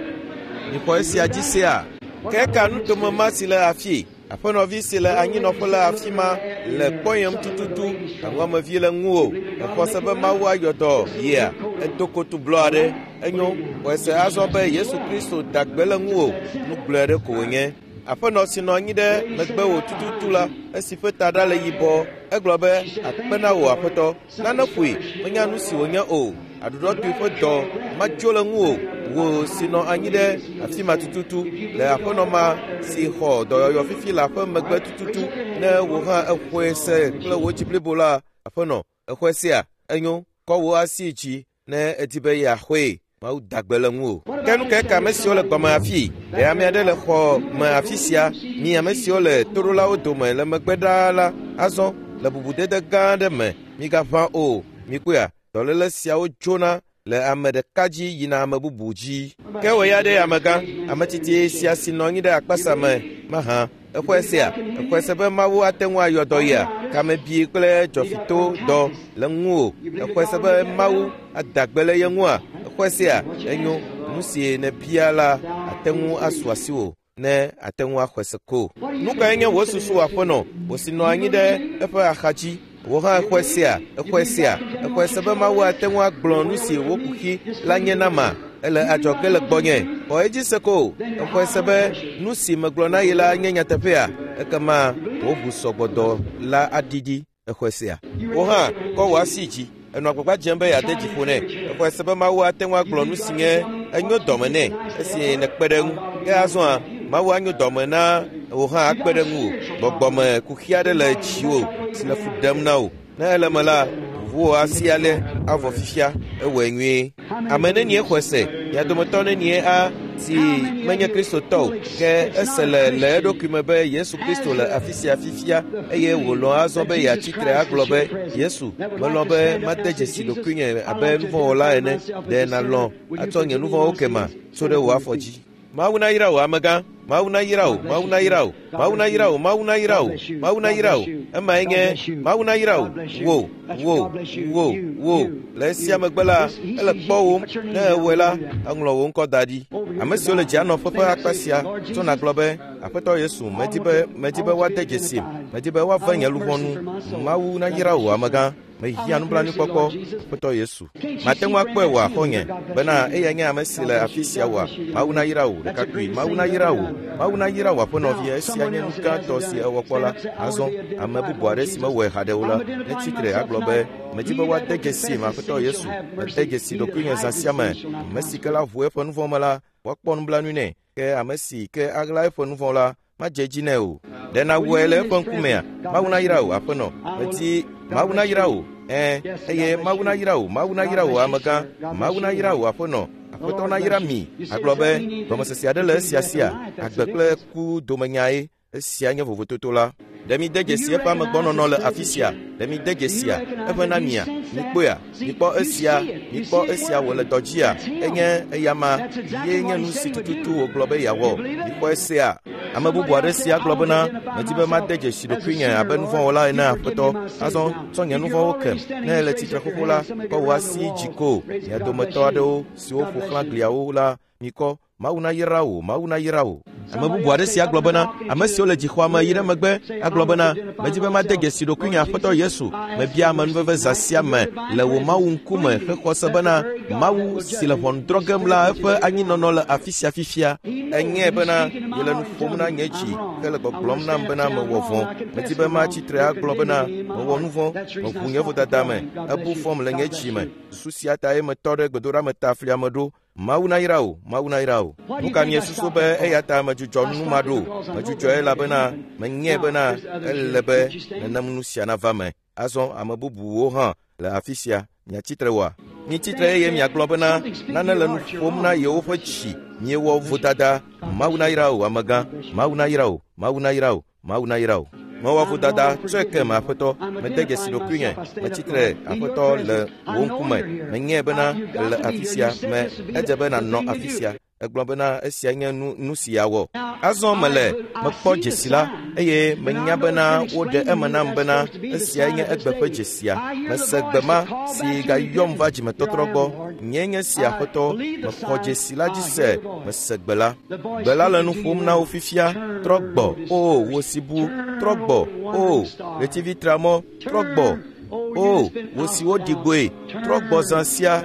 Mixɔ esia dzi sea? Ke ka nutome ma si le afi? Aƒenɔvi si le anyinɔƒe le afi ma le kpɔyem tututu. Aŋɔmevi le ŋuwò. Exɔ se be Mawu ayɔ dɔ yea? Edo kotu blɔ aɖe. Enyo, xɔe se azɔ be Yesu Kristo da gbe le ŋuwò. Nu gblɔe ɖe ko wònye. Aƒenɔ si nɔ anyi ɖe megbewò tututu la, esi ƒe taɖa le yibɔ, egblɔ be akpe na wò aƒetɔ. Nane ƒoe, menya nu si wònye o. Aɖuɖɔtoe ƒe dɔ madzo le ŋuwò. Wò si nɔ anyi ɖe afi ma tututu le aƒenɔ ma si xɔ dɔyɔyɔ fifi le aƒe megbe tututu. Ne wò hã exɔe se kple wò dzi blibo la, aƒenɔ, exɔe sea? Enyo, kɔ wò asi dzi ne edi be yeaxɔe. Mawu da gbe le ŋuwò. Ke nu kae ka ame siwo le gbɔme afi? Ɖe ame aɖe le xɔ me afi sia? Mi ame siwo le toɖolawo dome le megbe ɖaa la, azɔ le bubudede gã aɖe me, migaʋã o. Mikpɔea, dɔléle siawo dzona le ame ɖeka dzi yina ame bubu dzi. Ke wò ya ɖe amegã, ame tsitsi sia si nɔ anyi ɖe akpasa me mahã, exɔe sea? Exɔe se be Mawu ate ŋu ayɔ dɔ yea? Kamebi kple dzɔfito dɔ le ŋuwò. Exɔe se be Mawu ada gbe le ye ŋua? Exɔe sea? Enyo, nu si nèbia la ate ŋu asu asiwò ne ate ŋu axɔe se ko. Nu kae nye wò susu aƒenɔ, wò si nɔ anyi ɖe eƒe axadzi? Wò hã exɔe sea? Exɔe sea? Exɔe se be Mawu ate ŋu agblɔ nu si wò kuxi la nye na ma? Ele adzɔge le gbɔnye. Xɔ edzi se ko. Exɔe se be nu si megblɔ na ye la nye nyateƒea? Ekema wò ʋusɔgbɔdɔ la aɖiɖi. Exɔe sea? Wò hã kɔ wò asi dzi. Enɔ agbagba dzem be yeade dzi ƒo nɛ. Exɔe se be Mawu ate ŋu agblɔ nu si nye enyo dɔme nɛ esi nèkpe ɖe eŋu. Ke azɔa, Mawu anyo dɔme na wò hã akpe ɖe ŋuwò. Gbɔgbɔme kuxi aɖe le dziwò si le fu ɖem na wò. Ne ele me la, ʋu wò asi ale avɔ fifia. Ewɔe nyuie. Ame nenie xɔe se? Mia dometɔ nenie a Si menye Kristotɔ o, ke ese le le eɖokui me be Yesu Kristo le afi sia fifia eye wòlɔ̃ azɔ be yeatsi tre agblɔ be Yesu, melɔ̃ be made dzesi ɖokuinye abe nuvɔ̃wɔla ene. Ɖe nàlɔ̃ atsɔ nye nuvɔ̃wo kema tso ɖe wò afɔ dzi. Mawu nayra wò amegã. Mawu nayra wò, Mawu nayra wò, Mawu nayra wò, Mawu nayra wò, Mawu nayra wò. Emae nye Mawu nayra wò, wò, wò, wò, wò. Le esia megbe la, ele kpɔwòm. Ne ewɔe la, eŋlɔ wò ŋkɔ da ɖi. Ame siwo le dzianɔƒe ƒe akpa sia tso nàgblɔ be, Aƒetɔ Yesu, medi be medi be woade dzesim, medi be woave nye luʋɔ nu. Mawu nayra wò amegã. Mehiã nublanuikpɔkpɔ, Aƒetɔ Yesu. Mate ŋu akpɔe wò axɔnye bena eya nye ame si le afi sia wòa. Mawu nayra wò ɖekakpui. Mawu nayra wò. Mawu nayra wò aƒenɔvia. Esia nye nu gãtɔ si ewɔ kpɔ la. Azɔ ame bubu aɖe si mewɔe haɖe o la, netsi tre agblɔ be, medi be woade dzesim Aƒetɔ Yesu. Mede dzesi ɖokuinye zã sia me. Ame si ke la ʋu eƒe nuvɔ̃ me la, woakpɔ nublanui nɛ. Ke ame si ke aɣla eƒe nuvɔ̃ la, madze edzi nɛ o. Ɖe nàwɔe le eƒe ŋkumea? Mawu nayra wò aƒenɔ. Medi Mawu nayra wò. Ɛ̃, eye Mawu nayra wò, Mawu nayra wò amegã, Mawu nayra wò aƒenɔ. Aƒetɔ nayra mi. Agblɔ be gɔmesese aɖe le esia sia. Agbe kple ku domenyae. Esia nye vovototo la. Ɖe mi de dzesi eƒe amegbɔnɔnɔ le afi sia. Ɖe mi de dzesia eƒe na mia. Mikpɔea? Mikpɔ esia. Mikpɔ esia wòle dɔ dzia. Enye eyama ye nye nu si tututu wògblɔ be yeawɔ. Mikpɔ esia. Ame bubu aɖe sia gblɔ bena, medi be made dzesi ɖokuinye abe nuvɔ̃wɔla ene Aƒetɔ. Azɔ tsɔ nye nuvɔ̃wo kem. Ne ele tsitre xoxo la, kɔ wò asi dzi ko. Mia dometɔ aɖewo siwo ƒo xlã gliawo la, mikɔ. Mawu nayra wò, Mawu nayra wò. Ame bubu aɖe sia gblɔ bena, ame siwo le dzixɔa me yi ɖe megbe agblɔ bena, medi be made dzesi ɖokuinye Aƒetɔ Yesu. Mebia amenuveve zã sia me le wò Mawu ŋkume hexɔ se bena Mawu si le ʋɔnu drɔ̃ gem la eƒe anyinɔnɔ le afi sia fifia. Enyae bena yele nu ƒom na nye dzi hele gbɔgblɔm nam bena mewɔ vɔ̃. Medi be matsi tre agblɔ bena mewɔ nu vɔ̃, meʋu nye vodada me, ebu fɔm le nye dzi me. Susu sia tae metɔ ɖe gbedoɖameta flia me ɖo. Mawu nayra wò, Mawu nayra wò. Nu ka miesusu be eya ta medzudzɔ nu ma ɖo? Medzudzɔe elabena menyae bena ele be nenem nu sia nava me. Azɔ ame bubuwo hã le afi sia. Miatsi tre oa? Mitsi tre eye miagblɔ bena nane le nu ƒom na yewoƒe dzi. Miewɔ vodada. Mawu nayra wò amegã. Mawu nayra wò, Mawu nayra wò, Mawu nayra wò. Mewɔ vodada, tsɔe kem Aƒetɔ. Mede dzesi ɖokuinye. Metsi tre Aƒetɔ le wò ŋkume. Menyae bena ele afi sia me. Edze be nànɔ afi sia. Egblɔ bena esia nye nu nu si yeawɔ. Azɔ mele mekpɔ dzesi la eye menya bena woɖe eme nam bena esia nye egbe ƒe dzesia. Mese gbe ma si gayɔm va dzimetɔtrɔ gbɔ. Nye nye si Aƒetɔ. Mexɔ dzesi la dzi se. Mese gbe la. Gbe la le nu ƒom na wo fifia. Trɔ gbɔ, o wò si bu. Trɔ gbɔ, o ɣletivi tramɔ. Trɔ gbɔ, o wò si woɖi gbɔe. Trɔ gbɔ zã sia.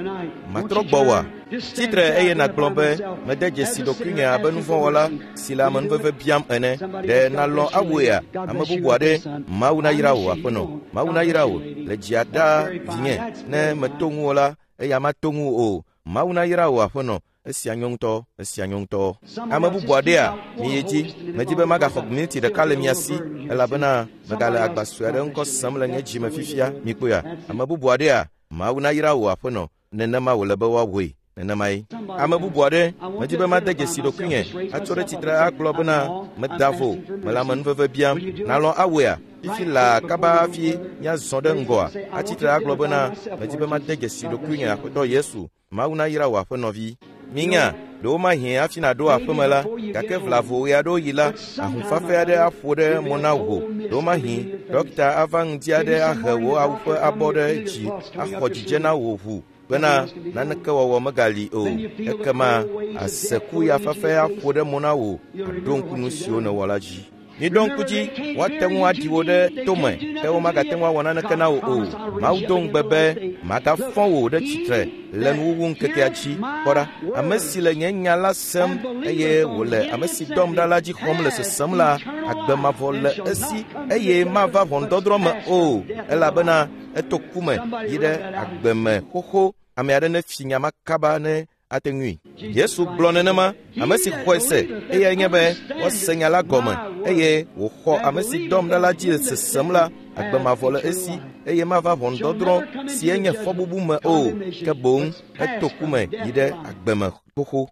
Matrɔ gbɔ oa? Tsi tre eye nàgblɔ be mede dzesi ɖokuinye abe nuvɔ̃wɔla si le amenuveve biam ene. Ɖe nàlɔ̃ awɔea? Ame bubu aɖe. Mawu nayra wò aƒenɔ. Mawu nayra wò le dzia ɖaa vinye. Ne meto ŋuwò la, eya mato ŋuwò o. Mawu nayra wò aƒenɔ. Esia nyɔ ŋutɔ, esia nyɔ ŋutɔ. Ame bubu aɖea, miyi dzi. Medi be magaxɔ miniti ɖeka le mia si elabena megale agba sue aɖe ŋkɔ sem le nye dzime fifia. Mikpɔea? Ame bubu aɖea, Mawu nayra wò aƒenɔ. Nenema wòle be woawɔe. Nenemae. Ame bubu aɖe, medi be made dzesi ɖokuinye atso ɖe tsitre agblɔ bena meda vo, mele amenuveve biam. Nàlɔ̃ awɔea? Fifi laa kaba hafi míazɔ ɖe ŋgɔa, atsi tre agblɔ bena medi be made dzesi ɖokuinye Aƒetɔ Yesu. Mawu nayra wò aƒenɔvi. Minya, ɖewo mahiã hafi nàɖo aƒeme la, gake vlavo ɣe aɖewo yi la, ahũfafa aɖe aƒo ɖe mo na wò. Ɖewo mahi, ɖɔkita ava ŋdi aɖe ahe wò awu ƒe abɔ ɖe dzi axɔ dzidze na wò ʋu bena naneke wɔwɔ megali o. Ekema ase ku ya fafa aƒo ɖe mo na wò aɖo ŋku nu siwo nèwɔ la dzi. Miɖo ŋku dzi, woate ŋu aɖi wò ɖe tome, ke womagate ŋu awɔ naneke na wò o. Mawu do ŋugbe be magafɔ wò ɖe tsitre le nuwuwu ŋkekea dzi. Kpɔ ɖa, ame si le nye nya la sem eye wòle ame si dɔm ɖa la dzi xɔm le sesem la, agbe mavɔ le esi eye mava ʋɔnudɔdrɔ̃ me o, elabena eto ku me yi ɖe agbe me xoxo. Ame aɖe nefi nya ma kaba ne ate ŋui. Yesu gblɔ nenema, ame si xɔe se, eyae nye be woase nya la gɔme eye wòxɔ ame si dɔm ɖa la dzi le sesem la, agbe mavɔ le esi eye mava ʋɔnudɔdrɔ̃ si enye fɔbubu me o, ke boŋ eto ku me yi ɖe agbe me Xoxo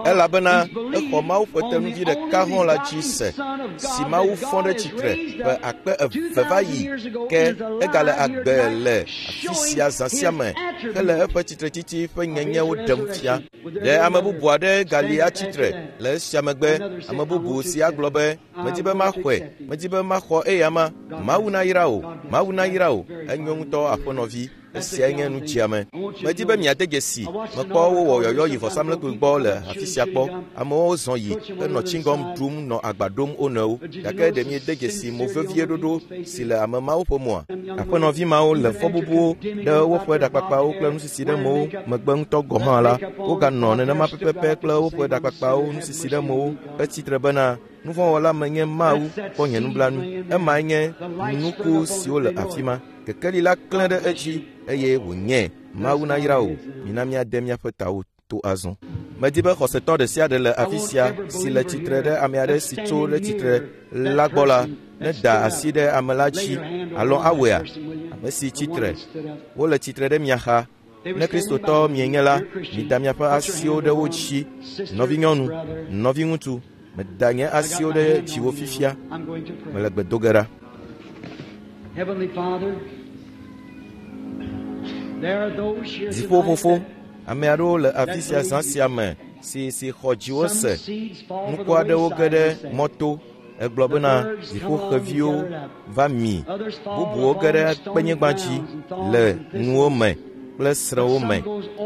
elabena exɔ Mawu ƒe tenuvi ɖeka hɔ̃ la dzi se si Mawu fɔ ɖe tsitre ƒe akpe eve va yi ke egale agbe le afi sia zã sia me hele eƒe tsitretsitsi ƒe nyenyewo ɖem fia. Ɖe ame bubu aɖe gali atsitre le esia megbe, ame bubu si agblɔ be, medi be maxɔe, medi be maxɔ eya ma. Mawu nayra wò, Mawu nayra wò, enyo ŋutɔ aƒenɔvi. Esiae nye nu dziame. Medi be miade dzesi, mekpɔ wowɔ yɔyɔ yi vɔsamlekpui gbɔ le afi sia kpɔ. Amewo zɔ yi henɔ tsiŋgɔm ɖum nɔ agba ɖom wo nɔewo. Gake ɖe miede dzesi mo vevie ɖoɖo si le ame mawo ƒe moa? Aƒenɔvi mawo le fɔbubuwo ɖe woƒe ɖakpakpawo kple nusisi ɖe mowo megbe ŋutɔ gɔ̃ hã la, woganɔ nenema pɛpɛpɛ kple woƒe ɖakpakpawo nusisi ɖe mowo hetsitre bena nuvɔ̃wɔla menye Mawu kpɔ nye nublanui. Emae nye nuku siwo le afi ma. Kekeli la klẽ ɖe edzi eye wònye. Mawu nayra wò. Mina míade míaƒe tawo to azɔ. Medi be xɔsetɔ ɖe sia ɖe le afi sia si le tsitre ɖe ame aɖe si tso ɖe tsitre la gbɔ la, neda asi ɖe ame la dzi alo awɔea? Ame si tsitre, wole tsitre ɖe mia xa. Ne Kristotɔ mienye la, mida miaƒe asiwo ɖe wo dzi. Nɔvinyɔnu, nɔviŋutsu, meda nye asiwo ɖe dziwò fifia. Mele gbe do ge ɖa. Dziƒofofo, ame aɖewo le afi sia zã sia me si si xɔ dziwo se. Nuku aɖewo ge ɖe mɔto. Egblɔ bena dziƒoxeviwo va mi. Bubuwo ge ɖe kpenyigba dzi le nuwo me kple srẽwo me.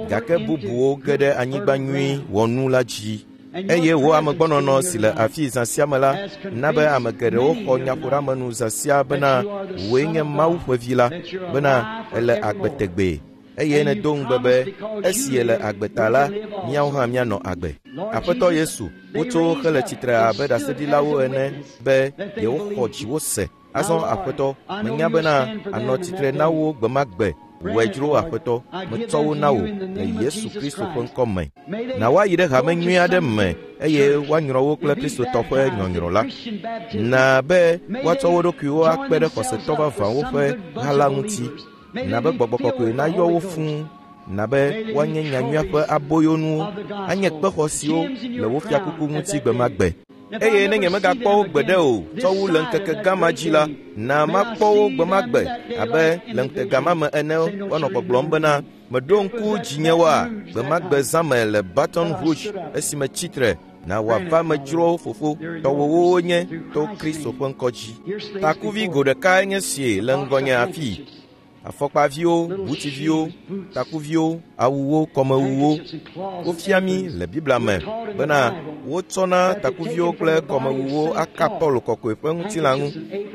Gake bubuwo ge ɖe anyigba nyui wɔnu la dzi. Eye wò amegbɔnɔnɔ si le afi zã sia me la na be ame geɖewo xɔ nyaƒoɖeamenu zã sia bena wòe nye Mawu ƒe vi la, bena èle agbe tegbee. Eye nèdo ŋugbe be esi yele agbe ta la, míawo hã míanɔ agbe. Aƒetɔ Yesu, wotso hele tsitre abe ɖaseɖilawo ene be yewoxɔ dziwò se. Azɔ Aƒetɔ, menya bena ànɔ tsitre na wo gbe ma gbe. Wòe dzro Aƒetɔ, metsɔ wo na wò le Yesu Kristo ƒe ŋkɔ me. Na woayi ɖe hame nyui aɖe me eye woanyrɔ wo kple Kristotɔ ƒe nyɔnyrɔ la. Na be woatsɔ wo ɖokuiwo akpe ɖe xɔsetɔ vavãwo ƒe ha la ŋuti. Na be gbɔgbɔ kɔkɔe nayɔ wo fũu. Na be woanye nyanyuia ƒe aboyonuwo, anye kpexɔ siwo le wo fiakuku ŋuti gbe ma gbe. Eye ne nyemegakpɔ wo gbeɖe o tsɔ wu le ŋkeke gã ma dzi la, na makpɔ wo gbe ma gbe abe le ŋutega ma me ene woanɔ gbɔgblɔm bena meɖo ŋku dzinyewoa gbe ma gbe zã me le Baton Rouge esime tsitre na wòava medzro fofo tɔwòwo nye to Kristo ƒe ŋkɔ dzi. Takuvi go ɖekae nye sie le ŋgɔnye afii. Afɔkpaviwo, butiviwo, takuviwo, awuwo, kɔmewuwo. Wofia mí le Biblia me bena wotsɔna takuviwo kple kɔmewuwo aka Paulo kɔkɔe ƒe ŋutilã ŋu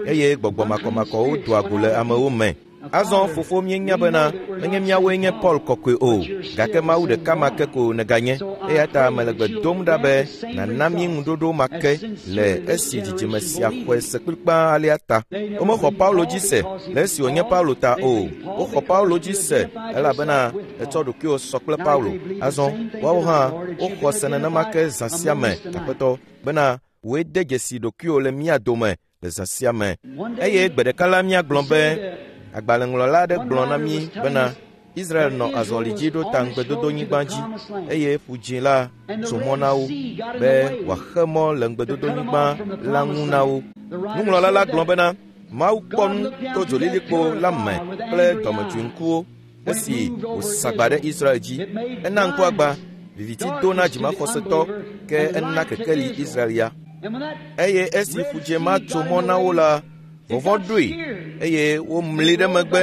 eye gbɔgbɔ makɔmakɔwo doa go le amewo me. Azɔ fofo míenya bena menye míawoe nye Paul kɔkɔe o, gake Mawu ɖeka ma ke ko nèganye. Eya ta mele gbe dom ɖa be nàna mí ŋuɖoɖo ma ke le esi dzidzime sia xɔe se kplikpaa alea ta. Womexɔ Paulo dzi se le esi wònye Paulo ta o. Woxɔ Paulo dzi se elabena etsɔ ɖokuiwò sɔ kple Paulo. Azɔ woawo hã woxɔ se nenema ke zã sia me, Aƒetɔ, bena wòe de dzesi ɖokuiwò le mía dome le zã sia me. Eye gbe ɖeka la míagblɔ be agbalẽŋlɔla aɖe gblɔ na mí bena Israel nɔ azɔli dzi ɖo ta ŋugbedodonyigba dzi eye ƒu dzĩ la tso mɔ na wo be wòaxe mɔ le ŋugbedodonyigba la ŋu na wo. Nuŋlɔla la gblɔ bena Mawu kpɔ nu to dzolilikpo la me kple dɔmedzoeŋkuwo esi wòsagba ɖe Israel dzi. Ena ŋkuagba, viviti do na dzimaxɔsetɔ ke ena kekeli Israel ya. Eye esi ƒu dzĩ ma tso mɔ na wo la, vɔvɔ̃ ɖoe eye womli ɖe megbe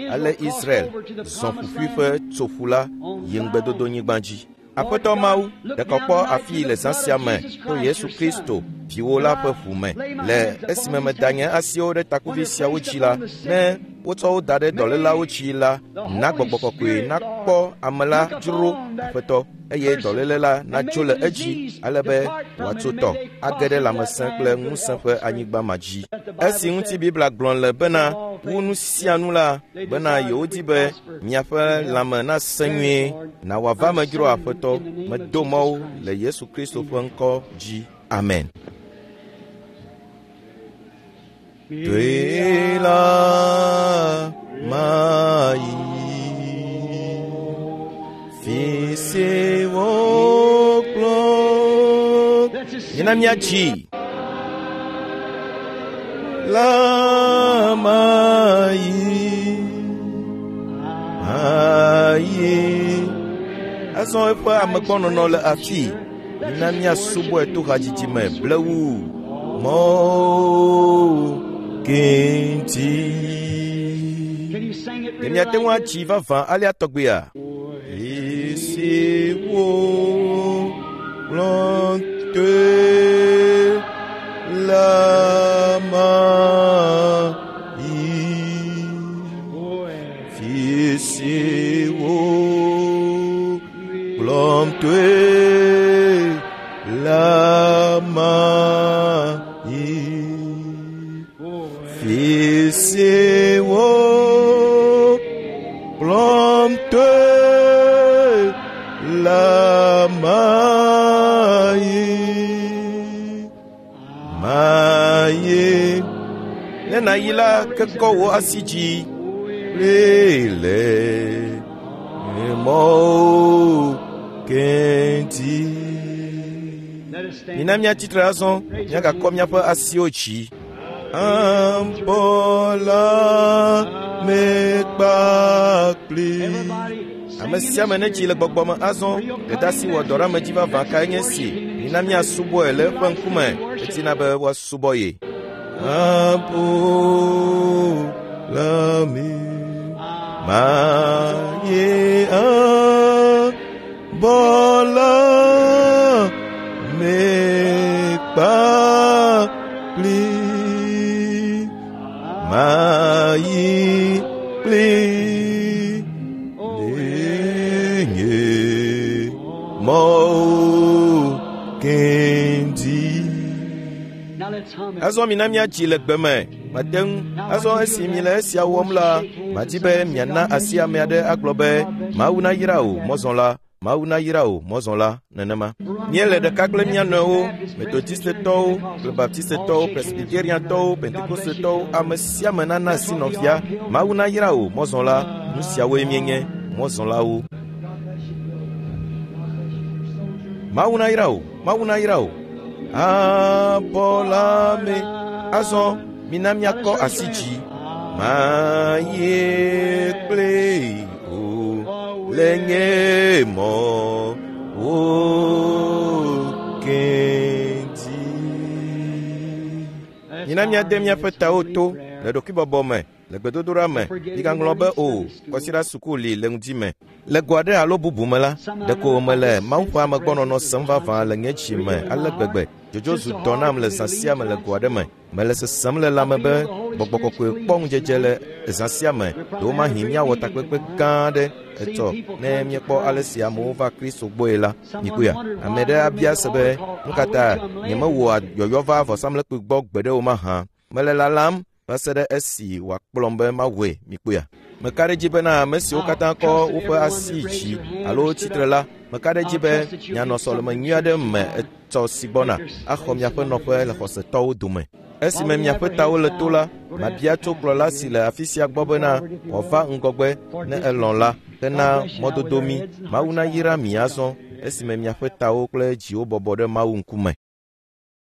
ale Israel zɔ ƒuƒui ƒe tsoƒu la yi ŋugbedodonyigba dzi. Aƒetɔ Mawu, ɖe kpɔ afii le zã sia me to Yesu Kristo viwò la ƒe ʋu me. Le esime meda nye asiwo ɖe takuvi siawo dzi la, ne wotsɔ wo da ɖe dɔlélawo dzi la, na gbɔgbɔ kɔkɔe nakpɔ ame la dzro Aƒetɔ, eye dɔléle la natso le edzi ale be wòatso tɔ age ɖe lãmesẽ kple ŋusẽ ƒe anyigba ma dzi. Esi ŋuti Biblia gblɔ le bena wu nu sia nu la bena yewodi be miaƒe lãme nasẽ nyuie, na wòava me dzro Aƒetɔ, medo mɔwo le Yesu Kristo ƒe ŋkɔ dzi. Amen. Doe la mayi fi si wo Mina míatsi. La mayi ayi. Azɔ eƒe amegbɔnɔnɔ le afi. Mina míasubɔe to hadzidzi me blewu. Mɔwo kenti. Can you sing it Ɖe really miate ŋu like atsi vavã alea tɔgbea? Esi wo kplɔm toe la mayi. Fi si wo kplɔm toe la mayi. Fi si wo kplɔm toe la mayi. Mayi. Ne nàyi la, kekɔ wò asi dzi. Lele mɔwo kenti. Let us stand. Mina míatsitre azɔ, míagakɔ míaƒe asiwo dzi. Abɔla me kpakpli. Everybody Ame sing in sia the ame netsi le spirit. gbɔgbɔ me azɔ, dɔdeasi wɔ dɔ ɖe ame dzi vavã kae nye esi. Mina míasubɔe le eƒe ŋkume, etina be woasubɔ ye. Abɔla me maye abɔla me kpakpli. Mayi kpli nye mɔwo kendi. Now let's hum it. Azɔ mina míatsi le gbe me. Mate ŋu. Azɔ esi mi le esia wɔm la, madi be miana asi ame aɖe agblɔ be Mawu nayra wò mɔzɔla, Mawu nayra wò mɔzɔla nenema. Míele ɖeka kple mía nɔewo, Metodistetɔwo kple Baptistetɔwo, Presbyteriantɔwo, Pentekostetɔwo, ame sia ame nana asi nɔvia. Mawu nayra wò mɔzɔla. Nu siawoe míenye, mɔzɔlawo. Mawu nayra wò, Mawu nayra wò. Abɔla me. Azɔ mina míakɔ asi dzi. Mayi kple o le nye mɔ wo kenti. Mina míade míaƒe tawo to le ɖokuibɔbɔ me, le gbedodoɖa me. Migaŋlɔ be o, kɔsiɖa suku li le ŋdi me. Le go aɖe alo bubu me la, ɖeko mele Mawu ƒe amegbɔnɔnɔ sem vavã le nye dzi me ale gbegbe. Dzodzo zu dɔ nam le zã sia me le go aɖe me. Mele sesem le lãme be gbɔgbɔ kɔkɔe kpɔ ŋudzedze le zã sia me. Ɖewomahi míawɔ takpekpe gã aɖe etsɔ ne míekpɔ ale si amewo va Kristo gbɔe la. Mikpɔea, ame aɖe abia se be, nu ka ta nyemewɔa yɔyɔ va vɔsamlekpui gbɔ gbeɖe o mahã? Mele lalam va se ɖe esi wòakplɔm be mawɔe. Mikpɔea. Meka ɖe edzi bena ame siwo katã kɔ woƒe asi dzi alo tsitre la, meka ɖe edzi be mianɔ sɔleme nyui aɖe me etsɔ si gbɔna axɔ miaƒe nɔƒe le xɔsetɔwo dome. Esime miaƒe tawo le to la, mabia tso kplɔla si le afi sia gbɔ bena wòava ŋgɔgbe ne elɔ̃ la hena mɔdodo mi. Mawu nayra mi azɔ esime miaƒe tawo kple dziwo bɔbɔ ɖe Mawu ŋkume.